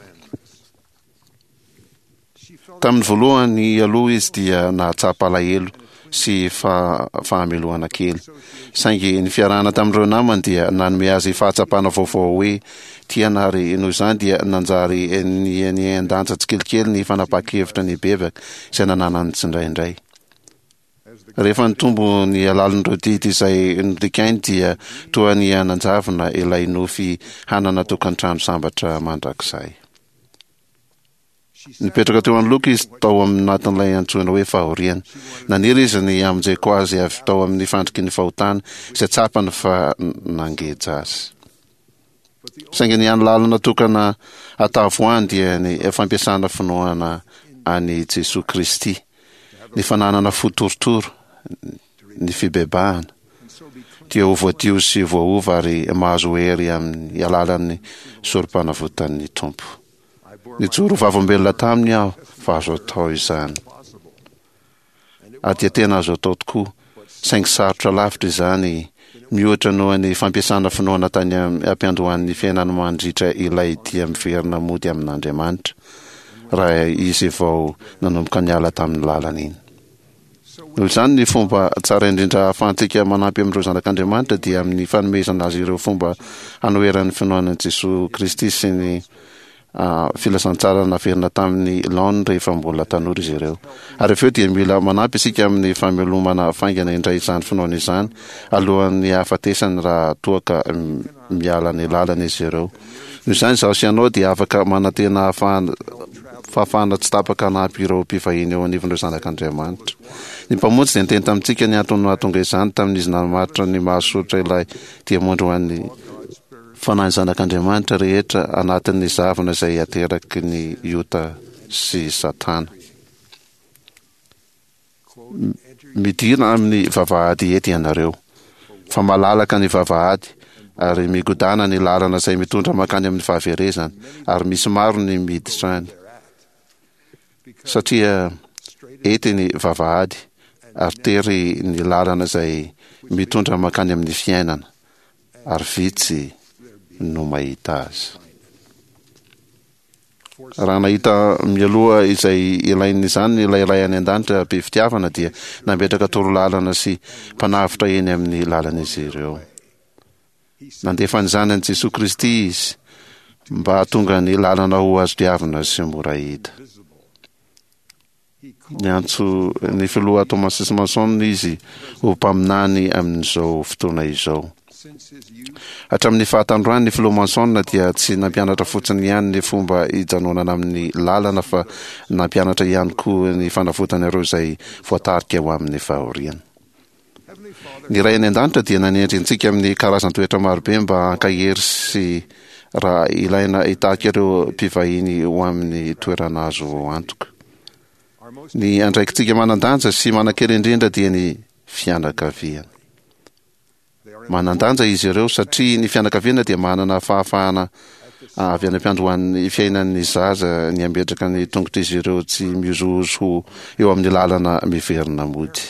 Tamin'ny voalohany aloha izy dia nahatsapa alahelo sy fahamelohana kely. Saingy ny fiarahana tamin'ireo namany dia nanome azy fahatsapana vaovao hoe tiana ary noho izany dia nanjary nihen-danja tsikelikely ny fanapahan-kevitra nibebaka izay nananany tsindraindray. Rehefa nitombo ny halalin'ireo didy izay nodikainy dia toa niha-nanjavona ilay nofy hanana tokantrano sambatra mandrakizay. Nipetraka teo anoloako izy tao anatin'ilay antsoina hoe fahoriana. Naniry izy ny hamonjeko azy avy tao amin'ny fandriky ny fahotana izay tsapany fa nangeja azy. Saingy ny hany lalana tokana atavoahany dia ny fampiasana finoana an'i Jesoa Kristy, ny fananana fo torotoro, ny fibebahana, dia ho voadio sy voaova ary mahazo hery amin'ny alalan'ny sorompanavotan'ny Tompo. Nijoro ho vavolombelona taminy aho fa azo atao izany. Ary dia tena azo atao tokoa, saingy sarotra lavitra izany miohatra noho ny fampiasana finoana tany am-piandohan'ny fiainany mandritra ilay dia miverina mody amin'Andriamanitra, raha izy vao nanomboka niala tamin'ny lalana iny. Noho izany, ny fomba tsara indrindra ahafahantsika manampy amin'ireo zanak'Andriamanitra dia amin'ny fanomezana azy ireo fomba hanoherany ny finoana an'i Jesoa Kristy sy ny filazantsara naverina tamin'ny laoniny rehefa mbola tanora izy ireo. Ary avy eo dia mila manampy isika amin'ny famelomana faingana indray izany finoana izany alohan'ny hahafatesany raha toa ka miala ny lalana izy ireo. Noho izany, izaho sy ianao dia afaka manantena fahafahana tsy tapaka hanampy ireo mpivahiny eo anivon'ireo zanak'Andriamanitra. Ny Mpamonjy dia niteny tamintsika ny antony nahatonga izany tamin'izy namaritra ny mahasoritra ilay diamondra ho an'ny Fanahin'ny zanak'Andriamanitra rehetra anatin'ny zavona izay ateraky ny ota sy Satana. Midira amin'ny vavahady ety ianareo, fa malalaka ny vavahady ary migodàna ny lalana izay mitondra mankany amin'ny fahaverezana, ary misy maro ny miditra any. Satria ety ny vavahady ary tery ny lalana izay mitondra mankany amin'ny fiainana. ary vitsy no mahita azy. Raha nahita mialoha izay ilain'izany ilay Ray any An-danitra be fitiavana dia nametraka torolalana sy mpanavotra eny amin'ny lalan'izy ireo. Nandefa ny Zanany Jesoa Kristy Izy mba hahatonga ny lalana ho azo diavina sy mora hita. Niantso ny filoha Thomas S. Monson izy ho mpaminany amin'izao fotoana izao. Hatramin'ny fahatanorany, ny filoha Monson dia tsy nampianatra fotsiny ihany ny fomba hijanonana amin'ny lalana fa nampianatra ihany koa ny fanavotana ireo izay voatarika ho amin'ny fahoriana. Ny Ray any An-danitra dia nanendry antsika amin'ny karazan-toetra marobe mba hankahery sy raha ilaina hitarika ireo mpivahiny ho amin'ny toerana azo antoka. Ny andraikitsika manan-danja sy manan-kery indrindra dia ny fianakaviana. Manan-danja izy ireo satria ny fianakaviana dia manana fahafahana avy any am-piandohan'ny fiainan'ny zaza ny hametraka ny tongotr'izy ireo tsy mihozohozo ho eo amin'ny lalana miverina mody.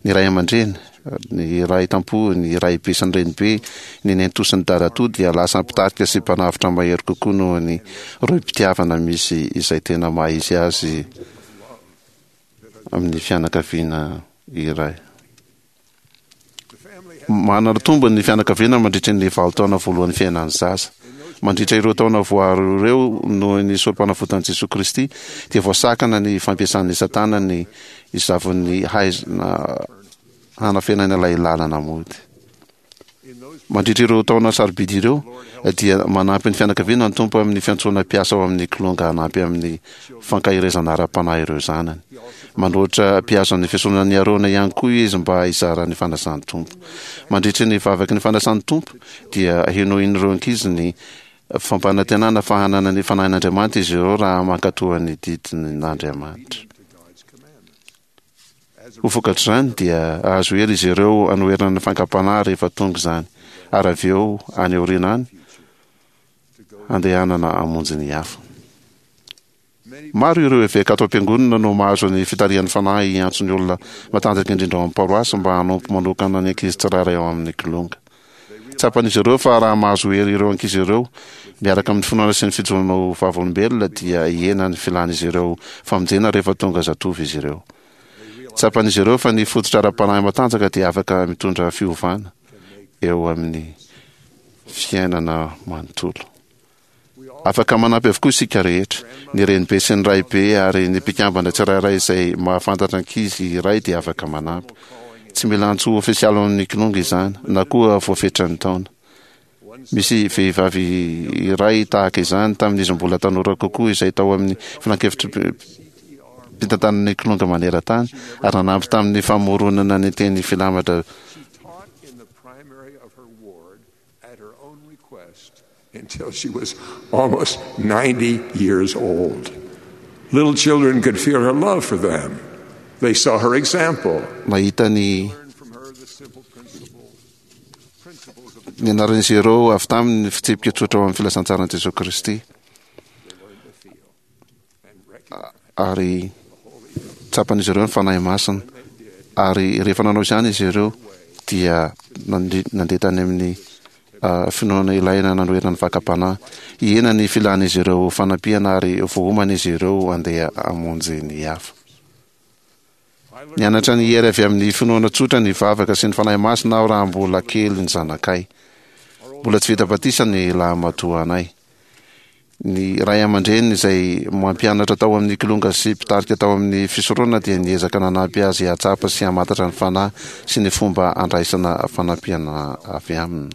Ny ray aman-dreny, ny ray tam-po, ny raibe sy ny renibe, ny nenitoa sy ny dadatoa dia lasa mpitarika sy mpanavotra mahery kokoa noho ny rohim-pitiavana misy izay tena maha izy azy amin'ny fianakaviana iray. Manana tombony ny fianakaviana mandritra ny vanin-taona voalohan'ny fiainan'ny zaza. Mandritra ireo taona voaro ireo noho ny sorom-panavotan'i Jesoa Kristy dia voasakana ny fampiasan'i Satana ny zavon'ny haizina hanafenana ilay lalana mody. Mandritra ireo taona sarobidy ireo dia manampy ny fianakaviana ny Tompo amin'ny fiantsoana mpiasa ao amin'ny kilonga hanampy amin'ny fankaherezana ara-panahy ireo zanany. Manolotra mpihazo ny fisoronan'i Arona ihany koa izy mba hizara ny fanasan'ny Tompo. Mandritra ny vavaky ny fanasan'ny Tompo dia henoin'ireo ankizy ny fampanantenana fa hanana ny Fanahin'Andriamanitra izy ireo raha mankatoa ny didin'Andriamanitra. Ho vokatr'izany dia hahazo hery izy ireo hanoherana ny fankam-panahy rehefa tonga izany, ary avy eo any aoriana any handehanana hamonjy ny hafa. Maro ireo eveka ato am-piangonana no mahazo ny fitarihan'ny Fanahy hiantso ny olona matanjaka indrindra ao amin'ny paroasy mba hanompo manokana ny ankizy tsirairay ao amin'ny kilonga. Tsapan'izy ireo fa raha mahazo hery ireo ankizy ireo, miaraka amin'ny finoana sy ny fijoroana ho vavolombelona, dia hihena ny filan'izy ireo famonjena rehefa tonga zatovo izy ireo. Tsapan'izy ireo fa ny fototra ara-panahy matanjaka dia afaka mitondra fiovana eo amin'ny fiainana manontolo. Afaka manampy avokoa isika rehetra. Ny renibe sy ny raibe ary ny mpikambana tsirairay izay mahafantatra ankizy iray dia afaka manampy. Tsy mila antso ofisialy ao amin'ny Kilonga izany, na koa voafetran'ny taona. Misy vehivavy iray tahaka izany tamin'izy mbola tanora kokoa izay tao amin'ny filankevitry-pitantanan'ny Kilonga maneran-tany ary nanampy tamin'ny famoronana ny teny filamatra Until she was almost 90 years old. Little children could feel her love for them. They saw her example. Nahita ny nianaran'izy ireo avy taminy ny fitsipika tsotra ao amin'ny filazantsaran'i Jesoa Kristy. Ary tsapan'izy ireo ny Fanahy Masina. Ary rehefa nanao izany izy ireo dia nandeha tany amin'ny finoana ilaina nanoherana ny fakam-panahy. Hihena ny filan'izy ireo fanampiana ary voaomana izy ireo handeha hamonjy ny hafa. Nianatra ny hery avy amin'ny finoana tsotra ny vavaka sy ny Fanahy Masina aho raha mbola kely ny zanakay. Mbola tsy vita batisa ny lahimatoanay. Ny ray aman-dreniny izay mampianatra tao amin'ny Kilonga sy mpitarika tao amin'ny fisoronana dia niezaka nanampy azy hahatsapa sy hamantatra ny Fanahy sy ny fomba handraisana fanampiana avy Aminy.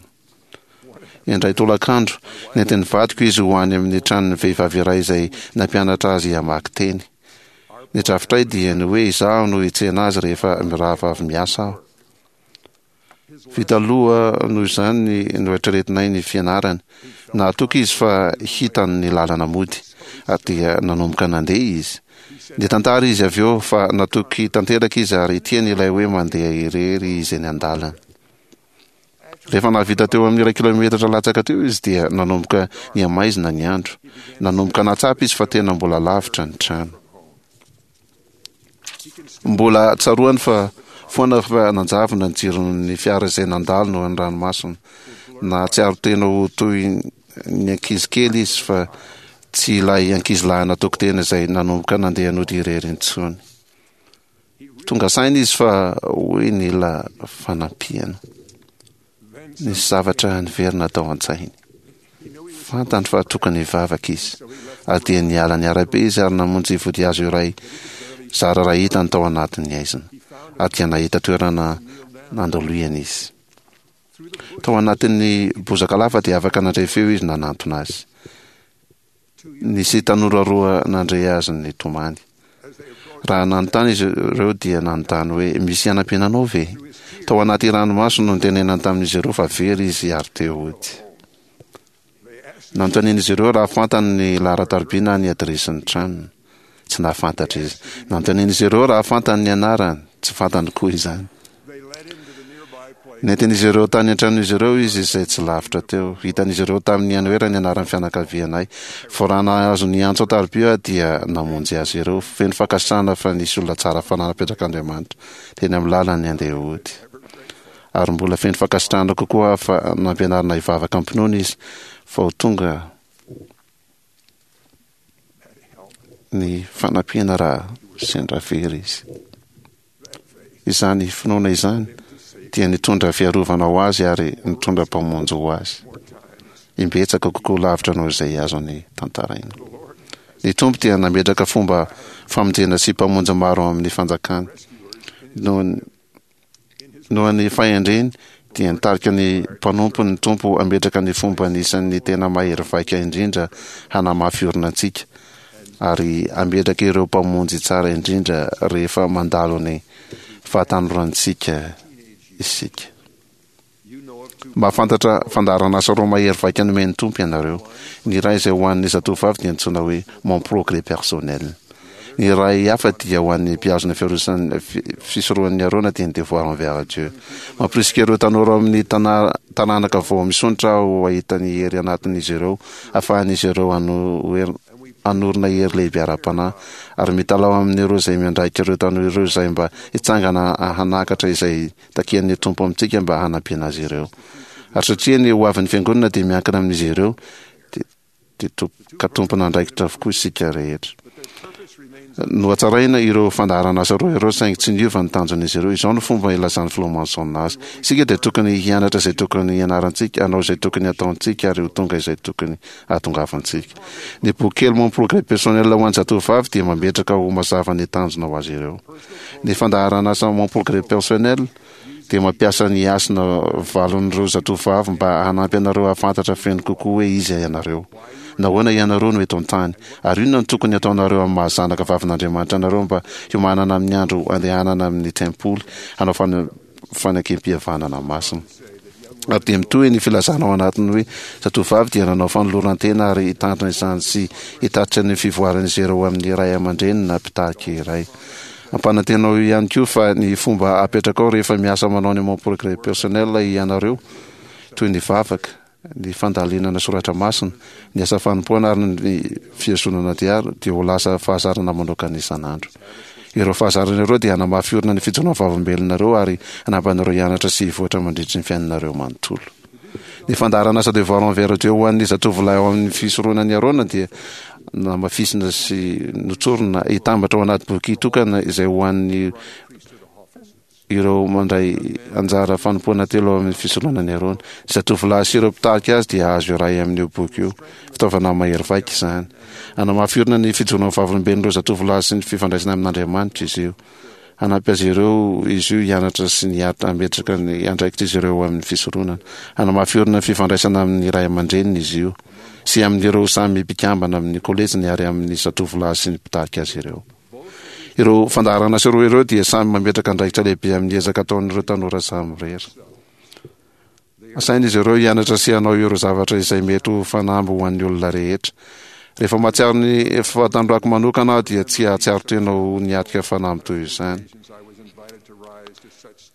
Indray tolakandro, nentin'ny vadiko izy ho any amin'ny tranon'ny vehivavy iray izay nampianatra azy hamaky teny. Ny drafitray dia ny hoe izaho no hitsena azy rehefa mirava avy miasa aho. Vita aloha noho izany ny noeritreretinay ny fianarany. Nahatoky izy fa hitany ny lalana mody, ary dia nanomboka nandeha izy. Nitantara izy avy eo fa natoky tanteraka izy ary tiany ilay hoe mandeha irery izy eny an-dalana. Rehefa nahavita teo amin'ny iray kilaometatra latsaka teo izy dia nanomboka nihamaizina ny andro. Nanomboka nahatsapa izy fa tena mbola lavitra ny trano. Mbola tsaroany fa foana fa nanjavona ny jiron'ny fiara izay nandalo noho ny ranomasina. Nahatsiaro tena ho toy ny ankizy kely izy fa Tsy ilay ankizilahy natoky tena izay nanomboka nandeha nody irery intsony. Tonga saina izy fa hoe nila fanampiana. Nisy zavatra niverina tao an-tsainy. Fantany fa tokony hivavaka izy. Ary dia niala ny arabe izy ary namonjy vodihazo iray zara raha hitany tao anatin'ny haizina. Ary dia nahita toerana nandoloiana izy. Tao anatin'ny bozaka lava dia afaka nandre feo izy nanantona azy. Nisy tanora roa nandre azy nitomany. Raha nanontany izy ireo dia nanontany hoe, Misy hanampiana anao ve? Tao anaty ranomaso no nitenenany tamin'izy ireo fa very izy ary te hody. Nanontanian'izy ireo raha fantany ny laharan-tariby na ny adiresin'ny tranony. Tsy nahafantatra izy. Nanontanian'izy ireo raha fantany ny anarany. Tsy fantany koa izany. Nentin'izy ireo tany an-tranon'izy ireo izy izay tsy lavitra teo. Hitan'izy ireo tamin'ny anoera ny anaran'ny fianakavianay. Vao raha nahazo ny antso an-tariby aho dia namonjy azy ireo. Feno fankasitrahana fa nisy olona tsara fanahy napetrak'Andriamanitra teny amin'ny lalany handeha hody. Ary mbola feno fankasitrahana kokoa aho fa nampianarina hivavaka am-pinoana izy vao tonga ny fanampiana raha sendra very izy. Izany finoana izany dia nitondra fiarovana ho azy ary nitondra Mpamonjy ho azy. Imbetsaka kokoa lavitra noho izay azony tantaraina. Ny Tompo dia nametraka fomba famonjena sy mpamonjy maro ao amin'ny fanjakany. Noho Noho ny fahendreny, dia nitarika ny mpanompony ny Tompo hametraka ny fomba anisan'ny tena mahery vaika indrindra hanamafy orina antsika, ary hametraka ireo mpamonjy tsara indrindra rehefa mandalo ny fahatanorantsika isika. Mahafantatra fandaharan'asa roa mahery vaika nomen'ny Tompo ianareo. Ny iray izay ho an'ny zatovovavy dia antsoina hoe Mon progrès personnel. Ny iray hafa dia ho an'ny mpihazona fiarosan'ny fisorohan'ny Arona dia ny Devoir envers Dieu. Mampirisika ireo tanora ao amin'ny taranaka vao misondrotra aho hahita ny hery anatin'izy ireo ahafahan'izy ireo hanorina hery lehibe ara-panahy ary mitalaho amin'ireo izay miandraikitra ireo tanora ireo izay mba hitsangana hanakatra izay takian'ny Tompo amintsika mba hanampiana azy ireo. Ary satria ny hoavin'ny Fiangonana dia miankina amin'izy ireo, dia ka tompon'andraikitra avokoa isika rehetra. Nohatsaraina ireo fandaharan'asa roa ireo saingy tsy niova ny tanjon'izy ireo. Izao no fomba ilazan'ny Filoha Monson azy, Isika dia tokony hianatra izay tokony hianarantsika, hanao izay tokony hataontsika ary ho tonga izay tokony hahatongavantsika. Ny boky kely Mon progrès personnel ho an'ny zatovovavy dia mametraka ho mazava ny tanjona ho azy ireo. Ny fandaharan'asa Mon progrès personnel dia mampiasa ny hasina valon'ireo zatovovavy mba hanampy anareo hahafantatra feno kokoa hoe iza ianareo. Nahoana ianareo no eto an-tany? Ary inona no tokony hataonareo amin'ny maha-zanaka vavin'Andriamanitra anareo mba hiomanana amin'ny andro handehanana amin'ny tempoly hanao fanekem-pihavanana masina? Ary dia mitohy ny filazana ao anatiny hoe, Zatovovavy dia nanao fanoloran-tena ary hitandrina izany sy hitatitra ny fivoaran'izy ireo amin'ny ray aman-dreny na mpitarika iray. Ampanantenao ihany koa fa ny fomba apetrakao rehefa miasa manao ny Mon Progrès Personnel ianareo, toy ny vavaka, ny fandalinana soratra masina, ny asa fanompoana ary ny fihazonana diary dia ho lasa fahazarana manokana isan'andro. Ireo fahazarana ireo dia hanamafy orina ny fijoroan'ny vavolombelonareo ary hanampy anareo hianatra sy hivoatra mandritry ny fiainanareo manontolo. Ny fandaharan'asa Devoir envers Dieu ho an'ny zatovolahy ao amin'ny fisoronan'i Arona dia namafisina sy notsorina hitambatra ao anaty boky tokana izay ho an'ny ireo mandray anjara fanompoana telo ao amin'ny fisoronana an'i Arona. Ny zatovolahy sy ireo mpitarika azy dia hahazo iray amin'io boky io. Fitaovana mahery vaika izany. Hanamafy orina ny fijoroan'ny vavolombelon'ireo zatovolahy sy ny fifandraisana amin'Andriamanitra izy io. Hanampy azy ireo izy io hianatra sy ny hametraka ny andraikitr'izy ireo amin'ny fisoronana. Hanamafy orina ny fifandraisana amin'ny ray aman-dreniny izy io, sy amin'ireo samy mpikambana amin'ny kolejiny ary amin'ny zatovolahy sy ny mpitarika azy ireo. Ireo fandaharan'asa roa ireo dia samy mametraka andraikitra lehibe amin'ny ezaka ataon'ireo tanora samirery. Asain'izy ireo hianatra sy hanao ireo zavatra izay mety ho fanamby ho an'ny olona rehetra. Rehefa mahatsiaro ny fahatanorako manokana aho dia tsy hahatsiaro tena ho niatrika fanamby toy izany.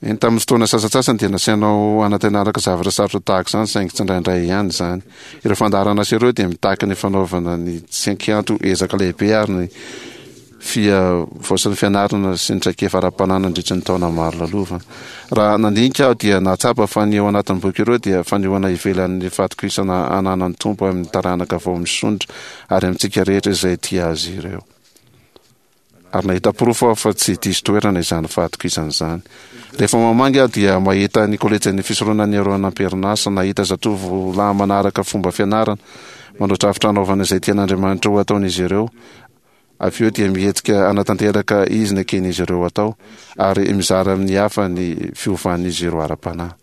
Eny, tamin'ny fotoana sasantsasany dia nasainao hanantenaraka zavatra sarotra tahaka izany, saingy tsindraindray ihany izany. Ireo fandaharan'asa ireo dia mitaky ny fanaovana ny tsy an-kianto ezaka lehibe ary ny. Fihavaozan'ny fianarana sy ny traikefa ara-panahy nandritra ny taona maro lalovana. Raha nandinika aho dia nahatsapa fa ny ao anatin'ny boky ireo dia fanehoana ivelan'ny fahatokisana ananan'ny Tompo amin'ny taranaka vao misondrotra ary amintsika rehetra izay tia azy ireo. Ary nahita porofo aho fa tsy diso toerana izany fahatokisana izany. Rehefa mamangy aho dia mahita ny kolejin'ny fisoronan'i Arona am-perinasa, nahita zatovo lahy manaraka fomba fianarana, manao drafitra hanaovana izay tian'Andriamanitra ho ataon'izy ireo, Avy eo dia mihetsika hanatanteraka izy ny eken'izy ireo atao, ary mizara amin'ny hafa ny fiovan'izy ireo ara-panahy.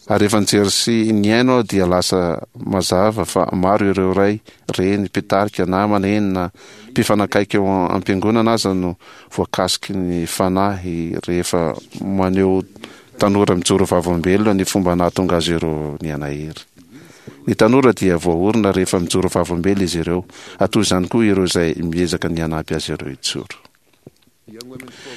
Ary rehefa nijery sy nihaino aho dia lasa mazava fa maro ireo ray, reny, mpitarika, namana, eny na mpifanakaiky ao am-piangonana aza no voakasiky ny fanahy rehefa maneho tanora mijoro vavolombelona ny fomba nahatonga azy ireo nihanahery. Ny tanora dia voaorina rehefa mijoro vavolombelona izy ireo, ary toy izany koa ireo izay miezaka ny hanampy azy ireo hijoro.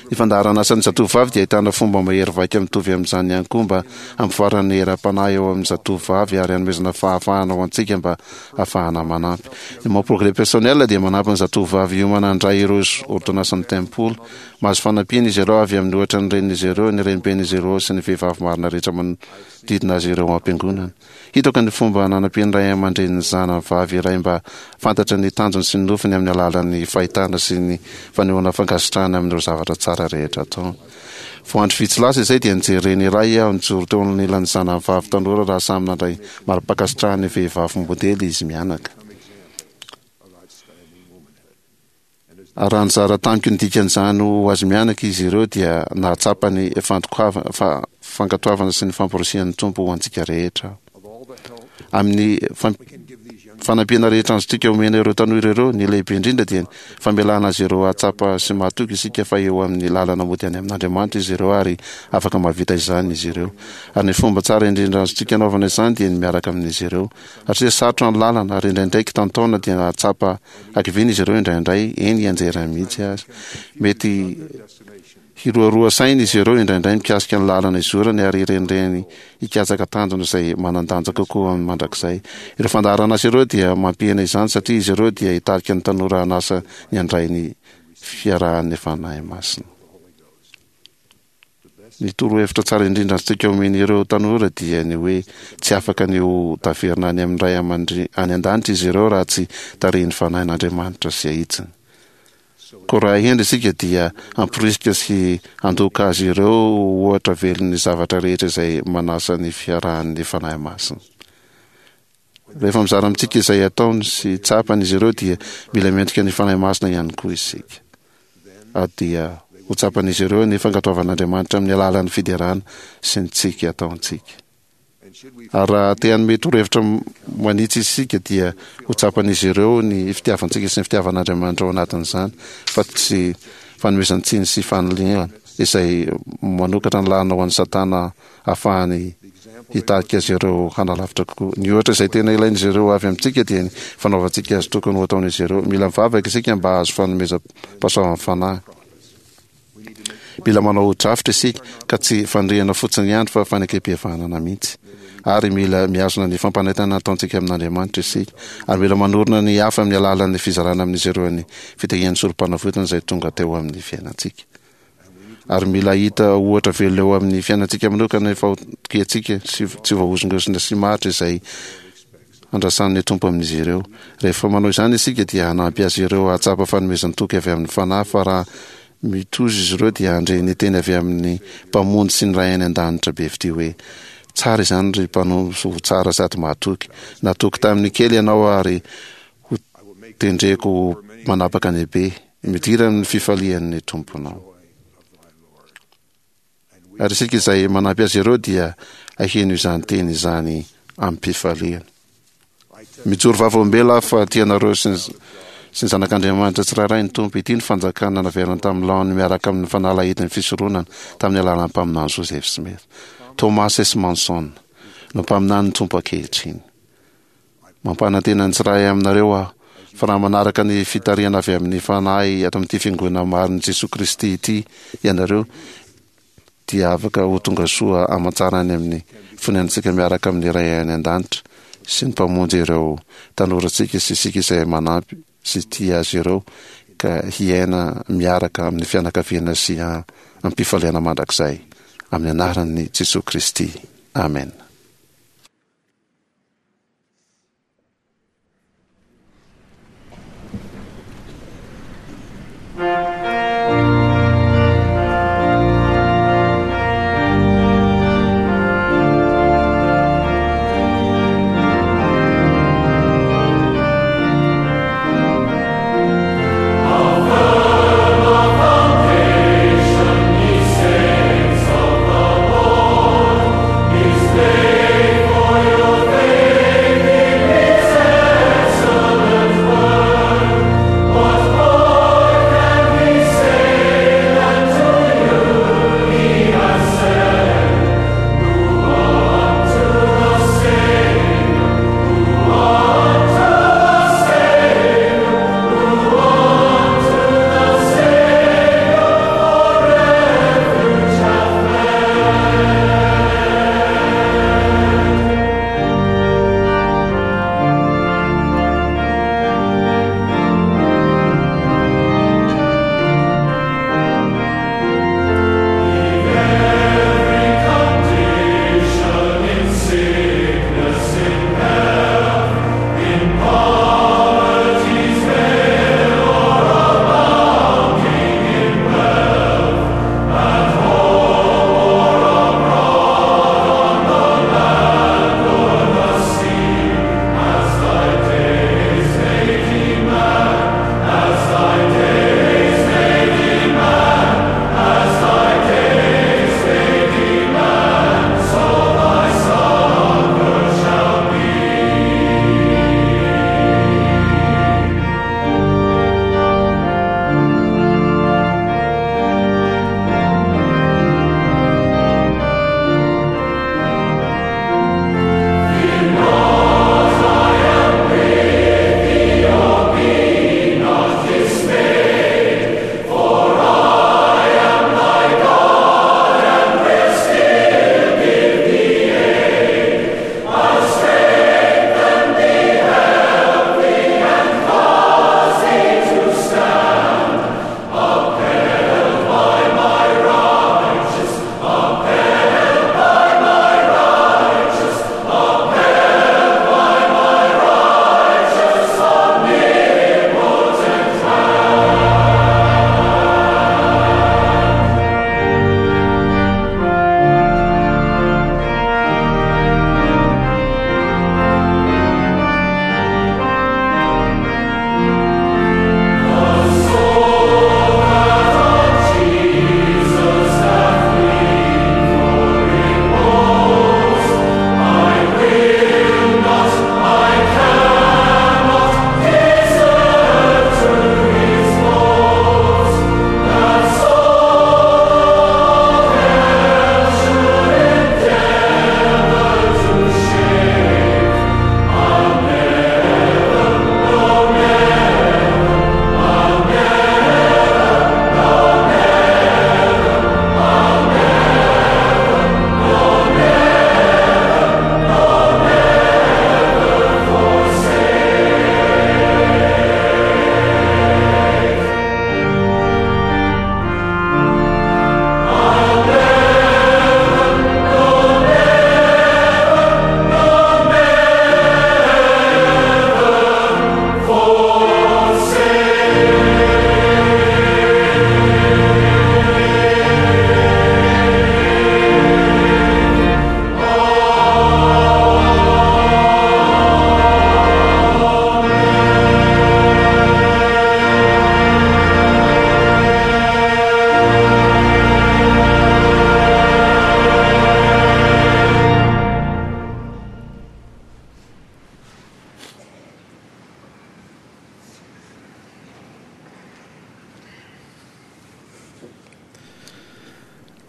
Ny fandaharan'asan'ny zatovovavy dia ahitana fomba mahery vaika mitovy amin'izany ihany koa mba hampivoarana ny herim-panahy eo amin'ny zatovovavy ary hanomezana fahafahana ho antsika mba hahafahana manampy. Ny Mon Progrès Personnel dia manampy ny zatovovavy hiomana handray ireo ôrdônansin'ny tempoly. Mahazo fanampiana izy ireo avy amin'ny ohatra ny renin'izy ireo, ny reniben'izy ireo sy ny vehivavy marina rehetra manodidina azy ireo ao am-piangonana. Hitako ny fomba nanampian'ny ray aman-drenin'ny zanany vavy iray mba fantatra ny tanjony sy ny nofiny amin'ny alalan'ny fahitana sy ny fanehoana fankasitrahana amin'ireo zavatra tsara rehetra ataony. Vao andro vitsy lasa izay dia nijery reny iray aho nijoro teo anilan'ny zanany vavy tanora raha samy nandray mari-pankasitrahan'ny vehivavy modely izy mianaka. Ary raha nizara tamiko ny dikan'izany ho azy mianaka izy ireo dia nahatsapa ny fankatoavana sy ny famporisihan'ny Tompo ho antsika rehetra aho. Amin'ny fanampiana rehetra azontsika omena ireo tanora ireo, ny lehibe indrindra dia ny famelana azy ireo hahatsapa sy mahatoky isika fa eo amin'ny lalana mody any amin'Andriamanitra izy ireo ary afaka mahavita izany izy ireo. Ary ny fomba tsara indrindra azontsika anaovana izany dia ny miaraka amin'izy ireo. Satria sarotra ny lalana ary indraindray kitantaona dia nahatsapa Hakiviana izy ireo indraindray, eny hianjera mihitsy aza. Mety hiroaroa saina izy ireo indraindray mikasika ny lalana izorany ary hirenireny hikatsaka tanjona izay manan-danja kokoa amin'ny mandrakizay. Ireo fandaharan'asa ireo dia mampihena izany satria izy ireo dia hitarika ny tanora hanasa ny handray ny fiarahan'ny Fanahy Masina. Ny torohevitra tsara indrindra azontsika omena ireo tanora dia ny hoe tsy afaka ny ho taverina any amin'ny Ray aman-dReny any an-danitra izy ireo raha tsy tarihin'ny Fanahin'Andriamanitra sy ahitsiny. Koa raha hendry isika dia hamporisika sy handoka azy ireo ho ohatra velon'ny zavatra rehetra izay manasa ny fiarahan'ny Fanahy Masina. Rehefa mizara amintsika izay ataony sy tsapany izy ireo dia mila miantoka ny Fanahy Masina ihany koa isika. Ary dia ho tsapan'izy ireo ny fankatoavan'Andriamanitra amin'ny alalan'ny fiderana sy ny tsiky ataontsika. Ary raha te hanome torohevitra manitsy isika dia ho tsapan'izy ireo ny fitiavantsika sy ny fitiavan'Andriamanitra ao anatin'izany fa tsy fanomezan-tsiny sy fanilihana izay manokatra ny lalana ho an'i Satana hahafahany hitarika azy ireo hanalavitra kokoa. Ny ohatra izay tena ilain'izy ireo avy amintsika dia ny fanaovantsika azy tokony ho ataon'izy ireo. Mila mivavaka isika mba hahazo fanomezam-pahasoavan'ny fanahy. Mila manao drafitra isika ka tsy faniriana fotsiny ihany fa fanekem-pihavanana mihitsy. Ary mila mihazona ny fampanentanana ataontsika amin'Andriamanitra isika. Ary mila manorina ny hafa amin'ny alalan'ny fizarana amin'izy ireo ny fitahian'ny Sorompanavotana izay tonga teo amin'ny fiainantsika. Ary mila hahita ohatra velona eo amin'ny fiainantsika manokana ny fahatokiantsika sy tsy voahozongozona sy maharitra izay andrasan'ny Tompo amin'izy ireo. Rehefa manao izany isika dia hanampy azy ireo hahatsapa fanomezan-toky avy amin'ny Fanahy fa raha mitozo izy ireo dia handre ny teny avy amin'ny Mpamonjy sy ny Ray any An-danitra be fitia hoe, Tsara izany ry mpanompo tsara sady mahatoky. Natoky tamin'ny kely ianao ary ho tendreko ho manapaka ny be. Midira amin'ny fifalian'ny Tomponao. Ary isika izay manampy azy ireo dia haheno izany teny izany amim-pifaliana. Mijoro vavolombelona aho fa tia anareo sy ny sy ny zanak'Andriamanitra tsirairay ny Tompo. Ity ny fanjakana naverina tamin'ny laoniny miaraka amin'ny fanalahidin'ny fisoronana tamin'ny alalan'ny mpaminany Joseph Smith. Thomas S. Manson no mpaminanin'ny Tompo ankehitriny. Mampanantena ny tsirairay aminareo aho fa raha manaraka ny fitarihana avy amin'ny Fanahy ato amin'ity Fiangonana marin'i Jesoa Kristy ity ianareo dia afaka ho tonga soa aman-tsara any amin'ny fonenantsika miaraka amin'ny Ray any An-danitra sy ny Mpamonjy ireo tanorantsika sy isika izay manampy sy tia azy ireo. ka hiaina miaraka amin'ny fianakaviana sy am-pifaliana mandrakizay. Amin'ny anaran'i Jesoa Kristy. Amena.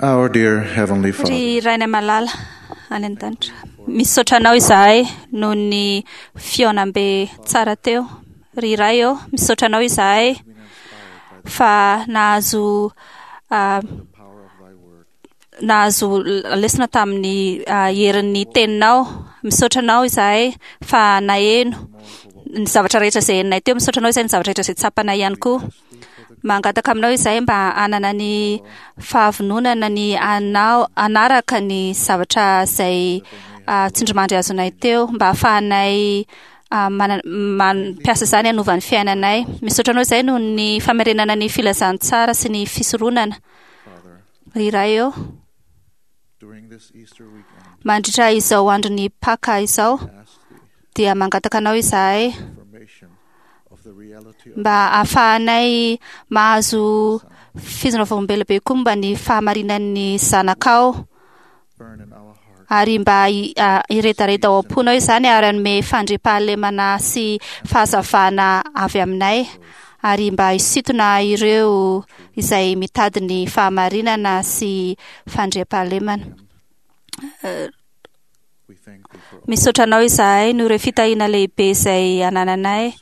Our dear Heavenly Father, Ry Rainay malala any an-danitra, misaotra anao izahay noho ny fihaonambe tsara teo. Ry Ray ô, misaotra anao izahay fa nahazo ah, nahazo lesona tamin'ny ah, herin'ny teninao. Misaotra anao izahay fa naheno ny zavatra rehetra izay henonay teo. Misaotra anao izahay ny zavatra rehetra izay tsapanay ihany koa. Mangataka aminao izahay mba hanana ny fahavononana ny hanao hanaraka ny zavatra izay tsindrimandry azonay teo mba hahafahanay mampiasa izany hanova ny fiainanay. Misaotra anao izahay noho ny famerenana ny filazantsara sy ny fisoronana. Ry Ray ô, mandritra izao andron'ny Paka izao dia mangataka anao izahay mba hahafahanay mahazo fizina vavolombelona be koa momba ny fahamarinan'ny zanakao ary mba hiredareda ao am-ponao izany ary hanome fandriampahalemana sy fahazavana avy aminay ary mba hisintona ireo izay mitady ny fahamarinana sy fandriampahalemana. Misaotra anao izahay noho ireo fitahiana lehibe izay anananay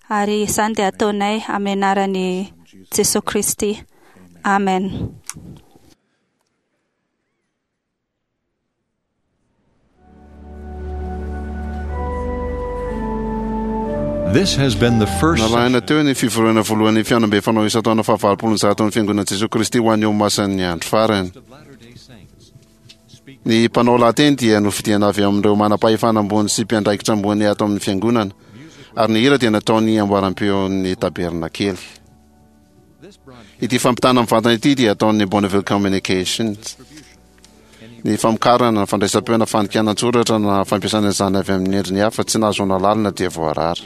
ary izany dia ataonay amin'ny anaran'i Jesoa Kristy. Amen. This has been the first Narahina teo ny fivoriana voalohan'ny fihaonambe fanao isan-taona fahavalopolo zato ny Fiangonan'i Jesoa Kristy ho an'ny Olomasin'ny Andro Farany. Ny mpanao lahateny dia nofidiana avy amin'ireo manam-pahefana ambony sy mpiandraikitra ambony ato amin'ny Fiangonana, ary ny hira dia nataon'ny amboaram-peon'ny Tabernakely. Ity fampitana mivantana ity dia ataon'ny Bonneville Communications. Ny famokarana, fandraisam-peo na fandikana an-tsoratra na fampiasana izany avy amin'ny endriny hafa tsy nahazoana alalana dia voarara.